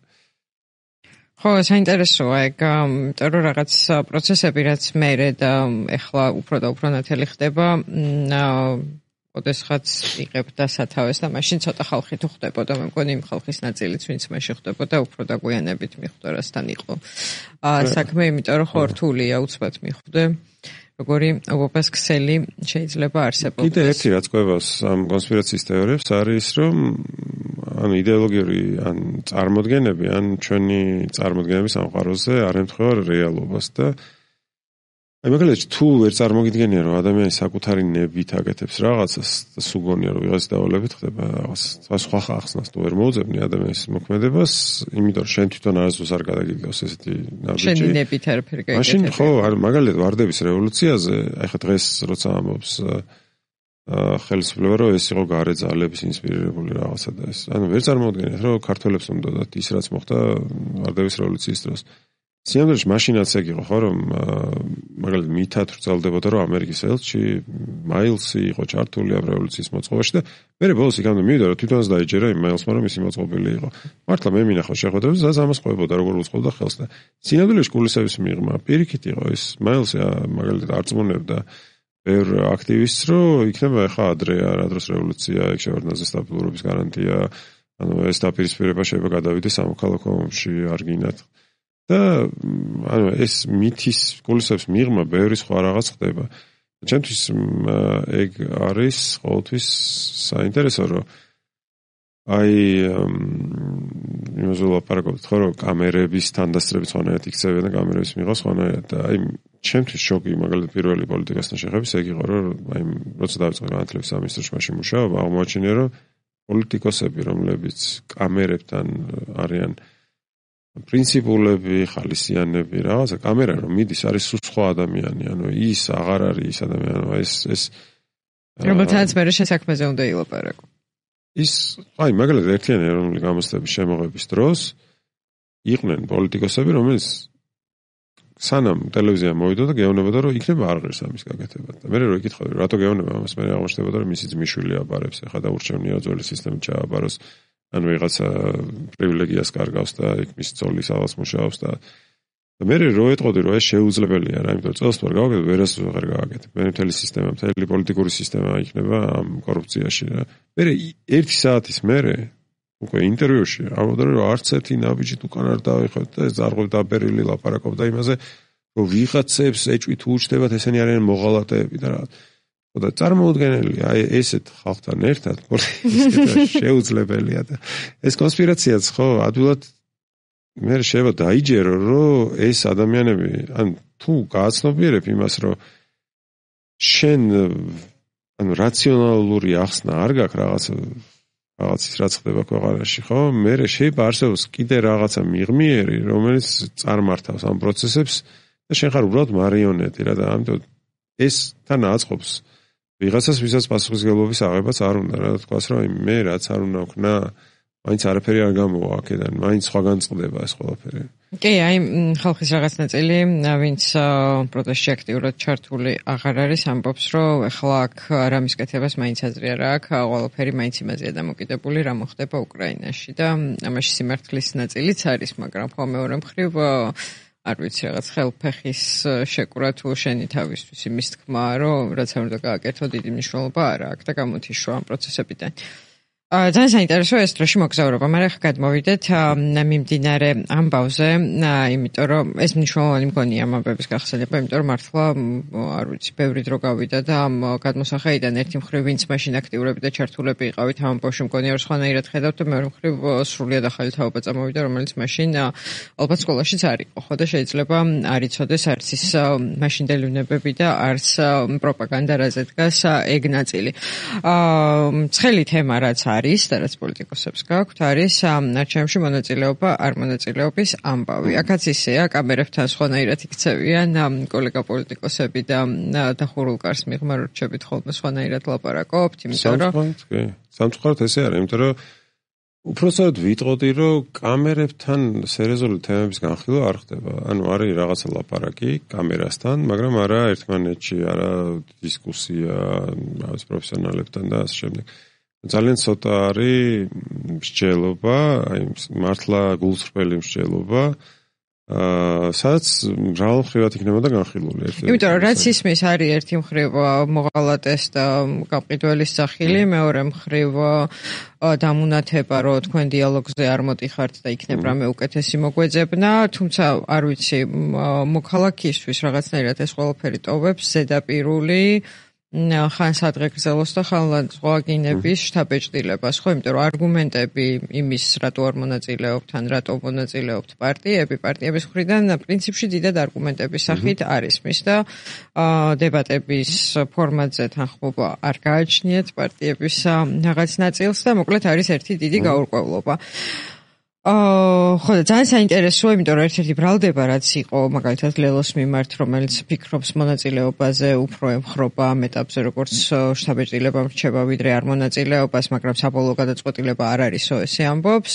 ხო, საინტერესოა ეგ, იმიტომ რომ რაღაც პროცესები რაც მე და ეხლა უფრო და უფრო ნათელი ხდება, ოდესღაც იღებ და სათავეს და მაშინ ცოტა ხალხი თუ ხდებოდა, მე მგონი იმ ხალხის ნაწილიც ვინც მაშინ ხდებოდა, უფრო დაგვიანებით მიხვდა რასთან იყო. აა საქმე, იმიტომ რომ ხო რთულია უცბად მიხვდე. როგორი ობობას ქსელი შეიძლება არსებობდეს. კიდე ერთი რაც ყვებას ამ კონსპირაციის თეორიებს არის, რომ ანუ იდეოლოგიური ან წარმოდგენები, ან ჩვენი წარმოდგენების სამყაროზე არ ემთხვევა რეალობას და აი მაგალითად თუ ვერ წარმოგიდგენია რომ ადამიანი საკუთარი ნებით აკეთებს რაღაცას და სუგონია რომ ვიღაც დავალებით ხდება რაღაც სხვა ხახსნას თუ ვერ მოუძებნი ადამიანის მოქმედებას, იმიტომ რომ შენ თვითონ არასდროს არ გადაგიგავს ესეთი ნაბიჯი. შენი ნებით არაფერი გაიგებს. მაშინ ხო, მაგალითად ვარდების რევოლუციაზე, აი ხა დღეს როცა ამბობს ხელისუფლება რომ ეს იყო გარე ძალების ინსპირირებული რაღაცა და ეს. ანუ ვერ წარმოვიდგენიათ რომ ქართველებს უნდათ ის რაც მოხდა ვარდების რევოლუციის დროს. სიამოვნებაში მაშინაც ეგ იყო ხო რომ მაგალითად მითად ვრცელდებოდა რომ ამერიკის ელჩი მაილსი იყო ჩართული ამ რევოლუციის მოწყობაში და მე ბოლოს იქამდე მივიდა რომ თვითონაც დაიჯერა იმ მაილსმა რომ ისი მოწყობილი იყო. მართლა მე მინახავს შეხვედრებს და ამას ყვებოდა როგორ უწყობდა ხელს და სიამოვნებაში კულისების მიღმა პირიქით იყო ის მაილსი მაგალითად არწმუნებდა ბევრ აქტივისტს რომ იქნება ახლა ადრე რა დროს რევოლუცია ეგ შევარდნაზე სტაბილურობის გარანტია ანუ ეს დაპირისპირება შეიძლება გადავიდეს სამოქალაქო ომში არ გინათ და ანუ ეს მითის კულისებს მიღმა ბევრი სხვა რაღაც ხდება. ჩემთვის ეგ არის ყოველთვის საინტერესო რომ აი იმას ვლაპარაკობთ ხო რომ კამერების თანდასწრებით სხვანაირად იქცევენ და კამერების მიღოს სხვანაირად და აი ჩემთვის შოკი მაგალითად პირველი პოლიტიკასთან შეხების ეგ იყო რომ აი როცა დავიწყე განათლების სამინისტროში მაშინ მუშაობა აღმოაჩინე რომ პოლიტიკოსები რომლებიც კამერებთან არიან პრინციპულები, ხალისიანები, რაღაცა კამერა რომ მიდის არის სხვა ადამიანი, ანუ ის აღარ არის ის ადამიანი, ეს ეს რომელთაც მე შესაქმეზე უნდა ილაპარაკო. ის აი მაგალითად ერთიანი ეროვნული გამოცდების შემოღების დროს იყვნენ პოლიტიკოსები, რომელიც სანამ ტელევიზია მოვიდოდა გეუბნებოდა რომ იქნება არ ღირს ამის გაკეთება და მე რო იკითხავდი რატო გეუბნება ამას მე აღმოჩნდებოდა რომ მისი ძმისშვილი აბარებს ეხლა და ურჩევნია ძველი სისტემით ჩააბაროს ან ვიღაცა პრივილეგიას კარგავს და იქ მის ძოლის ალას მუშაობს და და მე რო ეტყოდი რომ ეს შეუძლებელია რა იმიტომ წელს თუ არ გავაკეთებ ვერას ვეღარ გავაკეთებ მე მთელი სისტემა მთელი პოლიტიკური სისტემა იქნება ამ კორუფციაში რა მე ერთი საათის მერე უკვე ინტერვიუში ამბობდა რომ არც ერთი ნაბიჯით უკან არ დავიხოთ და ეს ზარღვევ დაბერილი ლაპარაკობდა იმაზე რომ ვიღაცებს ეჭვით უჩნდებათ ესენი არიან მოღალატეები და რა და წარმოუდგენელია აი ესეთ ხალხთან ერთად პოლიტიკა შეუძლებელია და ეს კონსპირაციაც ხო ადვილად მე შეიძლება დაიჯერო რომ ეს ადამიანები ან თუ გააცნობიერებ იმას რომ შენ ანუ რაციონალური ახსნა არ გაქვს რაღაც რაღაცის რაც ხდება ქვეყანაში ხო მე შეიძლება არსებობს კიდე რაღაცა მიღმიერი რომელიც წარმართავს ამ პროცესებს და შენ ხარ უბრალოდ მარიონეტი რა და ამიტომ ეს თან აწყობს ვიღაცას ვისაც პასუხისმგებლობის აღებაც არ უნდა რა თქვას რომ მე რაც არ უნდა ვქნა მაინც არაფერი არ გამოვა აქედან მაინც სხვაგან წყდება ეს ყველაფერი კი აი ხალხის რაღაც ნაწილი ვინც პროტესტში აქტიურად ჩართული აღარ არის ამბობს რომ ეხლა აქ რამის კეთებას მაინც აზრი არ აქვს ყველაფერი მაინც იმაზეა დამოკიდებული რა მოხდება უკრაინაში და ამაში სიმართლის ნაწილიც არის მაგრამ ხო მეორე მხრივ არ ვიცი რაღაც ხელფეხის შეკვრა თუ შენი თავისთვის იმის თქმა რომ რაც არ უნდა გააკეთო დიდი მნიშვნელობა არ აქვს და გამოთიშვა ამ პროცესებიდან ძალიან საინტერესოა ეს დროში მოგზაურობა, მაგრამ ახლა გადმოვიდეთ მიმდინარე ამბავზე, იმიტომ რომ ეს მნიშვნელოვანი მგონია ამ ამბების გახსენება, იმიტომ რომ მართლა არ ვიცი, ბევრი დრო გავიდა და ამ გადმოსახედიდან ერთი მხრივ ვინც მაშინ აქტიურები და ჩართულები იყავით ამ ამბავში მგონია რომ სხვანაირად ხედავთ და მეორე მხრივ სრულიად ახალი თაობა წამოვიდა, რომელიც მაშინ ალბათ სკოლაშიც არ იყო, ხო და შეიძლება არ იცოდეს არც ის მაშინდელი უნებები და არც პროპაგანდა რაზე დგას ეგ ნაწილი. აა ცხელი თემა რაც არის და რაც პოლიტიკოსებს გაქვთ არის არჩევნებში მონაწილეობა არ მონაწილეობის ამბავი. აქაც ისეა, კამერებთან სხვანაირად იქცევიან კოლეგა პოლიტიკოსები და დახურულ კარს მიღმა რჩებით ხოლმე სხვანაირად ლაპარაკობთ, იმიტომ რომ სამწუხაროდ ესე არის, იმიტომ რომ უпроსად ვიტყოდი, რომ კამერებთან სერიოზული თემების განხილვა არ ხდება. ანუ არის რაღაცა ლაპარაკი კამერასთან, მაგრამ არა ერთმანეთში, არა დისკუსია რაღაც პროფესიონალებთან და ასე შემდეგ. ძალიან ცოტა არის მსჯელობა, აი მართლა გულწრფელი მსჯელობა, აა სადაც მრავალმხრივად იქნებოდა განხილული ერთი. იმიტომ რომ რაც ისმის არის ერთი მხრივ მოღალატეს და გამყიდველის სახილი, მეორე მხრივ დამუნათება, რომ თქვენ დიალოგზე არ მოდიხართ და იქნებ რამე უკეთესი მოგვეძებნა, თუმცა არ ვიცი, მოქალაქისთვის რაღაცნაირად ეს ყველაფერი ტოვებს ზედაპირული ხან სადღეგრძელოს და ხან ზღვაგინების შთაბეჭდილებას, ხო, იმიტომ რომ არგუმენტები იმის, რატო არ მონაწილეობთ, ან რატო მონაწილეობთ პარტიები, პარტიების მხრიდან პრინციპში დიდად არგუმენტების სახით არის მის და დებატების ფორმატზე თანხმობა არ გააჩნიათ პარტიების რაღაც ნაწილს და მოკლედ არის ერთი დიდი გაურკვევლობა. აა ხო და ძალიან საინტერესოა, იმიტომ რომ ერთ-ერთი ბრალდება რაც იყო მაგალითად ლელოს მიმართ, რომელიც ფიქრობს მონაწილეობაზე უფრო ემხრობა ამ ეტაპზე როგორც შთაბეჭდილება მრჩება ვიდრე არ მონაწილეობას, მაგრამ საბოლოო გადაწყვეტილება არ არისო ესე ამბობს.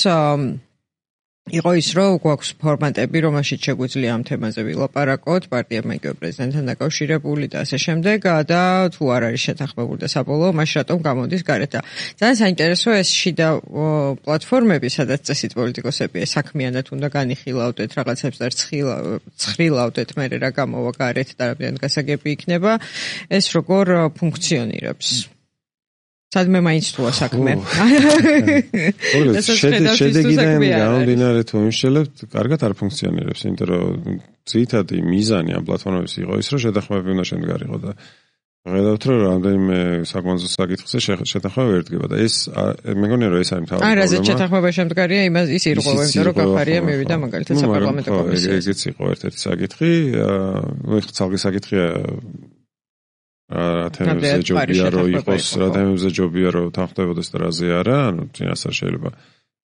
იყო ის, რომ გვაქვს ფორმატები, რომელშიც შეგვიძლია ამ თემაზე ვილაპარაკოთ, პარტიებმა იგივე პრეზიდენტთან დაკავშირებული და ასე შემდეგ და თუ არ არის შეთანხმებული და საბოლოო მაშინ რატომ გამოდის გარეთ. ძალიან საინტერესოა ეს შიდა პლატფორმები, სადაც წესით პოლიტიკოსები საქმიანად უნდა განიხილავდეთ რაღაცებს და ცხრილავდეთ, მე რა გამოვა გარეთ და რამდენად გასაგები იქნება, ეს როგორ ფუნქციონირებს. სადმე მაინც თუა საქმე. შედეგიდან გამომდინარე თუ იმშელებთ, კარგად არ ფუნქციონირებს, იმიტომ რომ ძირითადი მიზანი ამ პლატფორმების იყო ის, რომ შეთანხმებები უნდა შემდგარიყო და ხედავთ, რომ რამდენიმე საკონსულტაციო საკითხზე შეთანხმება ვერ დგება და ეს მე მგონია, რომ ეს არის მთავარი პრობლემა. არა, რაზეც შეთანხმება შემდგარია, იმას ის ირღვევა, იმიტომ რომ გახარია მივიდა მაგალითად საპარლამენტო კომისიაში. ეგეც იყო ერთ-ერთი საკითხი, ნუ ხ ცალკე საკითხია რა თემებზე ჯობია რომ იყოს, რა თემებზე ჯობია რომ თანხმდებოდეს და რაზე არა, ანუ წინასწარ შეიძლება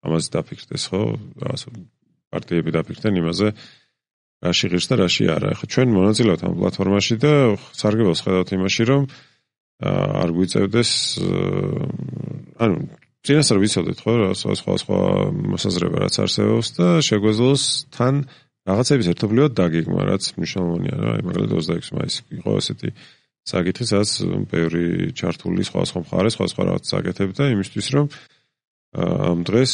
ამაზე დაფიქრდეს, ხო? რაღაც პარტიები დაფიქრდნენ იმაზე, რაში ღირს და რაში არა. ხო ჩვენ მონაწილეობთ ამ პლატფორმაში და სარგებლობს ხედავთ იმაში, რომ არ გვიწევდეს ანუ წინასწარ ვიცოდეთ, ხო, რა სხვა სხვა მოსაზრება რაც არსებობს და შეგვეძლოს თან რაღაცების ერთობლივად დაგეგმა, რაც მნიშვნელოვანია რა, აი მაგალითად ოცდაექვსი მაისი იყო ასეთი საკითხი, სადაც ბევრი ჩართული სხვა სხვა მხარე, სხვა სხვა რაღაც საკეთებდა იმისთვის, რომ ამ დღეს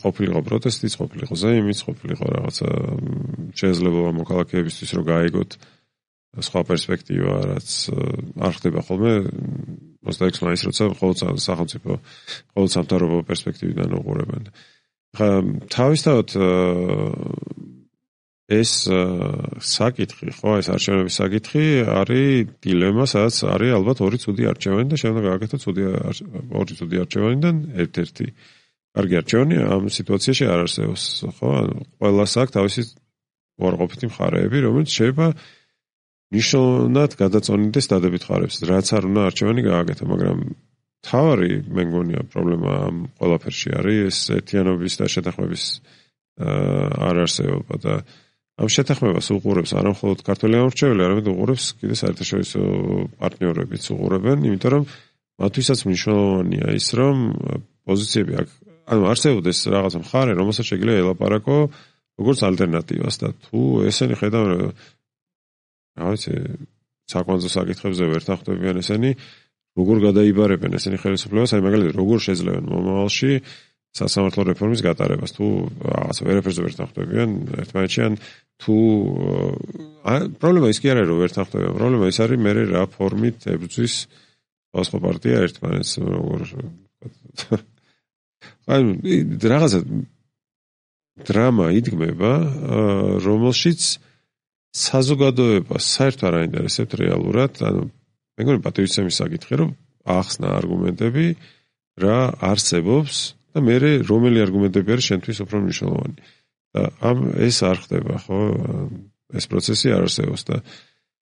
ყოფილიყო პროტესტიც, ყოფილიყო ზეიმიც, ყოფილიყო რაღაცა შესაძლებლობა მოქალაქეებისთვის, რომ გაიგოთ სხვა პერსპექტივა, რაც არ ხდება ხოლმე ოცდაექვსი მაისს, როცა ყოველ სახელმწიფო, ყოველ სამთავრობო პერსპექტივიდან უყურებენ. ხა თავისთავად ეს საკითხი, ხო, ეს არჩევნების საკითხი არის დილემა, სადაც არის ალბათ ორი ცუდი არჩევანი და შემდეგ გააკეთოთ ცუდი ორი ცუდი არჩევანიდან ერთ-ერთი. კარგი არჩევანი ამ სიტუაციაში არ არსებობს, ხო? ანუ ყველას აქვს თავისი უარყოფითი მხარეები, რომელიც შეიძლება ნიშნულად გადაწონიდეს დადებით მხარებს, რაც არ უნდა არჩევანი გააკეთო, მაგრამ თავარი მე მგონია პრობლემა ამ ყველაფერში არის ეს ერთიანობის და შეთანხმების არ არსებობა და ამ შეთანხმებას უყურებს არა მხოლოდ ქართველი ამორჩეველი, არამედ უყურებს კიდე საერთაშორისო პარტნიორებიც უყურებენ, იმიტომ რომ მათთვისაც მნიშვნელოვანია ის, რომ პოზიციები აქ, ანუ არსებობდეს რაღაც მხარე, რომელსაც შეიძლება ელაპარაკო როგორც ალტერნატივას და თუ ესენი ხედავენ, რა ვიცი, საკვანძო საკითხებზე ვერ თანხმდებიან ესენი, როგორ გადაიბარებენ ესენი ხელისუფლებას, აი მაგალითად როგორ შეძლებენ მომავალში სასამართლო რეფორმის გატარებას, თუ რაღაც ვერაფერზე ვერ თანხმდებიან ერთმანეთში, ან თუ პრობლემა ის კი არ არის, რომ ვერ თანხმდებიან, პრობლემა ის არის, მე რა ფორმით ებრძვის სხვა პარტია ერთმანეთს, როგორ აი რაღაცა დრამა იდგმება, რომელშიც საზოგადოებას საერთოდ არ აინტერესებთ რეალურად, ანუ მე მგონი პატივისცემის საკითხი, რომ ახსნა არგუმენტები რა არსებობს და მე რომელი არგუმენტები არის შენთვის უფრო მნიშვნელოვანი. და ამ ეს არ ხდება, ხო? ეს პროცესი არ არსებობს და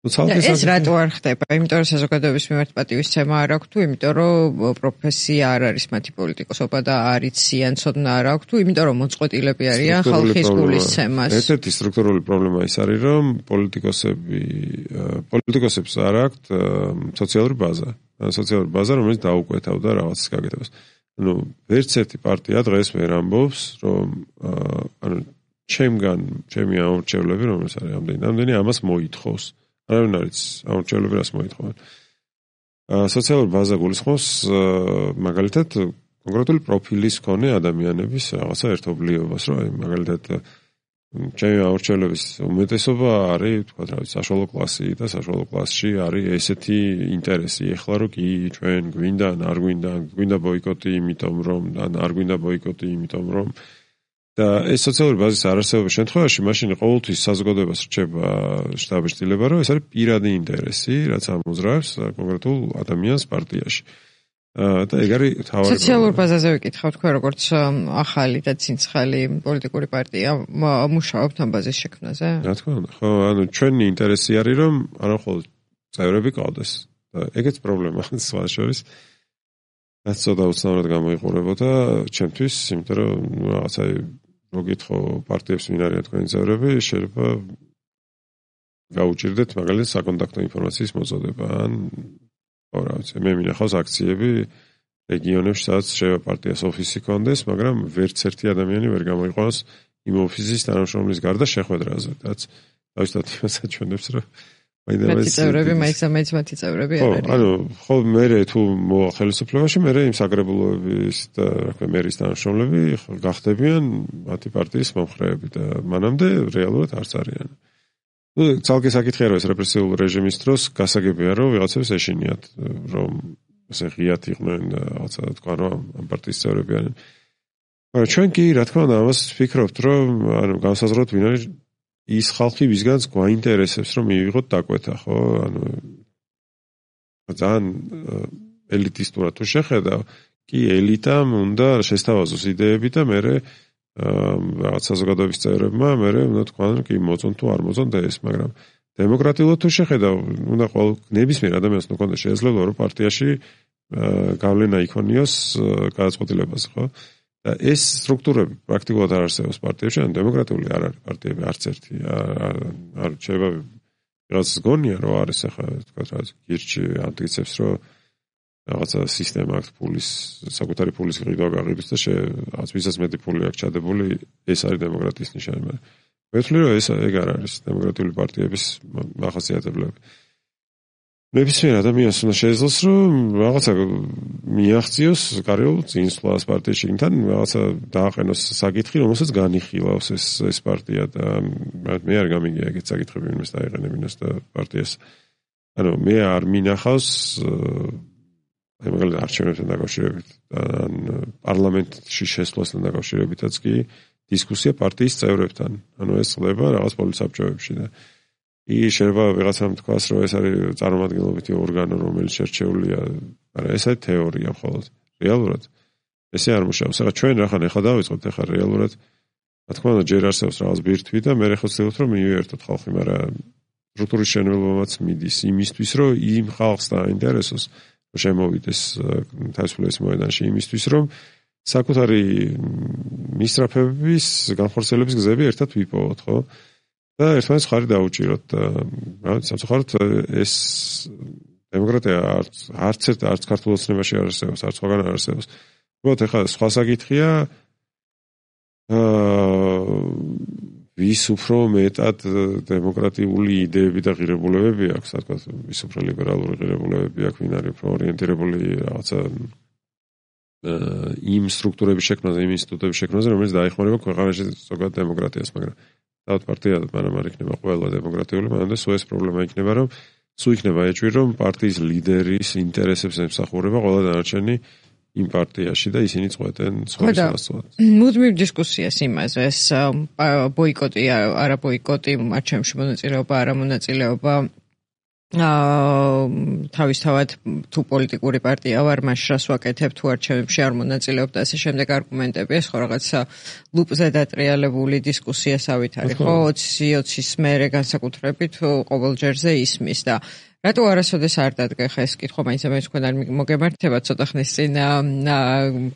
ну ცალკე ეს რატო არ ხდება? იმიტომ რომ საზოგადოების მიმართ პატივისცემა არ აქვს თუ იმიტომ რომ პროფესია არ არის მათი პოლიტიკოსობა და არ იციან ცოდნა არ აქვს თუ იმიტომ რომ მოწყვეტილები არიან ხალხის გულისცემას. ერთ-ერთი სტრუქტურული პრობლემა ის არის რომ პოლიტიკოსები პოლიტიკოსებს არ აქვთ სოციალური ბაზა. ანუ სოციალური ბაზა რომელიც დაუკვეთავდა რაღაცის გაკეთებას. ну ვერც ერთი პარტია დღეს ვერ ამბობს რომ ანუ ჩემგან ჩემი ამორჩევლები რომელიც არის ამდენი ამდენი ამას მოითხოვს. არავინ არ იცის ამორჩევლები რას მოითხოვენ. სოციალური ბაზა გულისხმობს მაგალითად კონკრეტული პროფილის მქონე ადამიანების რაღაცა ერთობლიობას, რომ აი მაგალითად ჩემი ამორჩევლების უმეტესობა არის, თქვა რა ვიცი, საშუალო კლასი და საშუალო კლასში არის ესეთი ინტერესი. ეხლა რომ კი ჩვენ გვინდა, არ გვინდა, გვინდა ბოიკოტი, იმიტომ რომ ან არ გვინდა ბოიკოტი, იმიტომ რომ და ეს სოციალური ბაზის არარსებობის შემთხვევაში მაშინ ყოველთვის საზოგადოებას რჩება შთაბეჭდილება, რომ ეს არის პირადი ინტერესი, რაც ამოძრავებს კონკრეტულ ადამიანს პარტიაში. და ეგ არის თავარი სოციალურ ბაზაზე ვიკითხავ თქვენ როგორც ახალი და ცინცხალი პოლიტიკური პარტია მუშაობთ ამ ბაზის შექმნაზე? რა თქმა უნდა, ხო, ანუ ჩვენი ინტერესი არის რომ არა მხოლოდ წევრები ყავდეს და ეგეც პრობლემაა სხვა შორის. რაც ცოტა უცნაურად გამოიყურებოდა ჩემთვის, იმიტომ რომ რაღაცა მოგითხო პარტიებს ვინ არიან თქვენი წევრები, შეიძლება გაუჭირდეთ მაგალითად საკონტაქტო ინფორმაციის მოწოდება ან რა ვიცი, მე მინახავს აქციები რეგიონებში, სადაც შეიძლება პარტიას ოფისი კონდეს, მაგრამ ვერც ერთი ადამიანი ვერ გამოიყვანოს იმ ოფისის თანამშრომლის გარდა შეხვედრაზე, რაც თავისთავად იმას აჩვენებს, რომ მათი წევრები, მაინც მათი წევრები არ არიან. ანუ ხო მე თუ მოვალ ხელისუფლებაში, მე იმ საკრებულოების და რა ქვია მერის თანამშრომლები გახდებიან მათი პარტიის მომხრეები და მანამდე რეალურად არც არიან. ну ცალკე საკითხია რომ ეს რეპრესიული რეჟიმის დროს გასაგებია რომ ვიღაცებს ეშინიათ რომ ესე ღიად იყვნენ და რაღაცა თქვა რომ ამ პარტიის წევრები არიან. მაგრამ ჩვენ კი რა თქმა უნდა ამას ვფიქრობთ რომ ანუ განსაზღვროთ ვინ არის ის ხალხი ვისგანაც გვაინტერესებს რომ მივიღოთ დაკვეთა, ხო? ანუ ძალიან ელიტისტურად თუ შეხედავ, კი ელიტამ უნდა შესთავაზოს იდეები და მე რაღაც საზოგადოების წევრებმა მე უნდა თქვან კი მოწონ თუ არ მოწონ და ეს, მაგრამ დემოკრატიულად თუ შეხედავ, უნდა ყოველ ნებისმიერ ადამიანს უნდა ქონდეს შესაძლებლობა რომ პარტიაში გავლენა იქონიოს გადაწყვეტილებაზე, ხო? და ეს სტრუქტურები პრაქტიკულად არ არსებობს პარტიებში, ან დემოკრატიული არ არის პარტიები არც ერთი, არ შეიძლება რაღაც გონია რომ არის ახლა თქვა რა გირჩი ამტკიცებს რომ რაღაცა სისტემა აქვს ფულის, საკუთარი ფულის ყიდვა გაყიდვის და რაღაც ვისაც მეტი ფული აქვს ჩადებული, ეს არის დემოკრატიის ნიშანი. მაგრამ მე ვთვლი, რომ ეს ეგ არ არის დემოკრატიული პარტიების მახასიათებლები. ნებისმიერ ადამიანს უნდა შეეძლოს, რომ რაღაცა მიაღწიოს კარიერულ წინსვლას პარტიაში, თან რაღაცა დააყენოს საკითხი, რომელსაც განიხილავს ეს ეს პარტია და მე არ გამიგია ეგეთ საკითხები, ვინმეს დაეყენებინოს და პარტიას. ანუ მე არ მინახავს აი მაგალითად არჩევნებთან დაკავშირებით, ან პარლამენტში შესვლასთან დაკავშირებითაც კი დისკუსია პარტიის წევრებთან. ანუ ეს ხდება რაღაც პოლიტსაბჭოებში და კი შეიძლება ვიღაცამ თქვას, რომ ეს არის წარმომადგენლობითი ორგანო, რომელიც შერჩეულია, მაგრამ ეს არის თეორია მხოლოდ. რეალურად ესე არ მუშაობს. ახლა ჩვენ რახან ახლა დავიწყოთ, ახლა რეალურად რა თქმა უნდა ჯერ არსებობს რაღაც ბირთვი და მე ხო ვცდილობთ რომ მივიერთოთ ხალხი, მაგრამ სტრუქტურის შენობებაც მიდის იმისთვის, რომ იმ ხალხს დაინტერესოს, რომ შემოვიდეს თავისუფლების მოედანში იმისთვის, რომ საკუთარი მისწრაფების განხორციელების გზები ერთად ვიპოვოთ, ხო? და ერთმანეთს ხარი დაუჭიროთ და სამწუხაროდ ეს დემოკრატია არც არც ერთ არც ქართულ ოცნებაში არ არსებობს, არც სხვაგან არ არსებობს. უბრალოდ ეხლა სხვა საკითხია აა ვის უფრო მეტად დემოკრატიული იდეები და ღირებულებები აქვს, ასე ვთქვათ, ვის უფრო ლიბერალური ღირებულებები აქვს, ვინ არის უფრო ორიენტირებული რაღაცა იმ სტრუქტურების შექმნაზე, იმ ინსტიტუტების შექმნაზე, რომელიც დაეხმარება ქვეყანაში ზოგადად დემოკრატიას, მაგრამ თავად პარტია მანამ არ იქნება ყველა დემოკრატიული, მანამდე სულ ეს პრობლემა იქნება, რომ სულ იქნება ეჭვი, რომ პარტიის ლიდერის ინტერესებს ემსახურება ყველა დანარჩენი იმ პარტიაში და ისინი წყვეტენ სხვას ასწავლად. მუდმივ დისკუსიას იმაზე, ეს ბოიკოტი, არა ბოიკოტი, არჩევნებში მონაწილეობა, არა მონაწილეობა აა თავისთავად თუ პოლიტიკური პარტია ვარ, მას რას ვაკეთებ, თუ არჩევნებში არ მონაწილეობ და ასე შემდეგ არგუმენტები, ეს ხო რაღაცა ლუპზე დატრიალებული დისკუსიასავით არის, ხო? ოცი ოცის მერე განსაკუთრებით ყოველ ჯერზე ისმის და რატო არასოდეს არ დადგა ხა ეს კითხვა, მაინც ამას თქვენ არ მოგემართება ცოტა ხნის წინ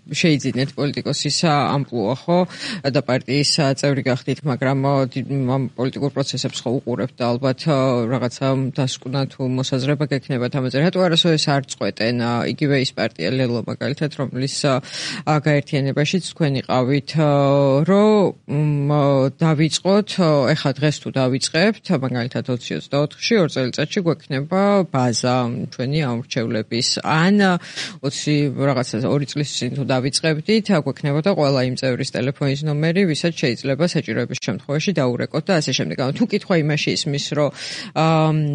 შეიძინეთ პოლიტიკოსის ამპლუა, ხო? და პარტიის წევრი გახდით, მაგრამ ამ პოლიტიკურ პროცესებს ხო უყურებთ და ალბათ რაღაცა დასკვნა თუ მოსაზრება გექნებათ ამაზე. რატო არასოდეს არ წყვეტენ იგივე ის პარტია ლელო მაგალითად, რომლის გაერთიანებაშიც თქვენ იყავით, რომ დავიწყოთ, ეხლა დღეს თუ დავიწყებთ, მაგალითად ოცი ოცდაოთხში ორ წელიწადში გვექნება ბაზა ჩვენი ამრჩევლების ან ოცი რაღაცა ორი წლის წინ თუ დავიწყებდით, გვექნებოდა ყველა იმ წევრის ტელეფონის ნომერი, ვისაც შეიძლება საჭიროების შემთხვევაში დაურეკოთ და ასე შემდეგ. ანუ თუ კითხვა იმაში ისმის, რომ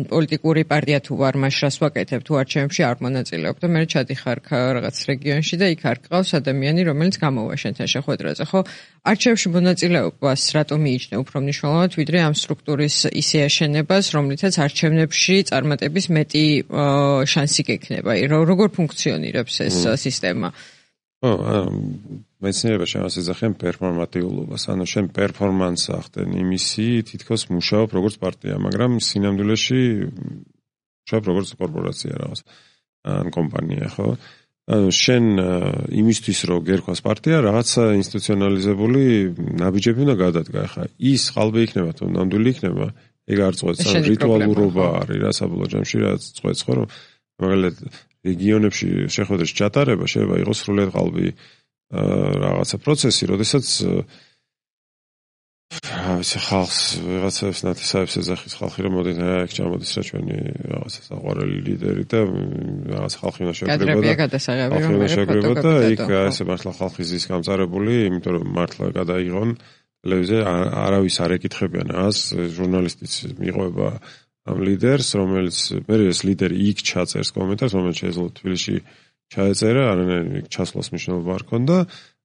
პოლიტიკური პარტია თუ ვარ, მას რას ვაკეთებ, თუ არჩევნებში არ მონაწილეობ და მე ჩადიხარ რაღაც რეგიონში და იქ არ გყავს ადამიანი, რომელიც გამოვა შენთან შეხვედრაზე, ხო? არჩევნებში მონაწილეობას რატომ მიიჩნევ უფრო მნიშვნელოვნად, ვიდრე ამ სტრუქტურის ისე აშენებას, რომლითაც არჩევნებში წარმატების მეტი შანსი გექნება. როგორ ფუნქციონირებს ეს სისტემა? ო, მეცნიერებაში ამას ეძახიან პერფორმატიულობას, ანუ შენ პერფორმანსს ახდენ იმისი, თითქოს მუშაობ როგორც პარტია, მაგრამ სინამდვილეში მუშაობ როგორც კორპორაცია რაღაც ან კომპანია, ხო? ანუ შენ იმისთვის რომ გერქვას პარტია, რაღაცა ინსტიტუციონალიზებული ნაბიჯები უნდა გადადგა. ხა ის ხალბი იქნება თუ ნამდვილი იქნება, ეგ არ წყვეტს, ან რიტუალურობა არის რა საბოლოო ჯამში, რაც წყვეტს, ხო, რომ მაგალითად რეგიონებში შეხვედრის ჩატარება შეიძლება იყოს სრულად ყალბი რაღაცა პროცესი, როდესაც ასე ხალხს ვიღაცებს ნათესავებს ეძახის ხალხი, რომ მოდი რა იქ ჩამოდის რა ჩვენი რაღაცა საყვარელი ლიდერი და რაღაც ხალხი უნდა შეგრებოდა და იქ ასე მართლა ხალხი ზის გამწარებული, იმიტომ რომ მართლა გადაიღონ ტელევიზია არავის არ ეკითხებიან ას ჟურნალისტიც მიყვება ამ ლიდერს, რომელიც მე ეს ლიდერი იქ ჩაწერს კომენტარს, რომელიც შეეძლო თბილისში ჩაეწერა, არანაირი ჩასვლას მნიშვნელობა არ ქონდა,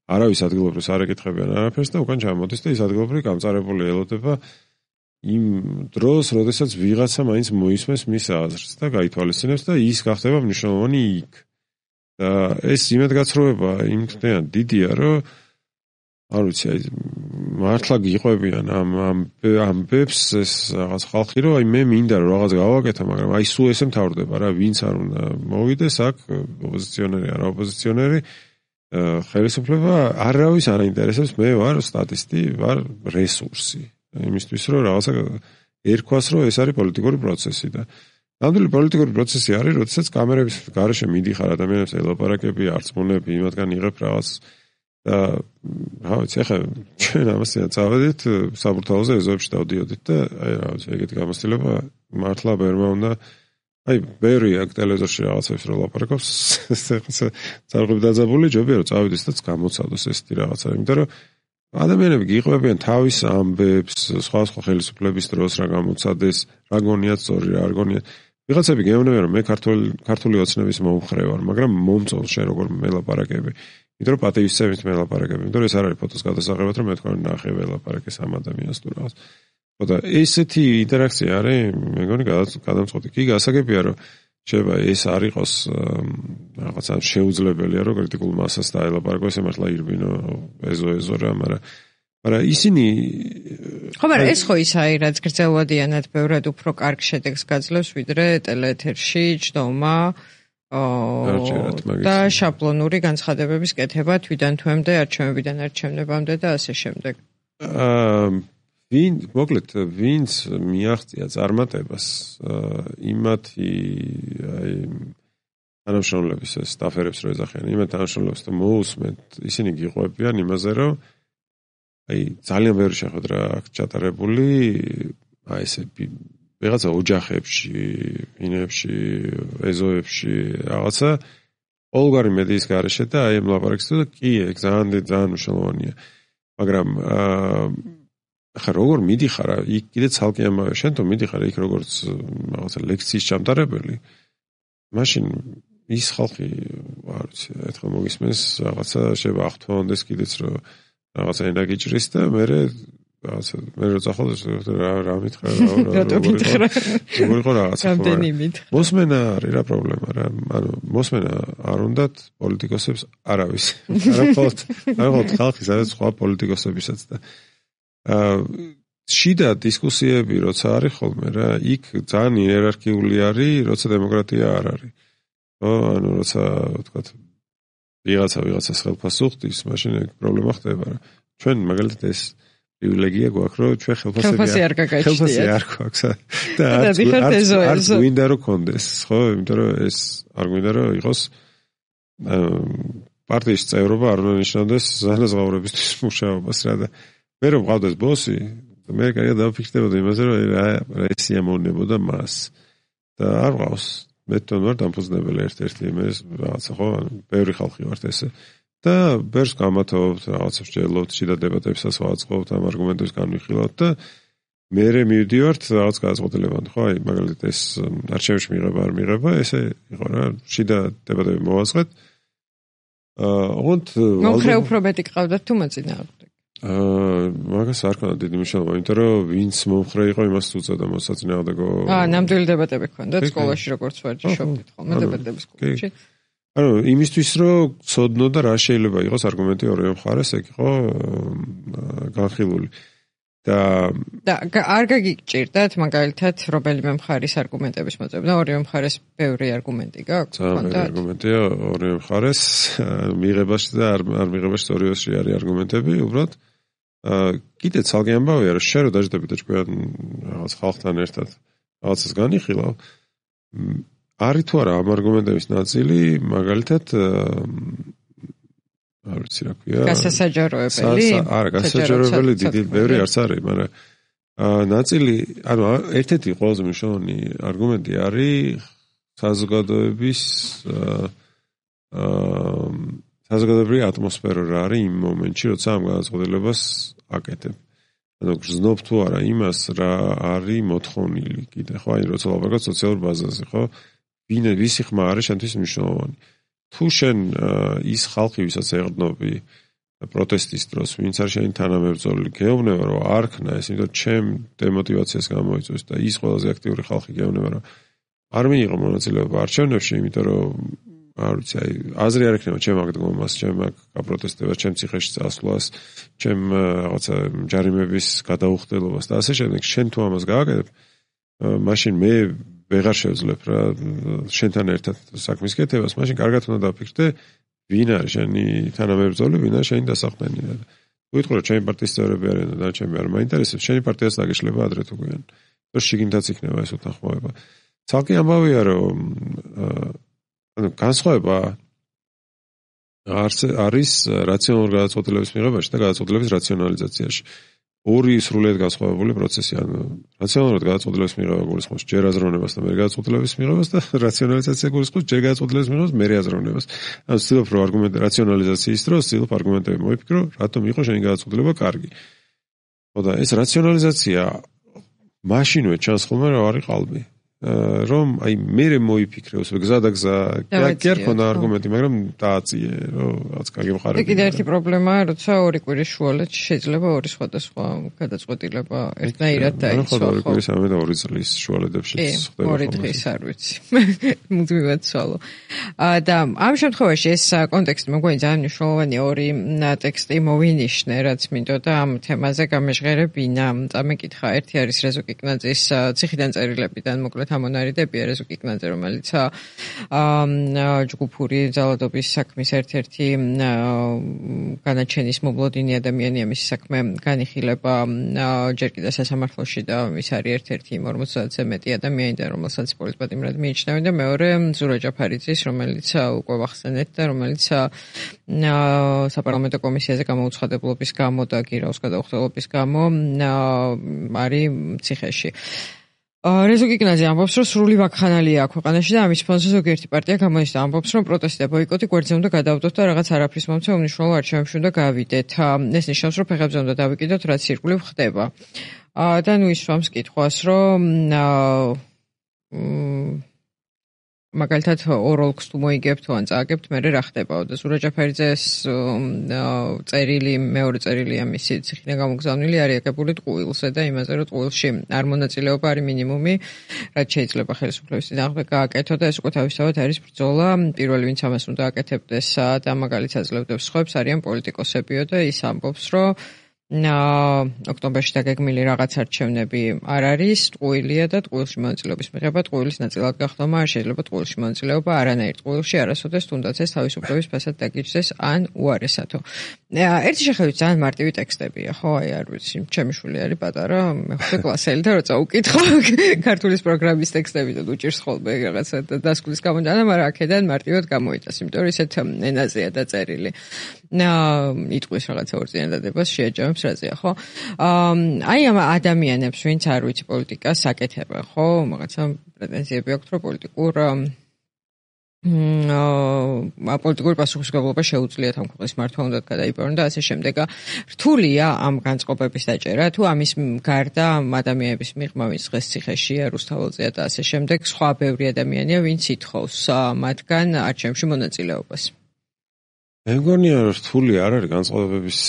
არავის ადგილობრივს არ ეკითხებიან არაფერს და უკან ჩამოდის და ის ადგილობრივი გამწარებული ელოდება იმ დროს, როდესაც ვიღაცა მაინც მოისმენს მის აზრს და გაითვალისწინებს და ის გახდება მნიშვნელოვანი იქ. და ეს იმედგაცრუება იმთნეა დიდია, რომ არ ვიცი, აი მართლა გიყვებიან ამ ამ ამბებს ეს რაღაც ხალხი, რომ აი მე მინდა რომ რაღაც გავაკეთო, მაგრამ აი სულ ესე მთავრდება რა, ვინც არ უნდა მოვიდეს აქ, ოპოზიციონერი არა ოპოზიციონერი, ხელისუფლება არავის არ აინტერესებს, მე ვარ სტატისტი, ვარ რესურსი. იმისთვის რომ რაღაცა ერქვას, რომ ეს არის პოლიტიკური პროცესი და ნამდვილი პოლიტიკური პროცესი არის, როდესაც კამერების გარეშე მიდიხარ ადამიანებს ელაპარაკები, არწმუნები, იმათგან იღებ რაღაც და რა ვიცი, ახლა ჩვენ ამასთან წავედით საბურთალოზე ეზოებში დავდიოდით და აი რა ვიცი, ეგეთი გამოცდილება მართლა ბერმა უნდა აი ბევრი აქ ტელევიზორში რაღაცებს რო ლაპარაკობს, ეხლა ძალები დაძაბული ჯობია რომ წავიდეს და გამოცადოს ესეთი რაღაცა, იმიტომ რომ ადამიანები გიყვებიან თავის ამბებს, სხვა სხვა ხელისუფლების დროს რა გამოცადეს, რა გონიათ სწორი, რა არ გონიათ. ვიღაცები გეუბნებიან რომ მე ქართული ქართული ოცნების მომხრე ვარ, მაგრამ მომწონს შენ როგორ მელაპარაკები. იმიტომ რომ პატივისცემით მელაპარაკები, იმიტომ რომ ეს არ არის ფოტოს გადასაღებად, რომ მე თქვენ ნახე ველაპარაკეს ამ ადამიანს თუ რაღაც. და ესეთი ინტერაქცია არის, მე მგონი გადამწყვეტი. კი გასაგებია რომ შეიძლება ეს არ იყოს რაღაცა შეუძლებელია რომ კრიტიკულ მასას დაელაპარაკო, ესე მართლა ირბინო ეზო ეზო რა, მაგრამ მაგრამ ისინი ხო, მაგრამ ეს ხო ის არის, რაც გრძელვადიანად ბევრად უფრო კარგ შედეგს გაძლევს, ვიდრე ტელეეთერში ჯდომა და შაბლონური განცხადებების კეთება თვიდან თვემდე, არჩევნებიდან არჩევნებამდე და ასე შემდეგ. აა ვინ, მოკლედ, ვინც მიაღწია წარმატებას, იმათი აი თანამშრომლების სტაფერებს რო ეძახიან, იმათ თანამშრომლებს და მოусმენთ, ისინი გიყვებიან იმაზე, რომ აი ძალიან ბევრი შეხვედრა აქვს ჩატარებული, აი ესე ვიღაცა ოჯახებში, ინებში, ეზოებში, რაღაცა ყოველგვარი მედიის გარეშე და აი ამ ლაპარაკს და კი, ეგ ძალიან ძალიან მნიშვნელოვანია. მაგრამ აა ახლა როგორ მიდიხარ იქ კიდე ცალკე ამავე შენ თუ მიდიხარ იქ როგორც რაღაცა ლექციის ჩამტარებელი, მაშინ ის ხალხი არ ვიცი, ერთხელ მოგისმენს რაღაცა შეიძლება აღთვალოს კიდეც რომ რაღაცა ენა გიჭრის და მე რაღაცა მე რო წახალ რა რა მითხრა რა როგორ იყო რაღაცა მოსმენა არის რა პრობლემა რა, ანუ მოსმენა არ უნდათ პოლიტიკოსებს არავის არაფოთ არაფოთ ხალხი სადაც სხვა პოლიტიკოსებისაც და აა შიდა დისკუსიები როცა არის ხოლმე რა, იქ ძალიან იერარქიული არის, როცა დემოკრატია არ არის. ხო, ანუ როცა ვთქვათ ვიღაცა ვიღაცას ხელფასს უხდის, მაშინ ეგ პრობლემა ხდება რა. ჩვენ მაგალითად ეს პრივილეგია გვაქვს, რომ ჩვენ ხელფასები არ გაგაჩნიათ. ხელფასი არ გვაქვს და არც გვინდა რომ კონდეს, ხო, იმიტომ რომ ეს არ გვინდა რომ იყოს პარტიის წევრობა არ უნდა ნიშნავდეს ზანაზღაურებისთვის მუშაობას რა და მე რომ ვყავდეს ბოსი, მე კარგად დავფიქრდებოდი იმაზე, რომ რა ეს იამოვნებოდა მას და არ ვყავს. მე თვითონ ვარ დამფუძნებელი ერთ-ერთი იმის რაღაცა ხო, ბევრი ხალხი ვართ ესე და ბევრს გამათოვებთ, რაღაცებს ჯელობთ, შიდა დებატებსაც ვაწყობთ, ამ არგუმენტებს განვიხილავთ და მე მივდივართ რაღაც გადაწყვეტილებამდე, ხო, აი მაგალითად ეს არჩევნებში მიღება არ მიღება, ესე იყო რა, შიდა დებატები მოვაწყეთ. აა, ოღონდ მომხრე უფრო მეტი ყავდათ თუ მოწინააღმდეგე. აა, მაგას არ ქონდა დიდი მნიშვნელობა, იმიტომ რომ ვინც მომხრე იყო, იმას უწევდა მოსაწინააღმდეგო. აა, ნამდვილი დებატები ქონდა სკოლაში როგორც ვარჯიშობდით ხოლმე დებატების კლუბში. ანუ იმისთვის რომ ცოდნო და რა შეიძლება იყოს არგუმენტი ორივე მხარეს, ეგ იყო განხილული. და და არ გაგიჭირდათ მაგალითად რომელიმე მხარის არგუმენტების მოწმობა, ორივე მხარეს ბევრი არგუმენტი გაქვს? ხონდა არგუმენტია ორივე მხარეს, მიღებაში და არ არ მიღებაში ორივეში არის არგუმენტები, უბრალოდ კიდე ცალკე ამბავია, რომ შენ რო დაждები და ჩვენ რაღაც ხალხთან ერთად რაღაცას განიხილავ, არის თუ არა ამ არგუმენტების ნაწილი, მაგალითად არ ვიცი რა ქვია. გასასაჯაროებელი? არა, გასასაჯაროებელი დიდი ბევრი არც არის, მაგრამ ნაწილი, ანუ ერთ-ერთი ყველაზე მნიშვნელოვანი არგუმენტი არის საზოგადოების აა საზოგადოებრივი ატმოსფერო რა არის იმ მომენტში, როცა ამ გადაწყვეტილებას აკეთებ. ანუ გრძნობ თუ არა იმას, რა არის მოთხოვნილი კიდე, ხო, აი როცა ლაპარაკობ სოციალურ ბაზაზე, ხო? ვინ ვისი ხმა არის შენთვის მნიშვნელოვანი. თუ შენ ის ხალხი, ვისაც ეყრდნობი პროტესტის დროს, ვინც არის შენი თანამებრძოლი, გეუბნება, რომ არ ქნა ეს, იმიტომ ჩემ დემოტივაციას გამოიწვევს და ის ყველაზე აქტიური ხალხი გეუბნება, რომ არ მიიღო მონაწილეობა არჩევნებში, იმიტომ რომ არ ვიცი, აი აზრი არ ექნება ჩემ აქ დგომას, ჩემ აქ გაპროტესტებას, ჩემ ციხეში წასვლას, ჩემ რაღაცა ჯარიმების გადაუხდელობას და ასე შემდეგ, შენ თუ ამას გააკეთებ, მაშინ მე ვეღარ შევძლებ რა შენთან ერთად საქმის კეთებას, მაშინ კარგად უნდა დაფიქრდე, ვინ არის შენი თანამებრძოლი, ვინ არის შენი დასაყრდენი რა. თუ ვიტყვი რომ ჩემი პარტიის წევრები არიან და ჩემი არ მაინტერესებს, შენი პარტიას დაგეშლება ადრე თუ გვიან. და შიგნითაც იქნება ეს უთანხმოება. ცალკე ამბავია, რომ ანუ განსხვავება არის რაციონალური გადაწყვეტილების მიღებაში და გადაწყვეტილების რაციონალიზაციაში. ორი სრულიად განსხვავებული პროცესი, ანუ რაციონალურად გადაწყვეტილების მიღება გულისხმობს ჯერ აზროვნებას და მერე გადაწყვეტილების მიღებას და რაციონალიზაცია გულისხმობს ჯერ გადაწყვეტილების მიღებას, მერე აზროვნებას. ანუ ვცდილობ რომ არგუმენტი რაციონალიზაციის დროს ვცდილობ არგუმენტები მოიფიქრო, რატომ იყო შენი გადაწყვეტილება კარგი. ხო და ეს რაციონალიზაცია მაშინვე ჩანს ხოლმე რა არის ყალბი. რომ აი მე მოიფიქრე უსვე გზა და გზა კი არ ქონდა არგუმენტი, მაგრამ დააწიე, რომ რაც კარგი მხარეა. კიდე ერთი პრობლემაა, როცა ორი კვირის შუალედ შეიძლება ორი სხვადასხვა გადაწყვეტილება ერთნაირად დაიცვა. ხო, ორი კვირის ამე და ორი წლის შუალედებში ხდება. ორი დღის არ ვიცი. მუდმივად ცვალო. და ამ შემთხვევაში ეს კონტექსტი მოგონი ძალიან მნიშვნელოვანია, ორი ტექსტი მოვინიშნე, რაც მინდოდა ამ თემაზე გამეჟღერებინა. წამეკითხა, ერთი არის რეზო კიკნაძის ციხიდან წერილებიდან მოკლედ ამონარიდებია რეზო კიკნაძე, რომელიც ჯგუფური ძალადობის საქმის ერთ-ერთი განაჩენის მომლოდინი ადამიანია, მისი საქმე განიხილება ჯერ კიდევ სასამართლოში და ის არის ერთ-ერთი იმ ორმოცდაათზე მეტი ადამიანიდან, რომელსაც პოლიტპატიმრად მიიჩნევენ და მეორე ზურა ჯაფარიძის, რომელიც უკვე ვახსენეთ და რომელიც საპარლამენტო კომისიაზე გამოუცხადებლობის გამო და გირაოს გადაუხდელობის გამო არის ციხეში. რეზო კიკნაძე ამბობს, რომ სრული ვაქხანალია აქვს ქვეყანაში და ამის ფონზე ზოგიერთი პარტია გამოიჩნდა, ამბობს, რომ პროტესტი და ბოიკოტი გვერდზე უნდა გადავდოთ და რაღაც არაფრის მომცე უმნიშვნელო არჩევნებში უნდა გავიდეთ. ეს ნიშნავს, რომ ფეხებზე უნდა დავიკიდოთ, რაც ირგვლივ ხდება. და ნუ ისვამს კითხვას, რომ მაგალითად ოროლქს თუ მოიგებთ თუ ან წააგებთ, მერე რა ხდებაო და ზურა ჯაფარიძეს წერილი, მეორე წერილია მისი ციხიდან გამოგზავნილი არის აგებული ტყუილზე და იმაზე, რომ ტყუილში არ მონაწილეობა არის მინიმუმი, რაც შეიძლება ხელისუფლების წინააღმდეგ გააკეთო და ეს უკვე თავისთავად არის ბრძოლა. პირველი, ვინც ამას უნდა აკეთებდეს და მაგალითად აძლევდებს სხვებს, არიან პოლიტიკოსებიო და ის ამბობს, რომ ოქტომბერში დაგეგმილი რაღაც არჩევნები არ არის, ტყუილია და ტყუილში მონაწილეობის მიღება ტყუილის ნაწილად გახდომა არ შეიძლება ტყუილში მონაწილეობა არანაირ ტყუილში არასოდეს თუნდაც ეს თავისუფლების ფასად დაგიჯდეს ან უარესათო. ერთი შეხედვით ძალიან მარტივი ტექსტებია, ხო, აი არ ვიცი, ჩემი შვილი არის პატარა, მეხუთე კლასელი და როცა უკითხო ქართულის პროგრამის ტექსტები და უჭირს ხოლმე რაღაცა დასკვნის გამოდანა, მაგრამ აქედან მარტივად გამოიტანს, იმიტომ რომ ისეთ ენაზეა დაწერილი. იტყვის რაღაცა ორწინადადებას შეაჯამებს რაზეა, ხო? აი ამ ადამიანებს, ვინც არ ვიცი პოლიტიკას აკეთებენ, ხო? რაღაცა პრეტენზიები აქვთ, რომ პოლიტიკურ პოლიტიკური პასუხისმგებლობა შეუძლიათ ამ ქვეყნის მართვა უნდა გადაიბარონ და ასე შემდეგ. რთულია ამ განწყობების დაჭერა, თუ ამის გარდა ამ ადამიანების მიღმა, ვინც დღეს ციხეშია, რუსთაველზეა და ასე შემდეგ, სხვა ბევრი ადამიანია, ვინც ითხოვს მათგან არჩევნებში მონაწილეობას. მე მგონია, რომ რთული არ არის განწყობების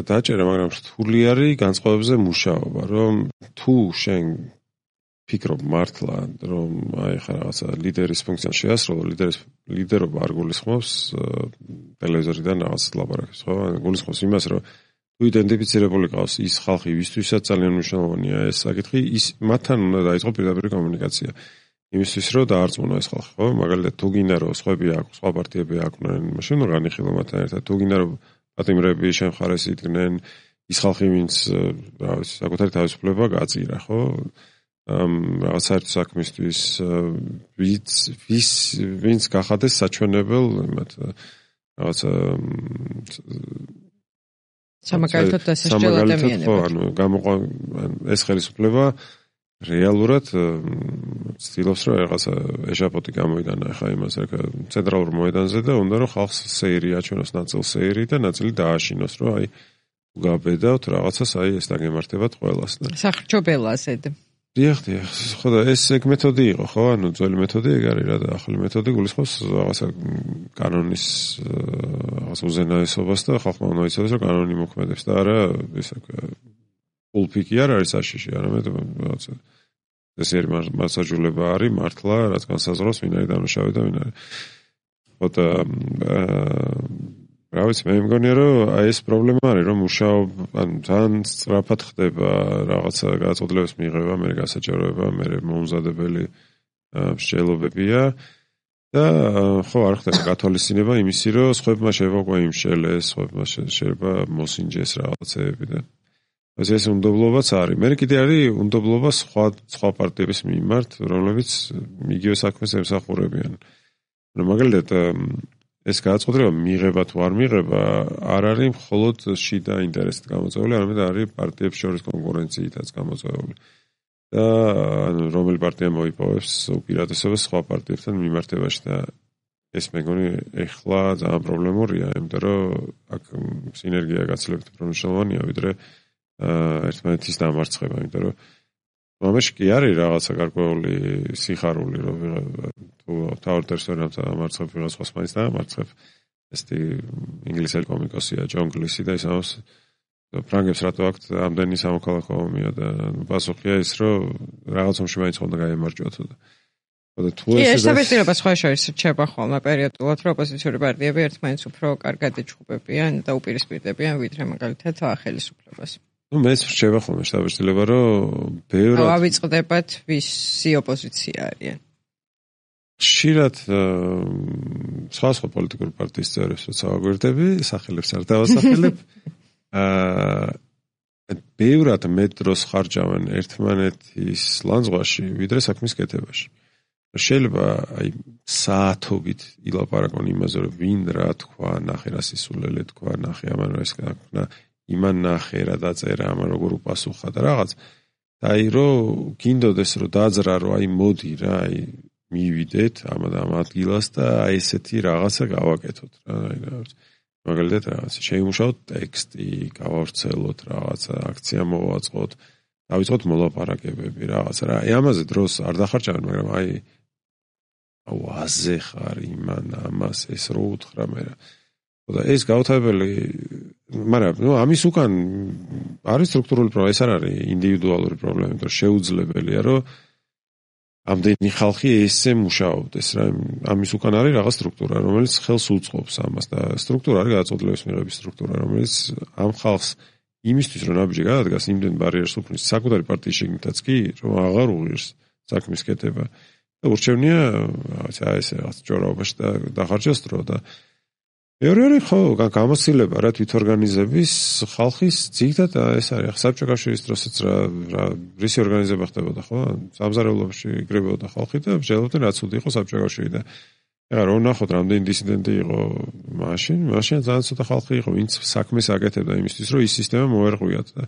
დაჭერა, მაგრამ რთული არის განწყობებზე მუშაობა, რომ თუ შენ ფიქრობ მართლა, რომ აი ხა რაღაცა ლიდერის ფუნქციას შეასრულო, ლიდერის ლიდერობა არ გულისხმობს ტელევიზორიდან რაღაც ლაპარაკს, ხო? გულისხმობს იმას, რომ თუ იდენტიფიცირებული ყავს ის ხალხი, ვისთვისაც ძალიან მნიშვნელოვანია ეს საკითხი, ის მათთან უნდა დაიწყო პირდაპირ კომუნიკაცია. იმისთვის რომ დაარწმუნო ეს ხალხი, ხო? მაგალითად, თუ გინდა რომ სხვები აქვს, სხვა პარტიები აკვნენ, მაშინ უნდა განიხილო მათთან ერთად. თუ გინდა რომ პატიმრები შენ მხარეს იდგნენ, ის ხალხი, ვინც რა ვიცი, საკუთარი თავისუფლება გააწირა, ხო? ამ რაღაც საერთო საქმისთვის ვინც ვის ვინც გახადეს საჩვენებელ იმათ რაღაც სამაგალითოდ დასაჯელ ადამიანებად. ანუ გამოყვა ეს ხელისუფლება რეალურად ცდილობს რომ რაღაცა ეჟაპოტი გამოიდანა ხა იმას რა ცენტრალურ მოედანზე და უნდა რომ ხალხს სეირი აჩვენოს, ნაწილ სეირი და ნაწილი დააშინოს, რომ აი გაბედავთ რაღაცას, აი ეს დაგემართებათ ყველას. სახრჩობელაზედ. დიახ, დიახ, ხო და ეს ეგ მეთოდი იყო, ხო? ანუ ძველი მეთოდი ეგ არის რა და ახალი მეთოდი გულისხმობს რაღაცა კანონის რაღაც უზენაესობას და ხალხმა უნდა იცოდეს, რომ კანონი მოქმედებს და არა ესე პულპიკი არ არის საშიში, არამედ რაღაცა ეს ერი მასაჟულება არის მართლა, რაც განსაზღვრავს ვინ არის დამნაშავე და ვინ არის. ხო და რა ვიცი, მე მგონია, რომ აი ეს პრობლემა არის, რომ მუშაობა, ანუ ძალიან სწრაფად ხდება რაღაცა გადაწყვეტილების მიღება, მე გასაჯაროება, მე მომზადებელი მსჯელობებია და ხო არ ხდება გათვალისწინება იმისი, რომ სხვებმა შეიძლება უკვე იმშელეს, სხვებმა შეიძლება მოსინჯეს რაღაცეები და ეს უნდობლობაც არის. მე კიდე არის უნდობლობა სხვა სხვა პარტიების მიმართ, რომლებიც იგივე საქმეს ემსახურებიან. რომ მაგალითად ეს გადაწყვეტილება მიღება თუ არ მიღება არ არის მხოლოდ შიდა ინტერესით გამოწვეული, არამედ არის პარტიებს შორის კონკურენციითაც გამოწვეული. და ანუ რომელი პარტია მოიპოვებს უპირატესობას სხვა პარტიებთან მიმართებაში და ეს მეგონი ეხლა ძალიან პრობლემურია, იმიტომ რომ აქ სინერგია გაცილებით უფრო მნიშვნელოვანია, ვიდრე ერთმანეთის დამარცხება, იმიტომ რომ მომეში კი არის რაღაცა გარკვეული სიხარული, რომ თუ თავდარს ვერ დამარცხებ ვიღაც სხვას მაინც დამარცხებ. ესეთი ინგლისელი კომიკოსია ჯონ გლისი და ისამოს ფრანგებს რატო აქვთ ამდენი სამოქალაქო ომია და პასუხია ის, რომ რაღაც ომში მაინც ხონდა გაემარჯვოთ და და თუ ეს ეს საბეჭდილება სხვა შორის რჩება ხოლმე პერიოდულად, რომ ოპოზიციური პარტიები ერთმანეთს უფრო კარგად ეჩხუბებიან და უპირისპირდებიან ვიდრე მაგალითად ხელისუფლებას. ну მეც რჩება ხოლმე საბეჭდილება, რომ ბევრად ავიწყდებათ ვისი ოპოზიცია არიან. ხშირად სხვა სხვა პოლიტიკური პარტიის წევრებს ვსაუბრობდი, სახელებს არ დავასახელებ. აა ბევრად მეტ დროს ხარჯავენ ერთმანეთის ლანძღვაში, ვიდრე საქმის კეთებაში. შეიძლება აი საათობით ილაპარაკონ იმაზე, რომ ვინ რა თქვა, ნახე რა სისულელე თქვა, ნახე ამან რა ეს გაქვნა, იმან ნახე რა დაწერა, ამან როგორ უპასუხა და რაღაც. და აი რომ გინდოდეს რომ დაძრა, რომ აი მოდი რა, აი მივიდეთ ამ ამ ადგილას და აი ესეთი რაღაცა გავაკეთოთ რა, აი რა მაგალითად რაღაცა შეიმუშაოთ ტექსტი, გავავრცელოთ რაღაცა, აქცია მოვაწყოთ, დავიწყოთ მოლაპარაკებები რაღაცა რა. აი ამაზე დროს არ დახარჯავენ, მაგრამ აი აუ აზე ხარ იმან ამას ეს რო უთხრა მე რა. და ეს გაუთავებელი, მაგრამ ნუ ამის უკან არის სტრუქტურული პრობლემა, ეს არ არის ინდივიდუალური პრობლემა, იმიტომ რომ შეუძლებელია რომ ამდენი ხალხი ესე მუშაობდეს რა. ამის უკან არის რაღაც სტრუქტურა, რომელიც ხელს უწყობს ამას და სტრუქტურა არის გადაწყვეტილების მიღების სტრუქტურა, რომელიც ამ ხალხს იმისთვის რომ ნაბიჯი გადადგას, იმდენ ბარიერს უფლის საკუთარი პარტიის შიგნითაც კი, რომ აღარ უღირს საქმის კეთება და ურჩევნია რაღაცა ესე რაღაც ჯორაობაში და დახარჯოს დრო და მეორე არის ხო გამოცდილება რა თვითორგანიზების ხალხის ძირითადად ეს არის საბჭოთა კავშირის დროსაც რა რა რისი ორგანიზება ხდებოდა ხო სამზარეულოში იგრებოდა ხალხი და მსჯელობდნენ რაც უდი იყო საბჭოთა კავშირი და ეხლა რომ ნახოთ რამდენი დისიდენტი იყო მაშინ მაშინ ძალიან ცოტა ხალხი იყო ვინც საქმეს აკეთებდა იმისთვის რომ ის სისტემა მოერღვიათ და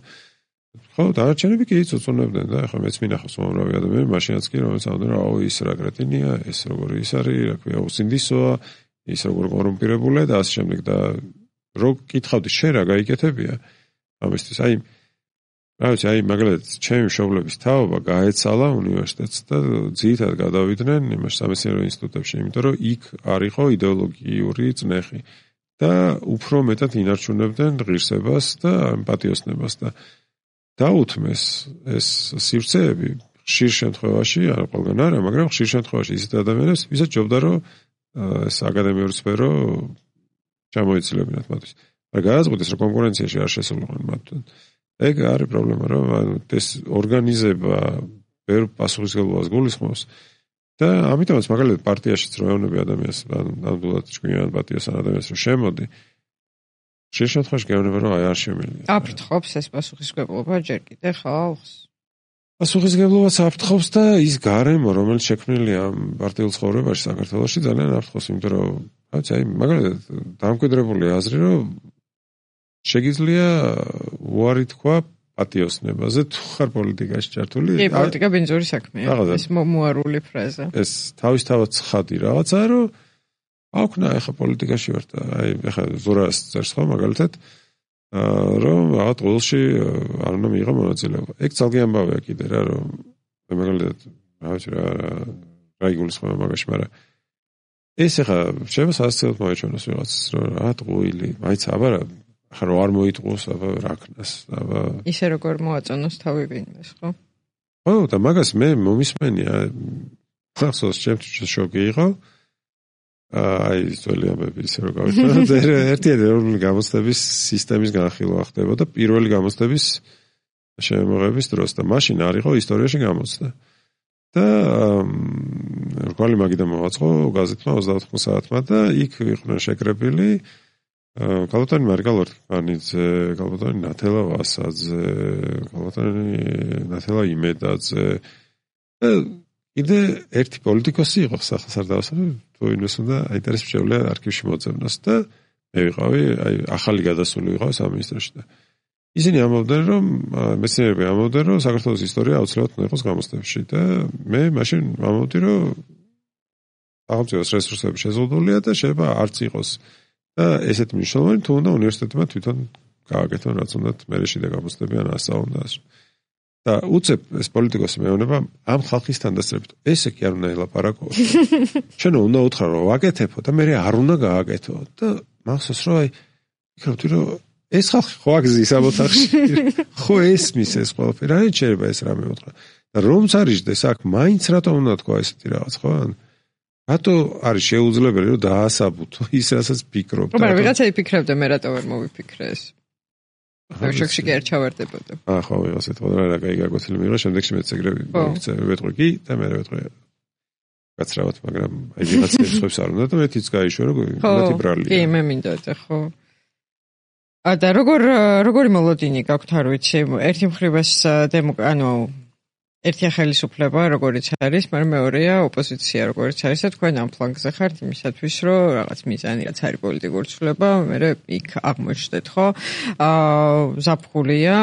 ხო დანარჩენები კი იწუწუნებდნენ და ეხლა მეც მინახავს უამრავი ადამიანი მაშინაც კი რომელიც ამბობდნენ აუ ის რა კრეტინია ეს როგორი ის არის რა ქვია უსინდისოა ის როგორ კორუმპირებულია და ასე შემდეგ და რო კითხავდი შენ რა გაიკეთებია ამისთვის აი რა ვიცი აი მაგალითად ჩემი მშობლების თაობა გაეცალა უნივერსიტეტს და ძირითადად გადავიდნენ იმას სამეცნიერო ინსტიტუტებში იმიტომ რომ იქ არისო იდეოლოგიური წნეხი და უფრო მეტად ინარჩუნებდნენ ღირსებას და პატიოსნებას და დაუთმეს ეს სივრცეები ხშირ შემთხვევაში არა ყველგან არა მაგრამ ხშირ შემთხვევაში ისეთ ადამიანებს ვისაც ჯობდა რომ ეს აკადემიური სფერო ჩამოეცილებინათ მათთვის. მაგრამ გადაწყვეტეს რომ კონკურენციაში არ შესულიყვნენ მათთან. ეგ არის პრობლემა რომ ეს ორგანიზება ვერ პასუხისმგებლობას გულისხმობს და ამიტომაც მაგალითად პარტიაშიც რო ეუბნები ადამიანს ნამდვილად ჭკვიან პატიოსან ადამიანს რომ შემოდი შენ შემთხვევაში გეუბნება რომ აი არ შემიძლია. აფრთხობს ეს პასუხისმგებლობა ჯერ კიდე ხალხს. პასუხისმგებლობას აფრთხობს და ის გარემო რომელიც შექმნილია პარტიულ ცხოვრებაში საქართველოში ძალიან აფრთხობს, იმიტომ რომ რაც აი მაგალითად დამკვიდრებული აზრი რომ შეგიძლია უარი თქვა პატიოსნებაზე თუ ხარ პოლიტიკაში ჩართული. კი, პოლიტიკა ბინძური საქმეა. ეს მოუარული ფრაზა. ეს თავისთავად ცხადი რაღაცაა რომ აქვნა ეხა პოლიტიკაში ვარ და აი ეხა ზურას წერს ხო მაგალითად რომ რაღაც ყოველში არ უნდა მიიღო მონაწილეობა. ეგ ძალიან ამბავია კიდე რა რომ მაგალითად რა ვიცი რა რა იგულისხმება მაგაში, მაგრამ ეს ახლა შეიძლება სასწაულად მოეჩვენოს ვიღაც რომ რა ტყუილი, მაინც აბარა ახლა რო არ მოიტყუს აბა რა ქნას, აბა ისე როგორ მოაწონოს თავი ვინმეს, ხო? ხო და მაგას მე მომისმენია ხახსოვს ჩემთვის შოკი იყო. აი ძველი ამბები ისე რომ გავიხსენოთ ერთი ეროვნული გამოცდების სისტემის განხილვა ხდებოდა პირველი გამოცდების შემოღების დროს და მაშინ არ იყო ისტორიაში გამოცდა და რკვალი მაგიდან მოვაწყო გაზეთმა ოცდაოთხ საათმა და იქ იყვნენ შეკრებილი კალბატონი მარგა ლორთქიფანიძე, კალბატონი ნათელა ვასაძე, კალბატონი ნათელა იმედაძე. კიდე ერთი პოლიტიკოსი იყო სახალხო თუ ინვეს უნდა აინტერესებს შეუძლია არქივში მოძებნოს და მე ვიყავი, აი ახალი გადასული ვიყავი სამინისტროში და ისინი ამბობდნენ, რომ მეცნიერები ამბობდნენ, რომ საქართველოს ისტორია აუცილებლად უნდა იყოს გამოცდებში და მე მაშინ ამბობდი, რომ სახელმწიფოს რესურსები შეზღუდულია და შეიძლება არც იყოს და ესეთ მნიშვნელოვანი თუ უნდა უნივერსიტეტებმა თვითონ გააკეთონ, რაც უნდათ მერე შიდა გამოცდები ან ასა უნდა ასე. და უცებ ეს პოლიტიკოსი მეუბნება ამ ხალხის თანდასწრებით. ესე კი არ უნდა ელაპარაკო. შენ უნდა უთხრა რომ ვაკეთებო და მე არ უნდა გააკეთო და მახსოვს რომ აი ვიქნებდი რომ ეს ხალხი ხო აგზის ამ ოთახში. ხო ესმის ეს ყველაფერი. რა შეიძლება ეს რამე უთხრა. და რომც არიჯდეს აქ მაინც რატომ უნდა თქვა ესეთი რაღაც ხო? რატო არის შეუძლებელი რომ დაასაბუთო ის რასაც ფიქრობ და მაგრამ ვიღაცა იფიქრებდა მე რატო ვერ მოვიფიქრე ეს. ამ შოქში კი არ ჩავარდებოდა. აა ხო ვიღაც ეთქვა რა კაი გაგვეთილი მიიღო შემდეგში მეც ეგრევე ვეთყვი კი და მე ვეთყვი გაცრავად მაგრამ აი ვიღაცებს ხებს არ უნდა და მეთიც გაიშვა რომ მათი ბრალია. კი მე მინდა და ხო. ა და როგორ როგორი მოლოდინი გაქვთ არ ვიცი ერთი მხრივას ანუ ერთი ხელისუფლება როგორიც არის, მაგრამ მეორეა ოპოზიცია როგორიც არის და თქვენ ამ ფლანგზე ხართ იმისათვის, რომ რაღაც მიზანი რაც არის პოლიტიკური ცვლილება, მე იქ აღმოჩნდეთ, ხო? აა ზაფხულია,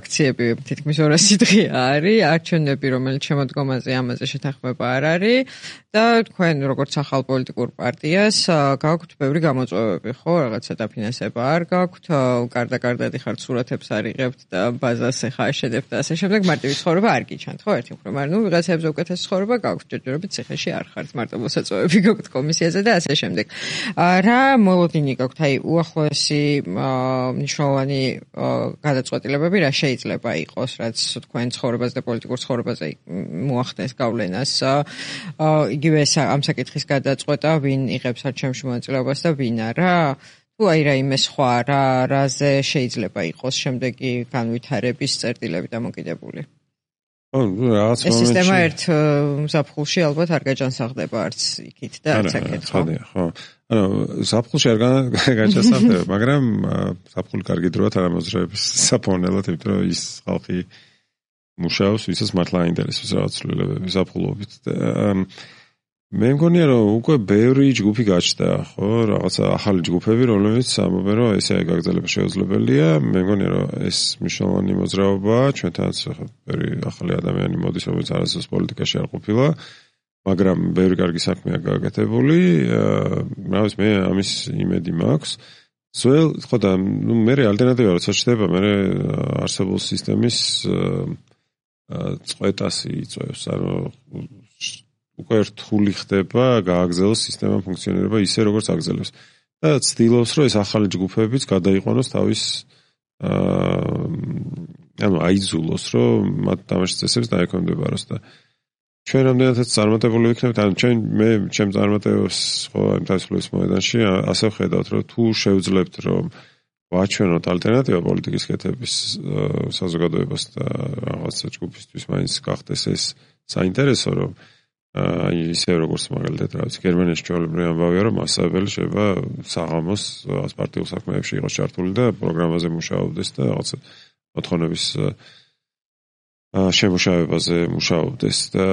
აქციები თითქმის ორასი დღე არის, არჩევნები რომელიც შემოდგომაზე ამაზე შეთანხმება არ არის და თქვენ როგორც ახალ პოლიტიკურ პარტიას გაქვთ ბევრი გამოწვევები, ხო? რაღაცა დაფინანსება არ გაქვთ, გარდა-გარდადი ხართ სურათებს არიღებთ და ბაზას ეხა აშენებთ და ასე შემდეგ, მარტივი ცხოვრება არ გიჩანთ. ხო ერთი მხრივ, მაგრამ ნუ ვიღაცებზე უკეთესი ცხოვრება გაქვთ, ჯერჯერობით ციხეში არ ხართ, მარტო მოსაწვევები გაქვთ კომისიაზე და ასე შემდეგ. რა მოლოდინი გაქვთ, აი უახლოესი მნიშვნელოვანი გადაწყვეტილებები რა შეიძლება იყოს, რაც თქვენ ცხოვრებას და პოლიტიკურ ცხოვრებაზე მოახდენს გავლენას. იგივე ამ საკითხის გადაწყვეტა, ვინ იღებს არჩევნებში მონაწილეობას და ვინ არა. თუ აი რაიმე სხვა რა რაზე შეიძლება იყოს შემდეგი განვითარების წერტილები დამოკიდებული. ო, რაღაც მომენტში. ეს სისტემა ერთ ზაფხულში ალბათ არ გაჯანსაღდება არც იქით და არც აქეთ, ხო? ხო. ანუ ზაფხულში არ გაჯანსაღდება, მაგრამ ზაფხული კარგი დროა თანამოძრაობის საფონელად, იმიტომ რომ ის ხალხი მუშაობს, ვისაც მართლა აინტერესებს რაღაც ცვლილებები ზაფხულობით და მე მგონია რომ უკვე ბევრი ჯგუფი გაჩნდა, ხო, რაღაცა ახალი ჯგუფები, რომლებიც ამბობენ რომ ესე გაგრძელება შეუძლებელია. მე მგონია რომ ეს მნიშვნელოვანი მოძრაობაა, ჩვენთანაც ბევრი ახალი ადამიანი მოდის, რომელიც არასდროს პოლიტიკაში არ ყოფილა, მაგრამ ბევრი კარგი საქმეა გააკეთებული. რა ვიცი, მე ამის იმედი მაქვს. ძველ, ხო და ნუ მე ალტერნატივა როცა ჩდება, მე არსებულ სისტემის წყვეტას იწვევს, ანუ უკვე რთული ხდება გააგრძელოს სისტემა ფუნქციონირება ისე როგორც აგრძელებს და ცდილობს რომ ეს ახალი ჯგუფებიც გადაიყვანოს თავის ანუ აიძულოს რომ მათ თამაშის წესებს დაექვემდებაროს და ჩვენ რამდენადაც წარმატებული ვიქნებთ ანუ ჩვენ მე ჩემ წარმატებებს ხო იმ თავისუფლების მოედანში ასე ვხედავთ რომ თუ შევძლებთ რომ ვაჩვენოთ ალტერნატივა პოლიტიკის კეთების საზოგადოებას და რაღაცა ჯგუფისთვის მაინც გახდეს ეს საინტერესო რომ აი ისე როგორც მაგალითად რა ვიცი გერმანიაში ჩვეულებრივი ამბავია რომ მასწავლებელი შეიძლება საღამოს პარტიულ საქმეებში იყოს ჩართული და პროგრამაზე მუშაობდეს და რაღაცა მოთხოვნების შემუშავებაზე მუშაობდეს და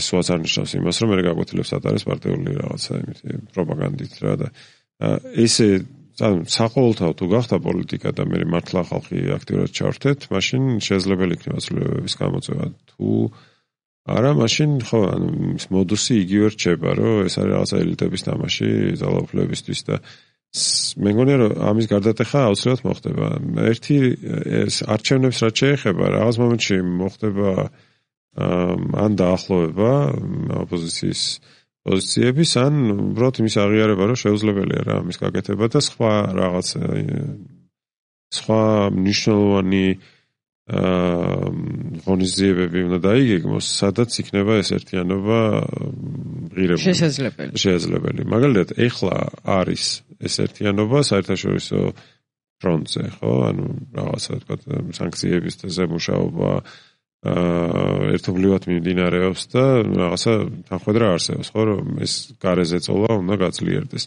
ეს უაც არ ნიშნავს იმას რომ მე გაგვეთილებს ატარეს პარტიული რაღაცა იმითი პროპაგანდით რა და ესე საყოველთაო თუ გახდა პოლიტიკა და მე მართლა ხალხი აქტიურად ჩავრთეთ მაშინ შესაძლებელი იქნება ცვლილებების გამოწვევა თუ არა, მაშინ ხო, ანუ ის მოდუსი იგივე რჩება, რომ ეს არის რაღაცა ელიტების თამაში ძალაუფლებისთვის და მე მგონია, რომ ამის გარდატეხა აუცილებლად მოხდება. ერთი ეს არჩევნებს რაც შეეხება, რაღაც მომენტში მოხდება ან დაახლოვება ოპოზიციის პოზიციების, ან უბრალოდ იმის აღიარება, რომ შეუძლებელია რა ამის გაკეთება და სხვა რაღაც სხვა მნიშვნელოვანი აა ღონისძიებები უნდა დაიგეგმოს, სადაც იქნება ეს ერთიანობა ღირებული. შესაძლებელი. შესაძლებელი. მაგალითად, ეხლა არის ეს ერთიანობა საერთაშორისო ფრონტზე, ხო? ანუ რაღაცა თქვა სანქციების ზემუშაობა აა ერთობლივად მიმდინარეობს და რაღაცა თანხმედრა არსებობს, ხო, რომ ეს გარეზე წოლა უნდა გაძლიერდეს.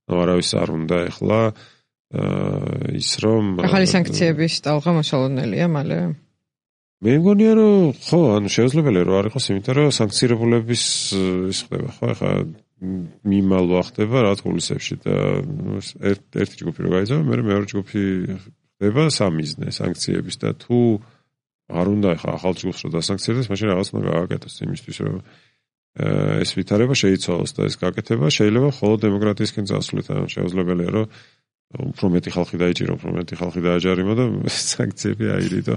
ნუ არავის არ უნდა ეხლა ის რომ ახალი სანქციების ტალღა მოსალოდნელია მალე. მე მგონია რომ ხო, ანუ შეუძლებელია რომ არ იყოს, იმიტომ რომ სანქცირებულების ის ხდება, ხო, ახლა მიმალვა ხდება რა თულისებში და ერთი ჯგუფი რო გაიძაბა, მე მეორე ჯგუფი ხდება სამიზნე სანქციების და თუ არ უნდა ახლა ახალ ჯგუფს რო დასანქცირდეს, მაშინ რაღაც უნდა გააკეთოს იმისთვის რომ ეს ვითარება შეიცვალოს და ეს გაკეთება შეიძლება მხოლოდ დემოკრატიისკენ წასვლით, ანუ შეუძლებელია რომ უფრო მეტი ხალხი დაიჭირო, უფრო მეტი ხალხი დააჯარიმო და სანქციები აირიდო.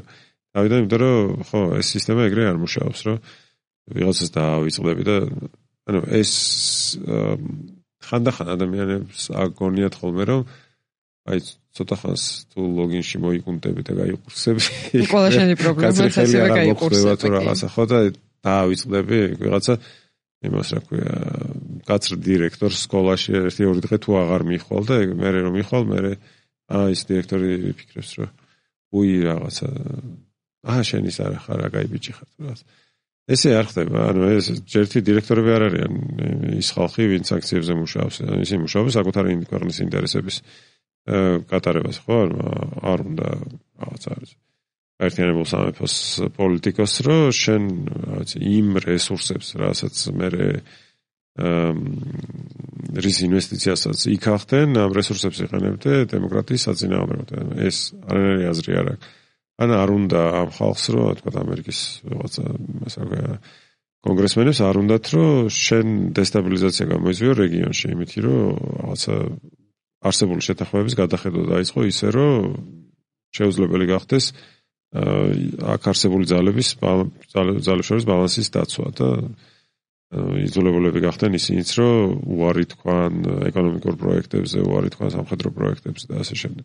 თავიდან იმიტომ რომ ხო ეს სისტემა ეგრე არ მუშაობს, რომ ვიღაცას დაავიწყდები და ანუ ეს ხანდახან ადამიანებს აგონიათ ხოლმე რომ აი ცოტა ხანს თუ ლოგინში მოიკუნტები და გაიყურსები. ყველა შენი პრობლემაც ასევე გაიყურსება თუ რაღაცა ხო და დაავიწყდები ვიღაცა იმას რა ქვია კაცრ დირექტორს სკოლაში ერთი ორი დღე თუ აღარ მიხვალ და მე რომ მიხვალ მე აა ის დირექტორი ფიქრებს რომ უი რაღაცა აა შენ ის არა ხარ რა კაი ბიჭი ხარ თუ რაღაც ესე არ ხდება ანუ ეს ჯერთი დირექტორები არ არიან ის ხალხი ვინც აქციებზე მუშაობს ისინი მუშაობენ საკუთარი ქვეყნის ინტერესების კატარებას ხო არ უნდა რაღაც არის ერთიანებულ სამეფოს პოლიტიკოს რომ შენ რაღაც იმ რესურსებს რასაც მე რის ინვესტიციასაც იქახდენ ამ რესურსებს იყენებდე დემოკრატიის საწინააღმდეგოდ ეს არანაირი აზრი არ აქვს ან არ უნდა ამ ხალხს რომ თქვა ამერიკის რაღაცა ასე ვთქვა კონგრესმენებს არ უნდათ რომ შენ დესტაბილიზაცია გამოიწვიო რეგიონში იმითი რომ რაღაცა არსებული შეთანხმების გადახედვა დაიწყო ისე რომ შეუძლებელი გახდეს აქ არსებული ძალების ძალებს შორის ბალანსის დაცვა და იძულებულები გახდნენ ისინიც რომ უარი თქვან ეკონომიკურ პროექტებზე, უარი თქვან სამხედრო პროექტებზე და ასე შემდეგ.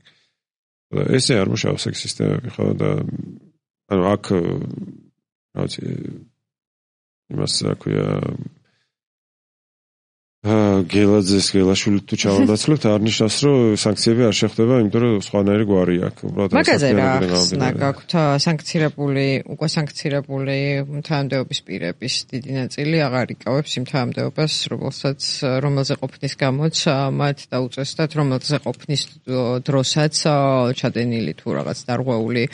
ესე არ მუშაობს ეს სისტემები ხო და ანუ აქ რა ვიცი იმას რა ქვია გელაძეს გელაშვილი თუ ჩავანაცვლებთ არ ნიშნავს რომ სანქციები არ შეხვდება იმიტომ რომ სხვანაირი გვარი აქვს უბრალოდ მაგაზე რა ხსნა გაქვთ სანქცირებული უკვე სანქცირებული თანამდებობის პირების დიდი ნაწილი აღარ იკავებს იმ თანამდებობას რომელსაც რომელზე ყოფნის გამოც მათ დაუწესდათ რომელზე ყოფნის დროსაც ჩადენილი თუ რაღაც დარღვეული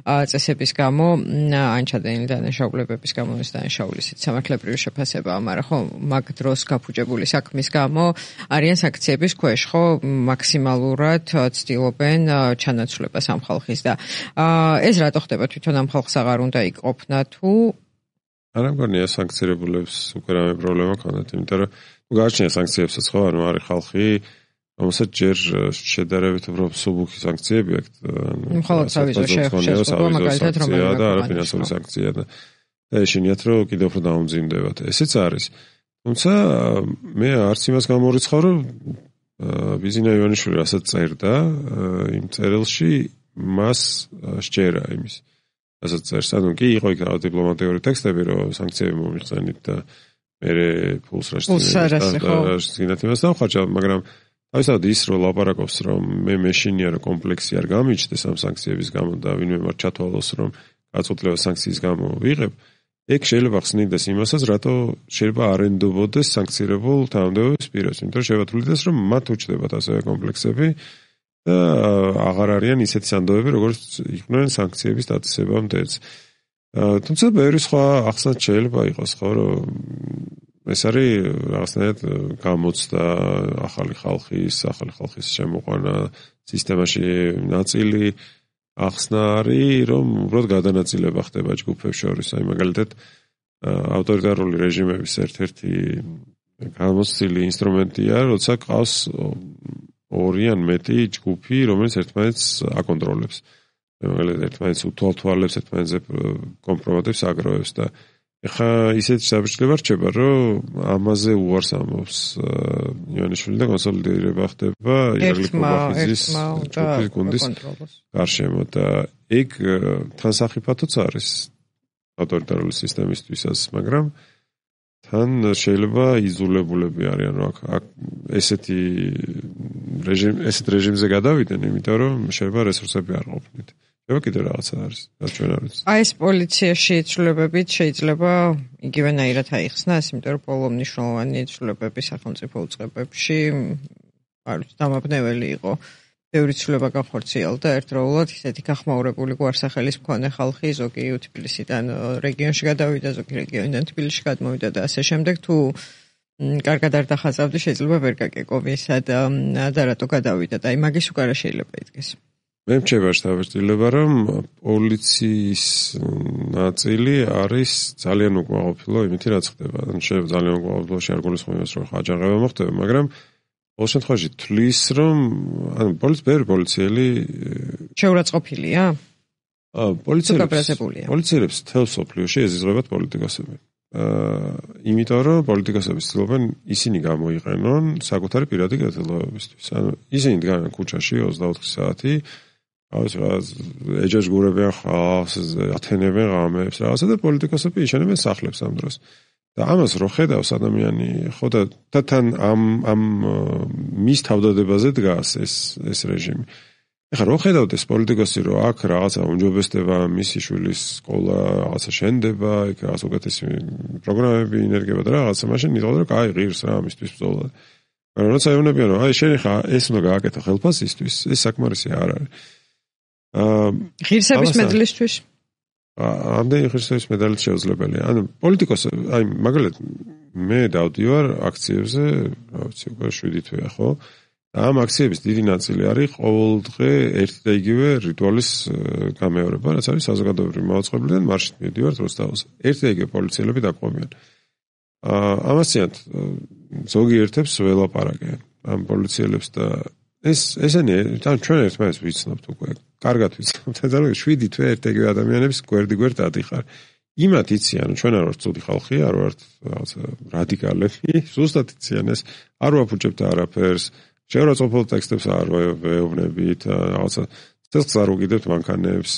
წესების გამო ან ჩადენილი დანაშაულებების გამო ეს დანაშაული სამართლებრივი შეფასებაა მაგრამ ხო მაგ დროს გაფუჭებული საქმის გამო არიან სანქციების ქვეშ, ხო, მაქსიმალურად ცდილობენ ჩანაცვლებას ამ ხალხის და ეს რატო ხდება თვითონ ამ ხალხს აღარ უნდა იყოფნა თუ არა მგონია სანქცირებულებს უკვე რამე პრობლემა ქონდათ, იმიტომ რომ თუ გააჩნია სანქციებსაც ხო, ანუ არის ხალხი, რომელსაც ჯერ შედარებით უფრო მსუბუქი სანქციები აქვს, ანუ მხოლოდ სავიზო შეხვედრა მაგალითად რომელიმე და არაფინანსური სანქცია და ეშინიათ რომ კიდევ უფრო დაუმძიმდებათ. ესეც არის თუმცა მე არც იმას გამორიცხავ რომ ბიზინა ივანიშვილი რასაც წერდა იმ წერილში მას სჯერა იმის რასაც წერს ანუ კი იყო იქ რა დიპლომატიური ტექსტები რომ სანქციები მომიხსენით და მე ფულს რაშინათ იმას დავხარჯა მაგრამ თავისთავად ის რომ ლაპარაკობს რომ მე მეშინია რომ კომპლექსი არ გამიჩნდეს ამ სანქციების გამო და ვინმე მათ ჩათვალოს რომ გაწყვეტილება სანქციის გამო ვიღებ ეგ შეიძლება ხსნიდეს იმასაც, რატო შეიძლება არ ენდობოდეს სანქცირებულ თანამდებობის პირებს, იმიტომ რომ შევათვლიდეს, რომ მათ უჩნდებათ ასევე კომპლექსები და აღარ არიან ისეთი სანდოები, როგორც იყვნენ სანქციების დაწესებამდეც. თუმცა ბევრი სხვა ახსნაც შეიძლება იყოს, ხო, რომ ეს არის რაღაცნაირად გამოცდა ახალი ხალხის, ახალი ხალხის შემოყვანა სისტემაში ნაწილი ახსნა არის, რომ უბრალოდ გადანაწილება ხდება ჯგუფებს შორის. აი მაგალითად ავტორიტარული რეჟიმების ერთ-ერთი გამოცდილი ინსტრუმენტია, როცა ყავს ორი ან მეტი ჯგუფი, რომელიც ერთმანეთს აკონტროლებს. მაგალითად ერთმანეთს უთვალთვალებს, ერთმანეთზე კომპრომატებს აგროვებს და ეხა ისეთი საბჭოება რჩება, რომ ამაზე უარს ამბობს ივანიშვილი და კონსოლიდირება ხდება ირაკლი კობახიძის ჯგუფის გუნდის გარშემო და ეგ თან სახიფათოც არის ავტორიტარული სისტემისთვისაც, მაგრამ თან შეიძლება იზოლებულები არიან, რომ აქ ესეთი რეჟიმ ესეთ რეჟიმზე გადავიდნენ, იმიტომ რომ შეიძლება რესურსები არ ყოფნით. შეიძლება კიდევ რაღაცა არის, რაც ჩვენ არ ვიცით. აი ეს პოლიციაში ცვლილებებით შეიძლება იგივენაირად აიხსნას, იმიტომ რომ ბოლო მნიშვნელოვანი ცვლილებები სახელმწიფო უწყებებში არ ვიცი, დამაბნეველი იყო. ბევრი ცვლილება გახორციელდა ერთდროულად, ისეთი გახმაურებული გვარსახელის მქონე ხალხი, ზოგი თბილისიდან რეგიონში გადავიდა, ზოგი რეგიონიდან თბილისში გადმოვიდა და ასე შემდეგ. თუ კარგად არ დახაზავდი, შეიძლება ვერ გაგეკოვი, სად და რატო გადავიდა და აი მაგის უკარა შეიძლება იდგეს. მე მრჩება შთაბეჭდილება, რომ პოლიციის ნაწილი არის ძალიან უკმაყოფილო იმით, რაც ხდება. ან შეიძლება ძალიან უკმაყოფილოში არ გულისხმობს, რომ აჯანყება მოხდება, მაგრამ ყოველ შემთხვევაში თვლის, რომ ანუ პოლიცია პოლიციელი შეურაცხყოფილია? აა პოლიციელებს პოლიციელებს თელ სოფლიოში ეზიზღებათ პოლიტიკოსები. აა იმიტომ რომ პოლიტიკოსები ცდილობენ ისინი გამოიყენონ საკუთარი პირადი კეთილდღეობისთვის. ანუ ისინი დგანან ქუჩაში ოცდაოთხი საათი, ავს რა ეჯაჟგურებიან ხალხს, ათენებენ ღამებს, რაღაცა და პოლიტიკოსები იშენებენ სახლებს ამ დროს. და ამას რო ხედავს ადამიანი, ხო და თან ამ ამ მის თავდადებაზე დგას ეს ეს რეჟიმი. ეხლა რო ხედავდეს პოლიტიკოსი რომ აქ რაღაცა უმჯობესდება, მისი შვილის სკოლა რაღაცა შენდება, იქ რაღაც უკეთესი პროგრამები ინერგება და რაღაცა, მაშინ ნიტყავდა რომ აი ღირს რა ამისთვის ბრძოლა. მაგრამ როცა ეუბნებიან რომ აი შენ ხა ეს უნდა გააკეთო ხელფასისთვის, ეს საკმარისი არ არის. აა ღირსების მედლისთვის ამდენი ღირსების მედალით შეუძლებელია. ანუ პოლიტიკოსი, აი მაგალითად მე დავდივარ აქციებზე, რა ვიცი, უკვე შვიდი თვეა, ხო? და ამ აქციების დიდი ნაწილი არის ყოველდღე ერთი და იგივე რიტუალის გამეორება, რაც არის საზოგადოებრივი მაუწყებლიდან მარშით მივდივართ როსტაუზე. ერთი და იგივე პოლიციელები დაკვამიან. აა ამასიანთ ზოგიერთებს ველაპარაკე ამ პოლიციელებს და ეს ესენი თან ჩვენ ერთმანეთს ვიცნობთ უკვე. კარგად ვიცნობთ, და შვიდი თვე ერთ-ერთი ადამიანების გვერდი გვერდ ადიხარ. იმათ იციან, ჩვენ არ ვართ ცუდი ხალხი, არ ვართ რაღაცა რადიკალები, ზუსტად იციან ეს, არ ვაფუჭებთ არაფერს, შეურაცხყოფილ ტექსტებს არ ვეუბნებით, რაღაცა წელს არ უგიდებთ მანქანებს,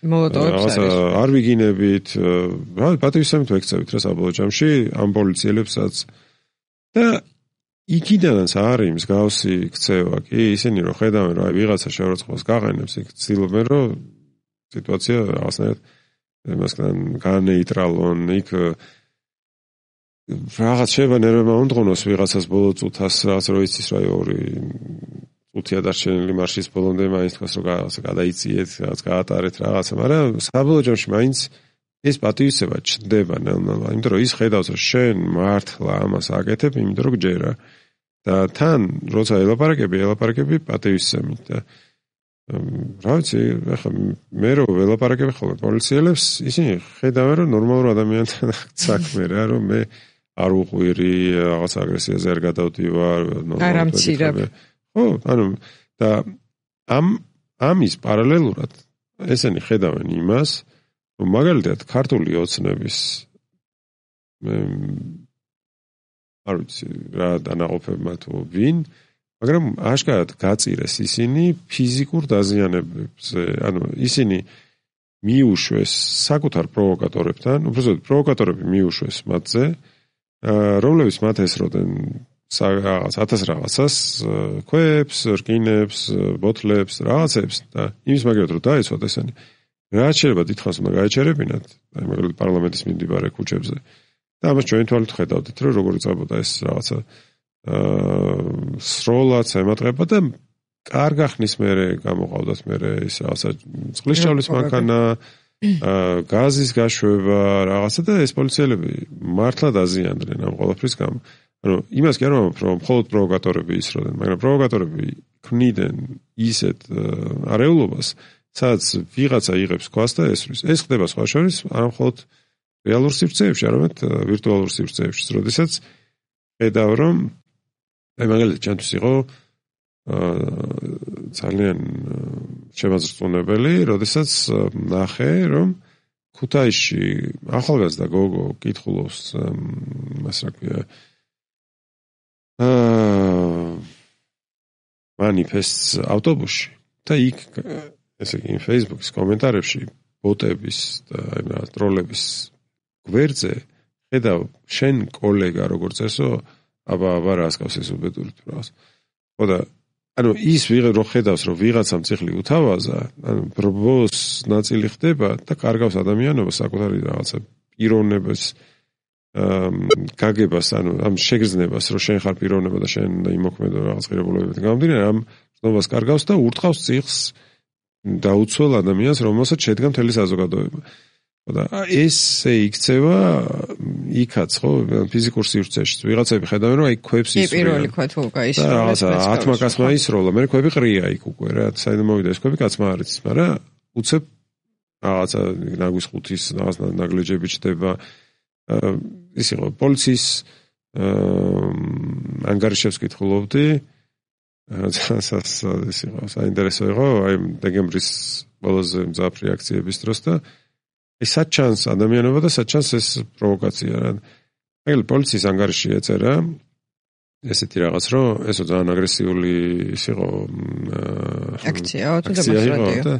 რაღაცა არ ვიგინებით, რა პატივისცემით ვექცევით რა საბოლოო ჯამში ამ პოლიციელებსაც და იქიდანაც არის მსგავსი ქცევა კი, ისინი რომ ხედავენ რომ აი ვიღაცა შეურაცხყოფას გაყენებს, იქ ცდილობენ რომ სიტუაცია რაღაცნაირად მასთან განეიტრალონ, იქ რაღაც შეიძლება ნერვებმა უნდღონოს ვიღაცას ბოლო წუთას, რაღაც რო იცის რა ორი წუთია დარჩენილი მარშის ბოლომდე მაინც თქვას რომ რაღაცა გადაიწიეთ, რაღაც გაატარეთ რაღაცა, მაგრამ საბოლოო ჯამში მაინც ეს პატივისცემა ჩნდება ნელ-ნელა, იმიტომ რომ ის ხედავს რომ შენ მართლა ამას აკეთებ, იმიტომ რომ გჯერა. და თან როცა ელაპარაკები, ელაპარაკები პატივისცემით და რა ვიცი, ახლა მე რო ველაპარაკები ხოლმე პოლიციელებს, ისინი ხედავენ რომ ნორმალურ ადამიანთან საქმე რა, რომ მე არ უყვირი, რაღაც აგრესიაზე არ გადავდივარ, ნორმალურად. ხო, ანუ და ამ ამის პარალელურად ესენი ხედავენ იმას, რომ მაგალითად ქართული ოცნების არ ვიცი რა დანაყოფებმა თუ ვინ, მაგრამ აშკარად გაწირეს ისინი ფიზიკურ დაზიანებებზე, ანუ ისინი მიუშვეს საკუთარ პროვოკატორებთან, უბრალოდ პროვოკატორები მიუშვეს მათზე, რომლებიც მათ ესროდნენ რაღაც ათას რაღაცას, ქვებს, რკინებს, ბოთლებს, რაღაცებს და იმის მაგალითად რომ დაეცვათ ესენი. რაც შეიძლება დიდხანს უნდა გაეჩერებინათ, აი მაგალითად პარლამენტის მიმდებარე ქუჩებზე. და ამას ჩვენ თვალით ხედავდით, რომ როგორი წაბოდა ეს რაღაცა აა სროლაც ემატყება და კარგ ახნის მერე გამოყავდათ მერე ის რაღაცა წყლის ჩავლის მანქანა, აა გაზის გაშვება, რაღაცა და ეს პოლიციელები მართლა დაზიანდნენ ამ ყველაფრის გამო. ანუ იმას კი არ ვამბობ, რომ მხოლოდ პროვოკატორები ისროდნენ, მაგრამ პროვოკატორები ქმნიდნენ ისეთ არეულობას, სადაც ვიღაცა იღებს ქვას და ესვრის. ეს ხდება სხვა შორის არ მხოლოდ რეალურ სივრცეებში, არამედ ვირტუალურ სივრცეებში, როდესაც ხედავ რომ აი მაგალითად ჩემთვის იყო ძალიან შემაძრწუნებელი, როდესაც ნახე რომ ქუთაისში ახალგაზრდა გოგო კითხულობს მას რა ქვია აა მანიფესტს ავტობუსში და იქ ესე იგი Facebook-ის კომენტარებში ბოტების და აი რა ტროლების გვერდზე ხედავ შენ კოლეგა როგორც ესო აბა აბა რა ასკავს ეს უბედური თუ რაღაც. ხო და ანუ ის ვიღე რო ხედავს რომ ვიღაცამ ციხლი უთავაზა, ანუ ბრბოს ნაწილი ხდება და კარგავს ადამიანობას საკუთარი რაღაცა პიროვნებას გაგებას, ანუ ამ შეგრძნებას, რომ შენ ხარ პიროვნება და შენ იმოქმედო რაღაც ღირებულებებიდან გამომდინარე, ამ ცნობას კარგავს და ურტყავს წიხს დაუცველ ადამიანს, რომელსაც შედგა მთელი საზოგადოება. და ესე იქცევა იქაც ხო ფიზიკურ სივრცეში. ვიღაცები ხედავენ რომ აი ქვებს ისრიან. პირველი ქვა თუ გაისროლეს. ათმა კაცმა ისროლა, მე ქვები ყრია იქ უკვე რა, საერთოდ მოვიდა ეს ქვები კაცმა არ იცის, მაგრამ უცებ რაღაცა ნაგვის ხუთის რაღაც ნაგლეჯები ჩდება. ის იყო პოლიციის ანგარიშებს კითხულობდი. ეს იყო საინტერესო იყო, აი დეკემბრის ყველაზე მძაფრი აქციების დროს და ეს საჩანს ადამიანობა და საჩანს ეს პროვოკაცია რა. აი პოლიციის ანგარიში ეწერა ესეთი რაღაც რომ ესო ძალიან აგრესიული ის იყო აქცია თუ დემონსტრაცია.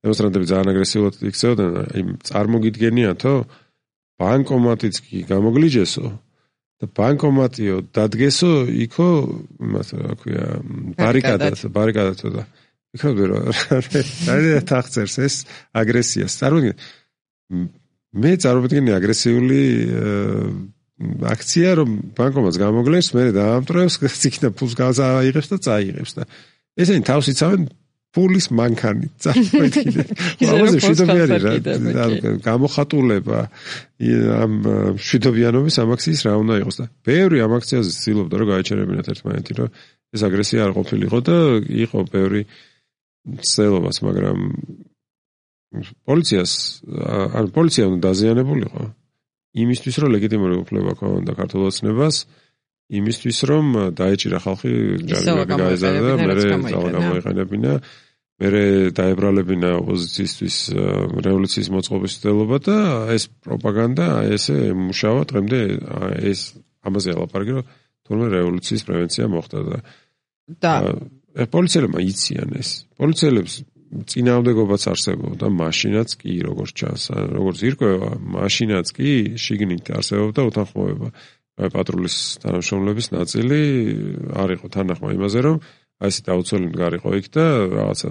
დემონსტრანტები ძალიან აგრესიულად იქცეოდნენ, აი წარმოგიდგენიათო ბანკომატიც კი გამოგლიჯესო და ბანკომატიო დადგესო იქო იმას რა ქვია ბარიკადად ბარიკადად და იქნებოდა რომ რა თახცერს ეს აგრესიას წარმოგიდგენ მე წარმოვიდგინე აგრესიული აქცია რომ ბანკომატს გამოგლენს მე დაამტრევს იქნა ფულს გააიღებს და წაიღებს და ესენი თავს იცავენ ფულის მანქანით წარმოვიდგინე ამაზე მშვიდობიანი რა გამოხატულება ამ მშვიდობიანობის ამ აქციის რა უნდა იყოს და ბევრი ამ აქციაზე ცდილობდა რომ გაეჩერებინათ ერთმანეთი რომ ეს აგრესია არ ყოფილიყო და იყო ბევრი ცდილობაც მაგრამ პოლიციას ან პოლიცია უნდა დაზიანებულიყო იმისთვის რომ ლეგიტიმური უფლება ქონდა ქართულ ოცნებას იმისთვის რომ დაეჭირა ხალხი ჯარიმები გაეზარდა და მე ძალა გამოიყენებინა მე დაებრალებინა ოპოზიციისთვის რევოლუციის მოწყობის ცდილობა და ეს პროპაგანდა ესე მუშავა დღემდე ეს ამაზე ელაპარაკი რომ თურმე რევოლუციის პრევენცია მოხდა და და პოლიციელებმა იციან ეს პოლიციელებს წინააღმდეგობაც არსებობდა მაშინაც კი როგორც ჩანს როგორც ირკვევა მაშინაც კი შიგნით არსებობდა უთანხმოება პატრულის თანამშრომლების ნაწილი არ იყო თანახმა იმაზე რომ აი ეს დაუცველი მდგარიყო იქ და რაღაცა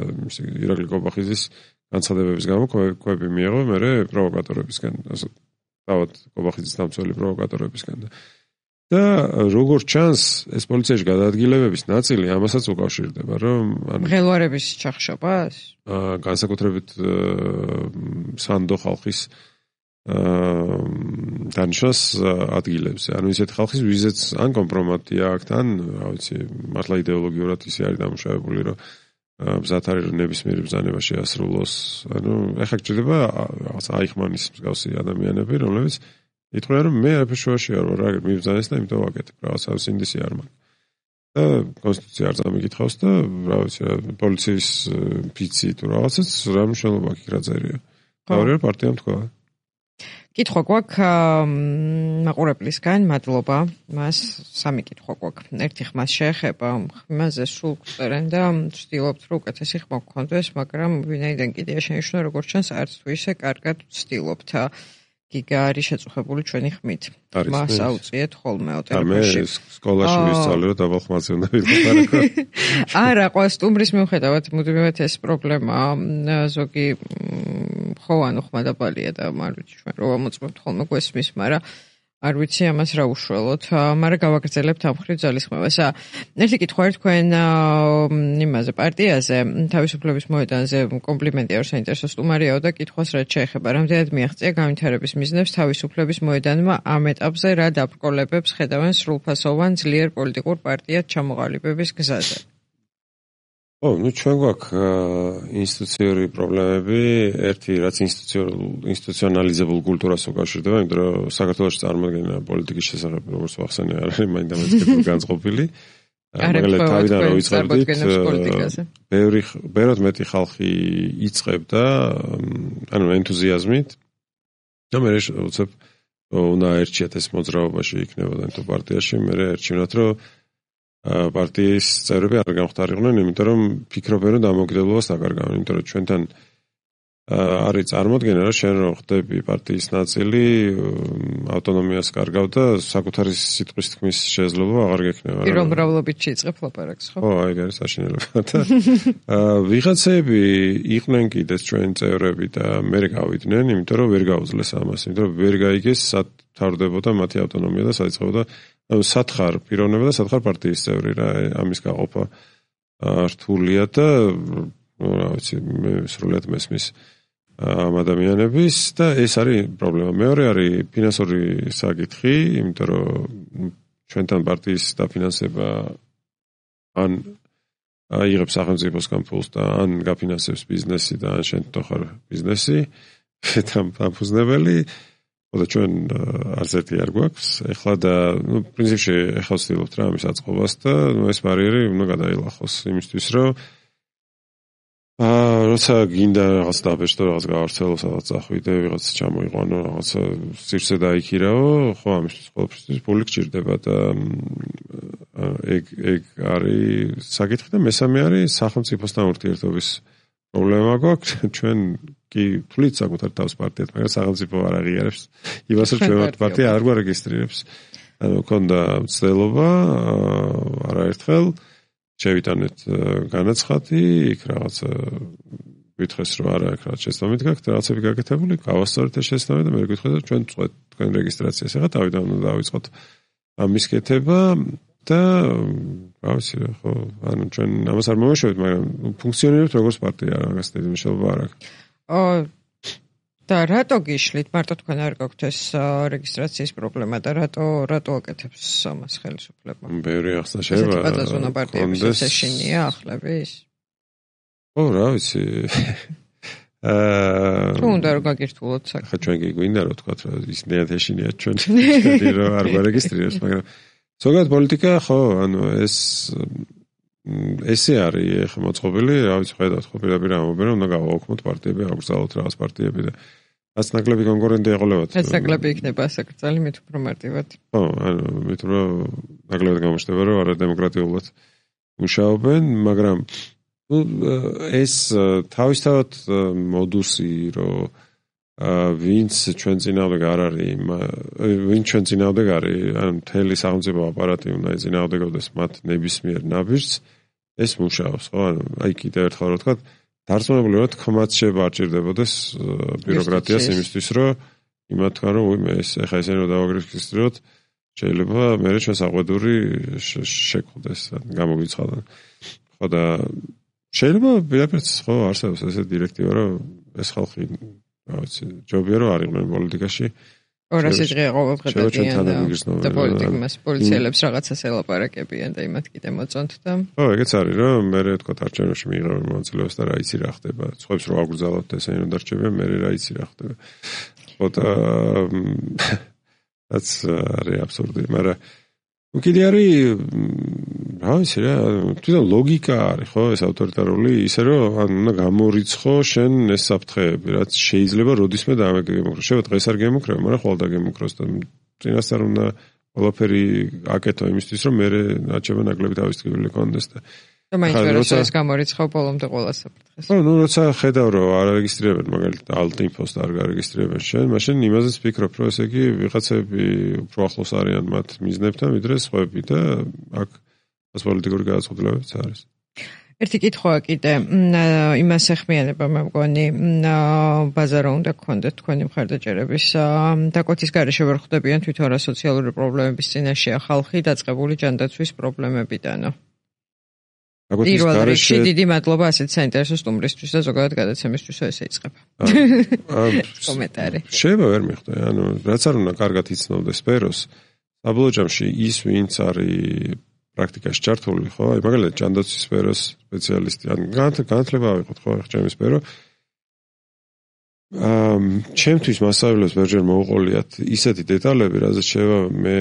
ირაკლი კობახიძის განცხადებების გამო ქვები მიიღო მე პროვოკატორებისგან ასე თავად კობახიძის დამცველი პროვოკატორებისგან და როგორც ჩანს ეს პოლიციაში გადაადგილებების ნაწილი ამასაც უკავშირდება რომ მღელვარების ჩახშობას განსაკუთრებით სანდო ხალხის დანიშნას ადგილებზე. ანუ ისეთ ხალხის ვიზეც ან კომპრომატია აქთან, რა ვიცი, მართლა იდეოლოგიურად ისე არის დამუშავებული, რომ მზად არის რომ ნებისმიერი ბრძანება შეასრულოს. ანუ ეხლა გჭირდება რაღაც აიხმანის მსგავსი ადამიანები, რომლებიც იტყვიან რომ მე არაფერ შუაში არ ვარ, რა მიბრძანეს და იმიტომ ვაკეთებ. რაღაცა სინდისი არ მაქვს. და კონსტიტუცია არ წამიკითხავს და რა ვიცი, პოლიციის ფიცი თუ რაღაცაც რა მნიშვნელობა აქვს რა წერია. თავი პარტიამ თქვა. კითხვა გვაქვს მაყურებლისგან, მადლობა. მას სამი კითხვა გვაქვს. ერთი ხმას შეეხება, ხმაზე სულ გწერენ და ვცდილობთ რომ უკეთესი ხმა გქონდეს, მაგრამ ვინაიდან კიდეა შენიშნა როგორც ჩანს, არც თუ ისე კარგად ვცდილობთ. გიგა არის შეწუხებული ჩვენი ხმით. მას აუწიეთ ხოლმე ოტელებში. მე სკოლაში ვისწავლე რომ დაბალ ხმაზე უნდა ვილაპარაკო. არა, ყვა სტუმრის მიუხედავად მუდმივად ეს პრობლემა ზოგი ხო ანუ ხმა დაბალია და არ ვიცი ჩვენ რა მოწმობთ ხოლმე გვესმის, მაგრამ არ ვიცი ამას რა უშველოთ, მაგრამ გავაგრძელებთ ამ ხრივ ძალისხმევას. ერთი კითხვა არის თქვენ იმაზე პარტიაზე, თავისუფლების მოედანზე კომპლიმენტია რომ საინტერესო სტუმარიაო და კითხვას რაც შეეხება, რამდენად მიაღწია განვითარების მიზნებს თავისუფლების მოედანმა ამ ეტაპზე რა დაბრკოლებებს ხედავენ სრულფასოვან ძლიერ პოლიტიკურ პარტიად ჩამოყალიბების გზაზე. ო, ну ჩვენ გვაქვს ინსტიტუციური პრობლემები, ერთი რაც ინსტიტუციონალიზებულ კულტურას უკავშირდება, იმიტომ რომ საქართველოში წარმოადგენა პოლიტიკის შესახებ როგორც ვახსენე არ არის მაინდამაინც განწყობილი. მაგალითად თავიდან რო იწყებდით, ბევრი ბევრად მეტი ხალხი იწყებდა, ანუ ენთუზიაზმით. და მე უცებ უნდა ერჩიათ ეს მოძრაობაში იქნებოდა თუ პარტიაში, მე ერჩივნათ რომ პარტიის წევრები არ გამختارიყვნენ, იმიტომ რომ ფიქრობენ რომ დამოუკიდებლობას დაკარგავენ, იმიტომ რომ ჩვენთან არის წარმოდგენა რომ შენ რო ხდები პარტიის ნაწილი, ავტონომიას კარგავ და საკუთარი სიტყვის თქმის შესაძლებლობა აღარ გექნება. პირველ მრავლობით შეიწყებ ლაპარაკს, ხო? ხო, აი ეს საშინელება და ვიღაცები იყვნენ კიდეც ჩვენი წევრები და მე გავიდნენ, იმიტომ რომ ვერ გაუძლეს ამას, იმიტომ რომ ვერ გაიგეს სად თავდებოდა მათი ავტონომია და საიწყებოდა სათხარ პიროვნება და სათხარ პარტიის წევრი რა ამის გაყოფა რთულია და რა ვიცი, მე სრულად მესმის ამ ადამიანების და ეს არის პრობლემა. მეორე არის ფინანსური საკითხი, იმიტომ რომ ჩვენთან პარტიის დაფინანსება ან იღებს სახელმწიფოსგან ფულს და ან გაფინანსებს ბიზნესი და ან შენ თვითონ ხარ ბიზნესი, დამფუძნებელი, და ჩვენ არც ერთი არ გვაქვს. ეხლა და ნუ პრინციპში ეხლა ვცდილობთ რა ამის აწყობას და ნუ ეს ბარიერი უნდა გადაილახოს იმისთვის, რომ აა როცა გინდა რაღაც დაბეჭდო, რაღაც გავარცელო, სადაც წახვიდე, ვიღაც ჩამოიყვანო, რაღაცა სივრცე დაიქირაო, ხო, ამისთვის ყოველთვის ფული გჭირდება და ეგ ეგ არის საკითხი და მესამე არის სახელმწიფოსთან ურთიერთობის პრობლემა გვაქვს. ჩვენ კი თვლით საკუთარ თავს პარტიად, მაგრამ სახელმწიფო არ აღიარებს იმას, რომ ჩვენ პარტია არ გვარეგისტრირებს. ანუ მქონდა მცდელობა არაერთხელ შევიტანეთ განაცხადი, იქ რაღაც გითხეს რომ არა, იქ რაღაც შეცდომით გაქვთ, რაღაცები გაკეთებული, გავასწორეთ ეს შეცდომა და მე გითხეთ რომ ჩვენ წვეთ თქვენ რეგისტრაციას. ეხლა თავიდან უნდა დავიწყოთ ამის კეთება და რა ვიცი რა, ხო, ანუ ჩვენ ამას არ მომეშვებით, მაგრამ ფუნქციონირებთ როგორც პარტია, რაღაც დიდი მნიშვნელობა არ აქვს. აა და რატო გიშლით? მარტო თქვენ არ გაქვთ ეს რეგისტრაციის პრობლემა და რატო რატო აკეთებს ამას ხელისუფლება? ბევრი ახსნა შეიძლება. პატაზონა პარტიების ეშინია ახლების? ო, რა ვიცი. აა თუ უნდა რომ გაგირთულოთ საკითხი. ხა ჩვენ კი გვინდა რომ თქვა რომ ისინიათ ეშინია ჩვენ ჩვენ რომ არ გვარეგისტრირებს, მაგრამ ზოგადად პოლიტიკა ხო, ანუ ეს ესე არის ხა მოწყობილი, რა ვიცი, ხედავთ ხო პირდაპირ ამობენ რომ უნდა გავაოქმოთ პარტიები, აგრძალოთ რაღაც პარტიები და რაც ნაკლები კონკურენტი ეყოლებათ. ეს ნაკლები იქნება ასაკრძალი მით უფრო მარტივად. ხო, ანუ მით უფრო ნაკლებად გამოჩნდება რომ არადემოკრატიულად მუშაობენ, მაგრამ ну ეს თავისთავად მოდუსი რომ ვინც ჩვენ წინააღმდეგ არ არის, ვინც ჩვენ წინააღმდეგ არის, ან მთელი სახელმწიფო აპარატი უნდა ეწინააღმდეგებდეს მათ ნებისმიერ ნაბიჯს, ეს მუშაობს, ხო? ანუ აი კიდევ ერთხელ რომ ვთქვათ, დარწმუნებული ვართ, ხმაც შეიძლება არ ჭირდებოდეს ბიუროკრატიას იმისთვის, რომ იმათ თქვა რომ უი მე ეს ეხა ესენი რომ დავაგრესკისტროთ, შეიძლება მე ჩვენ საყვედური შეგხვდეს, გამოგიცხადონ. ხო და შეიძლება პირდაპირ ხო არსებობს ესე დირექტივა რომ ეს ხალხი რა ვიცი ჯობია რომ არ იყვნენ პოლიტიკაში ორასი დღე ყოველდღიურადიან და პოლიტიკას პოლიციელებს რაღაცას ელაპარაკებიან და იმათ კიდე მოწონთ და ხო ეგეც არის რომ მე თქვა არჩევნებში მიიღებენ მონაწილეობას და რა იცი რა ხდება სხვებს რო აგრძალოთ ესენი რომ დარჩებიან მე რა იცი რა ხდება ხო და that's არის აბსურდი მაგრამ უკიდე არის რა ვიცი რა თვითონ ლოგიკა არის ხო ეს ავტორიტარული ისე რომ ან უნდა გამორიცხო შენ ეს საფრთხეები რაც შეიძლება როდისმე დამეგემოკრო შეიძლება დღეს არ გემოკრება მაგრამ ხოლმე დაგემოკროს და წინასწარ უნდა ყველაფერი აკეთო იმისთვის რომ მე რაჭება ნაკლები თავის ტკივილი კონდეს და და მაინც როცა ეს გამორიცხო ბოლომდე ყველა საფრთხეს ხო ნუ როცა ხედავ რომ არ არეგისტრირებენ მაგალითად ალტინფოს და არ გარეგისტრირებენ შენ მაშინ იმაზეც ფიქრობ რომ ესე იგი ვიღაცები უფრო ახლოს არიან მათ მიზნებთან ვიდრე სხვები და აქ ეს პოლიტიკური გადაწყვეტილებებიც არის. ერთი კითხვაა კიდე იმას ეხმიანება მე მგონი ბაზარო უნდა გქონდეთ თქვენი მხარდაჭერების დაკვეთის გარეშე ვერ ხვდებიან თვითონ რა სოციალური პრობლემების წინაშეა ხალხი დაწყებული ჯანდაცვის პრობლემებიდანო. პირველ რიგში დიდი მადლობა ასეთ საინტერესო სტუმრისთვის და ზოგადად გადაცემისთვის ესე იწყება. კომენტარი. შეიძლება ვერ მიხვდე, ანუ რაც არ უნდა კარგად იცნობდეს სფეროს, საბოლოო ჯამში ის ვინც არის პრაქტიკაში ჩართული, ხო? აი მაგალითად ჯანდაცვის სფეროს სპეციალისტი, ან განათლება ავიღოთ, ხო, ახლა ჩემი სფერო. აა ჩემთვის მასწავლებლებს ვერჯერ მოუყოლიათ ისეთი დეტალები, რაზეც შეიძლება მე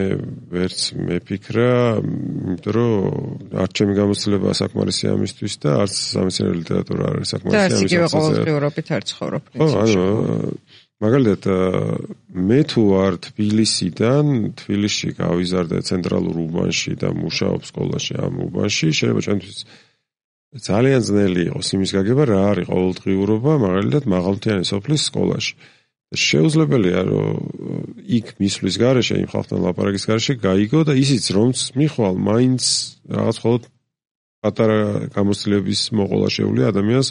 ვერც მეფიქრა, იმიტომ რომ არც ჩემი გამოცდილება საკმარისი ამისთვის და არც სამეცნიერო ლიტერატურა არ არის საკმარისი ამისთვის. და ისე ყოველდღიურობით არ ცხოვრობ პრინციპში. ხო, მაგალითად მე თუ ვარ თბილისიდან, თბილისში გავიზარდე ცენტრალურ უბანში და მუშაობ სკოლაში ამ უბანში, შეიძლება ჩემთვის ძალიან ძნელი იყოს იმის გაგება რა არის ყოველდღიურობა, მაგალითად მაღალმთიანი სოფლის სკოლაში. შეუძლებელია რომ იქ მისვლის გარეშე, იმ ხალხთან ლაპარაკის გარეშე გაიგო და ისიც რომც მიხვალ, მაინც რაღაც მხოლოდ პატარა გამოცდილების მოყოლა შეუძლია ადამიანს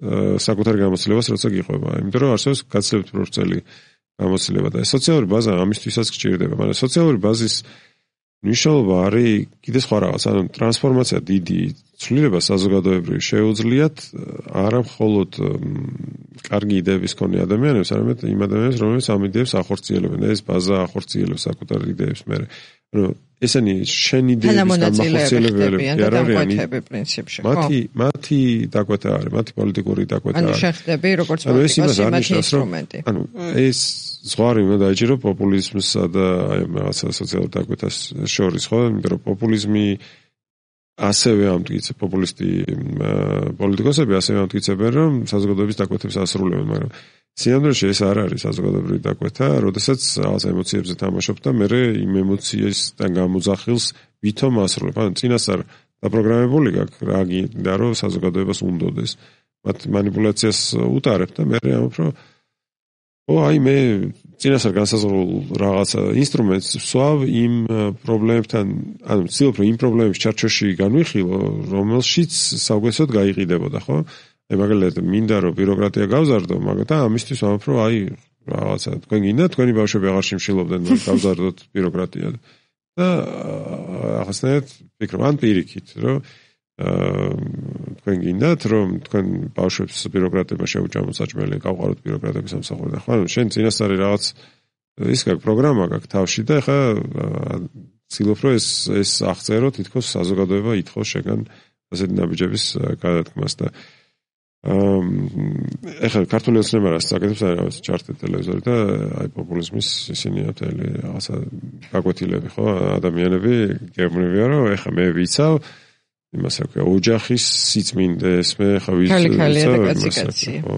საკუთარ გამოცდილებას როცა გიყვება. იმიტომ რომ არსებობს გაცილებით პროფესიული გამოცდილება და სოციალური ბაზა ამისთვისაც გჭირდება, მაგრამ სოციალური ბაზის მნიშვნელობა არის კიდე სხვა რაღაც, ანუ ტრანსფორმაცია დიდი ცვლილება საზოგადოებრივი შეუძლიათ არა მხოლოდ კარგი იდეების მქონე ადამიანებს, არამედ იმ ადამიანებს, რომლებიც ამ იდეებს ახორციელებენ, ეს ბაზა ახორციელებს საკუთარ იდეებს მერე. ანუ ესენი შენ იდეების გამახორციელებელები არ არიან პრინციპში, ხო? მათი მათი დაკვეთა არის, მათი პოლიტიკური დაკვეთა არის. ანუ შეხდები როგორც პოლიტიკოსი მათი ინსტრუმენტი. ანუ ეს ზღვარი უნდა დაიჭირო პოპულიზმსა და აი რაღაცა სოციალურ დაკვეთას შორის, ხო? იმიტომ რომ პოპულიზმი ასევე ამტკიცებს, პოპულისტი პოლიტიკოსები ასევე ამტკიცებენ, რომ საზოგადოების დაკვეთებს ასრულებენ, მაგრამ სინამდვილეში ეს არ არის საზოგადოებრივი დაკვეთა, როდესაც რაღაც ემოციებზე თამაშობ და მე იმ ემოციისგან გამოძახილს ვითომ ასრულებ. ანუ წინასწარ დაპროგრამებული გაქვს რა გინდა რომ საზოგადოებას უნდოდეს. მათ მანიპულაციას უტარებ და მე ამბობ რომ ო აი მე წინასწარ განსაზღვრულ რაღაც ინსტრუმენტს ვსვავ იმ პრობლემებთან, ანუ ვცდილობ რომ იმ პრობლემების ჩარჩოში განვიხილო, რომელშიც საუგესოდ გაიყიდებოდა, ხო? აი მაგალითად მინდა რომ ბიუროკრატია გავზარდო, მაგრამ ამისთვის ვამბობ რომ აი რაღაცა თქვენ გინდა თქვენი ბავშვები აღარ შიმშილობდნენ რომ გავზარდოთ ბიუროკრატია და ახასნაირად ვფიქრობ ან პირიქით რომ თქვენ გინდათ რომ თქვენ ბავშვებს ბიუროკრატებმა შეუჭამოთ საჭმელი გავყაროთ ბიუროკრატების სამსახური და ხო ანუ შენ წინასწარი რაღაც ის გაქვს პროგრამა გაქვს თავში და ეხლა ვცდილობ რომ ეს ეს აღწერო თითქოს საზოგადოება ითხოვს შეგან ასეთი ნაბიჯების გადადგმას და ეხლა ქართული ოცნება რას საკეთებს არის ჩარტი ტელევიზორი და აი პოპულიზმის ისინი ათელი რაღაცა გაკვეთილები ხო ადამიანები გეუბნებიან რომ ეხლა მე ვიცავ იმას აქვს ოჯახის სიწმინდეს მე ხა ვიცი ხო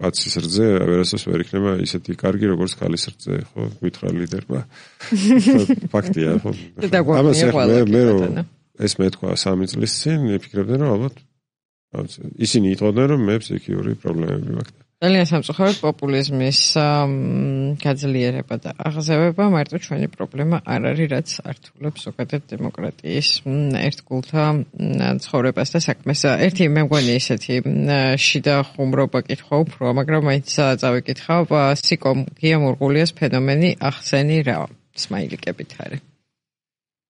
კაცის რძე ვერასდროს ვერ იქნება ისეთი კარგი როგორც ქალის რძე ხო გითხრა ლიდერმა ფაქტია ხო ამას მე მე ეს მეთქვა სამი წლის წინ ვფიქრობდი რომ ალბათ ისინი იტყოდნენ რომ მე ფსიქიური პრობლემები მაქვს ძალიან სამწუხაროდ პოპულიზმის გაძლიერება და აღზევება მარტო ჩვენი პრობლემა არ არის, რაც ართულებს ზოგადად დემოკრატიის ერთგულთა ცხოვრებას და საქმეს. ერთი მე მგონი ისეთი შიდა ხუმრობა კითხვა უფრო, მაგრამ მაინც წავიკითხავ სიკო გია მურღულიას ფენომენი ახსენი რა სმაილიკებით არის.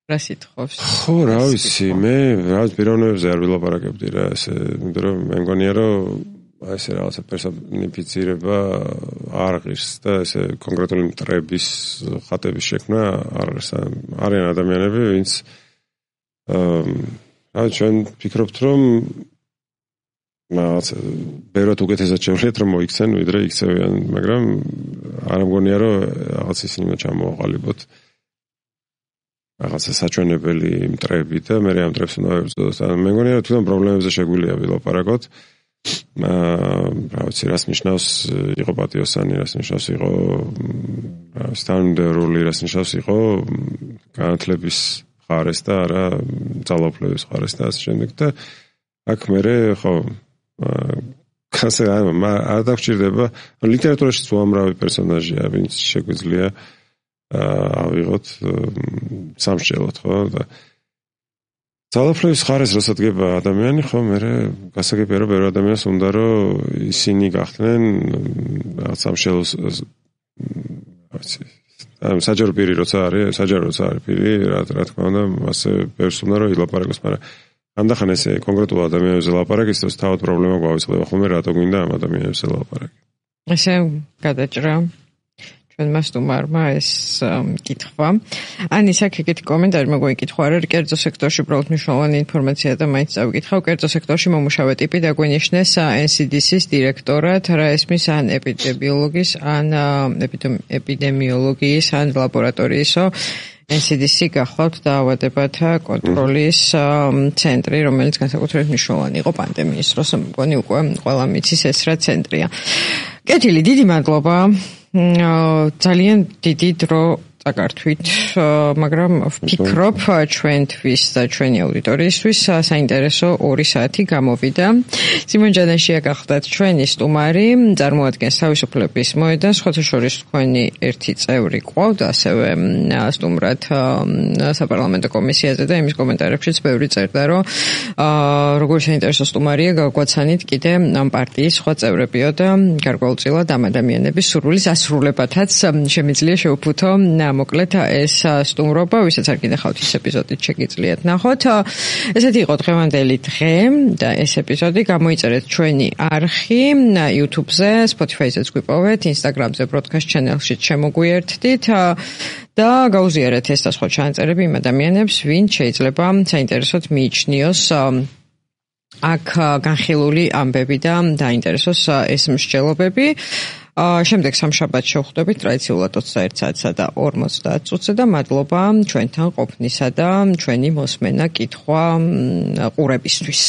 რა სიტყვავს? ხო, რა ვიცი, მე რაღაც პიროვნებებზე არ ვილაპარაკებდი რა, ესე, იმიტომ რომ მე მგონია რომ აი ესე რაღაცა პერსონიფიცირება არ ღირს და ესე კონკრეტული მტრების ხატების შექმნა არ არის. არიან ადამიანები, ვინც აა ჩვენ ვფიქრობთ რომ რაღაცა ბევრად უკეთესად შევლეთ რომ მოიქცენ ვიდრე იქცევიან, მაგრამ არ მგონია რომ რაღაც ისინი უნდა ჩამოაყალიბოთ რაღაცა საჩვენებელი მტრები და მე ამ მტრებს უნდა ვებრძოლოთ. მე მგონია რომ თვითონ პრობლემებზე შეგვიძლია ვილაპარაკოთ. რა ვიცი, რას ნიშნავს იყო პატიოსანი, რას ნიშნავს იყო სტანდარტული, რას ნიშნავს იყო განათლების ხარეს და არა ძალაუფლების ხარეს და ასე შემდეგ და აქ მე ხო ასე არ დაგჭირდება ლიტერატურაშიც უამრავი პერსონაჟია, ვინც შეგვიძლია ავიღოთ სამშელოთ ხო და ძალაუფლების ხარეს როცა დგება ადამიანი ხო მე გასაგებია რომ ბევრი ადამიანს უნდა რომ ისინი გახდნენ რაღაც სამშელოს ამ საჯარო პირი როცა არის საჯარო როცა არის პირი რა რა თქმა უნდა ასე ბევრს უნდა რომ ილაპარაკოს მაგრამ ამდახან ესე კონკრეტულ ადამიანებზე ლაპარაკის და თავად პრობლემა გვავიწყდება ხოლმე რატო გვინდა ამ ადამიანებზე ლაპარაკი ესე გადაჭრა ჩვენმა სტუმარმა ეს კითხვა. ანის აქ ეგეთი კომენტარი მოგვიკითხვა, რომ კერძო სექტორში უბრალოდ მნიშვნელოვანი ინფორმაცია და მაინც წავიკითხავ, კერძო სექტორში მომუშავე ტიპი დაგვენიშნეს ენ სი დი სის დირექტორად, რა ესმის ან ეპიდემიოლოგის, ან ეპიდემიოლოგიის, ან ლაბორატორიისო ენ სი დი სი გახლავთ დაავადებათა კონტროლის ცენტრი, რომელიც განსაკუთრებით მნიშვნელოვანი იყო პანდემიის დროს, მგონი უკვე ყველა მიცის ეს რა ცენტრია. კეთილი, დიდი მადლობა. ძალიან დიდი დრო წაგართვით, მაგრამ ვფიქრობ ჩვენთვის და ჩვენი აუდიტორიისთვის საინტერესო ორი საათი გამოვიდა. სიმონ ჯანაშია გახლდათ ჩვენი სტუმარი, წარმოადგენს თავისუფლების მოედანს, სხვათა შორის თქვენი ერთი წევრი ყავთ, ასევე სტუმრად საპარლამენტო კომისიაზე და იმის კომენტარებშიც ბევრი წერდა, რომ როგორი საინტერესო სტუმარია გაგვაცანით კიდე ამ პარტიის სხვა წევრებიო და გარკვეულწილად ამ ადამიანების სურვილის ასრულებათაც შემიძლია შეუფუთო მოკლედ ეს სტუმრობა, ვისაც არ გინახავთ ის ეპიზოდით შეგიძლიათ ნახოთ. ესეთი იყო დღევანდელი დღე და ეს ეპიზოდი გამოიწერეთ ჩვენი არხი YouTube-ზე, Spotify-ზეც გვიპოვეთ, Instagram-ზე broadcast channel-ში შემოგვიერთდით და გაუზიარეთ ეს და სხვა ჩანაწერები იმ ადამიანებს, ვინც შეიძლება საინტერესოდ მიიჩნიოს აქ განხილული ამბები და დაინტერესოს ეს მსჯელობები. შემდეგ სამშაბათს შევხვდებით ტრადიციულად ოცდაერთ საათსა და ორმოცდაათ წუთზე და მადლობა ჩვენთან ყოფნისა და ჩვენი მოსმენა კითხვა ყურებისთვის.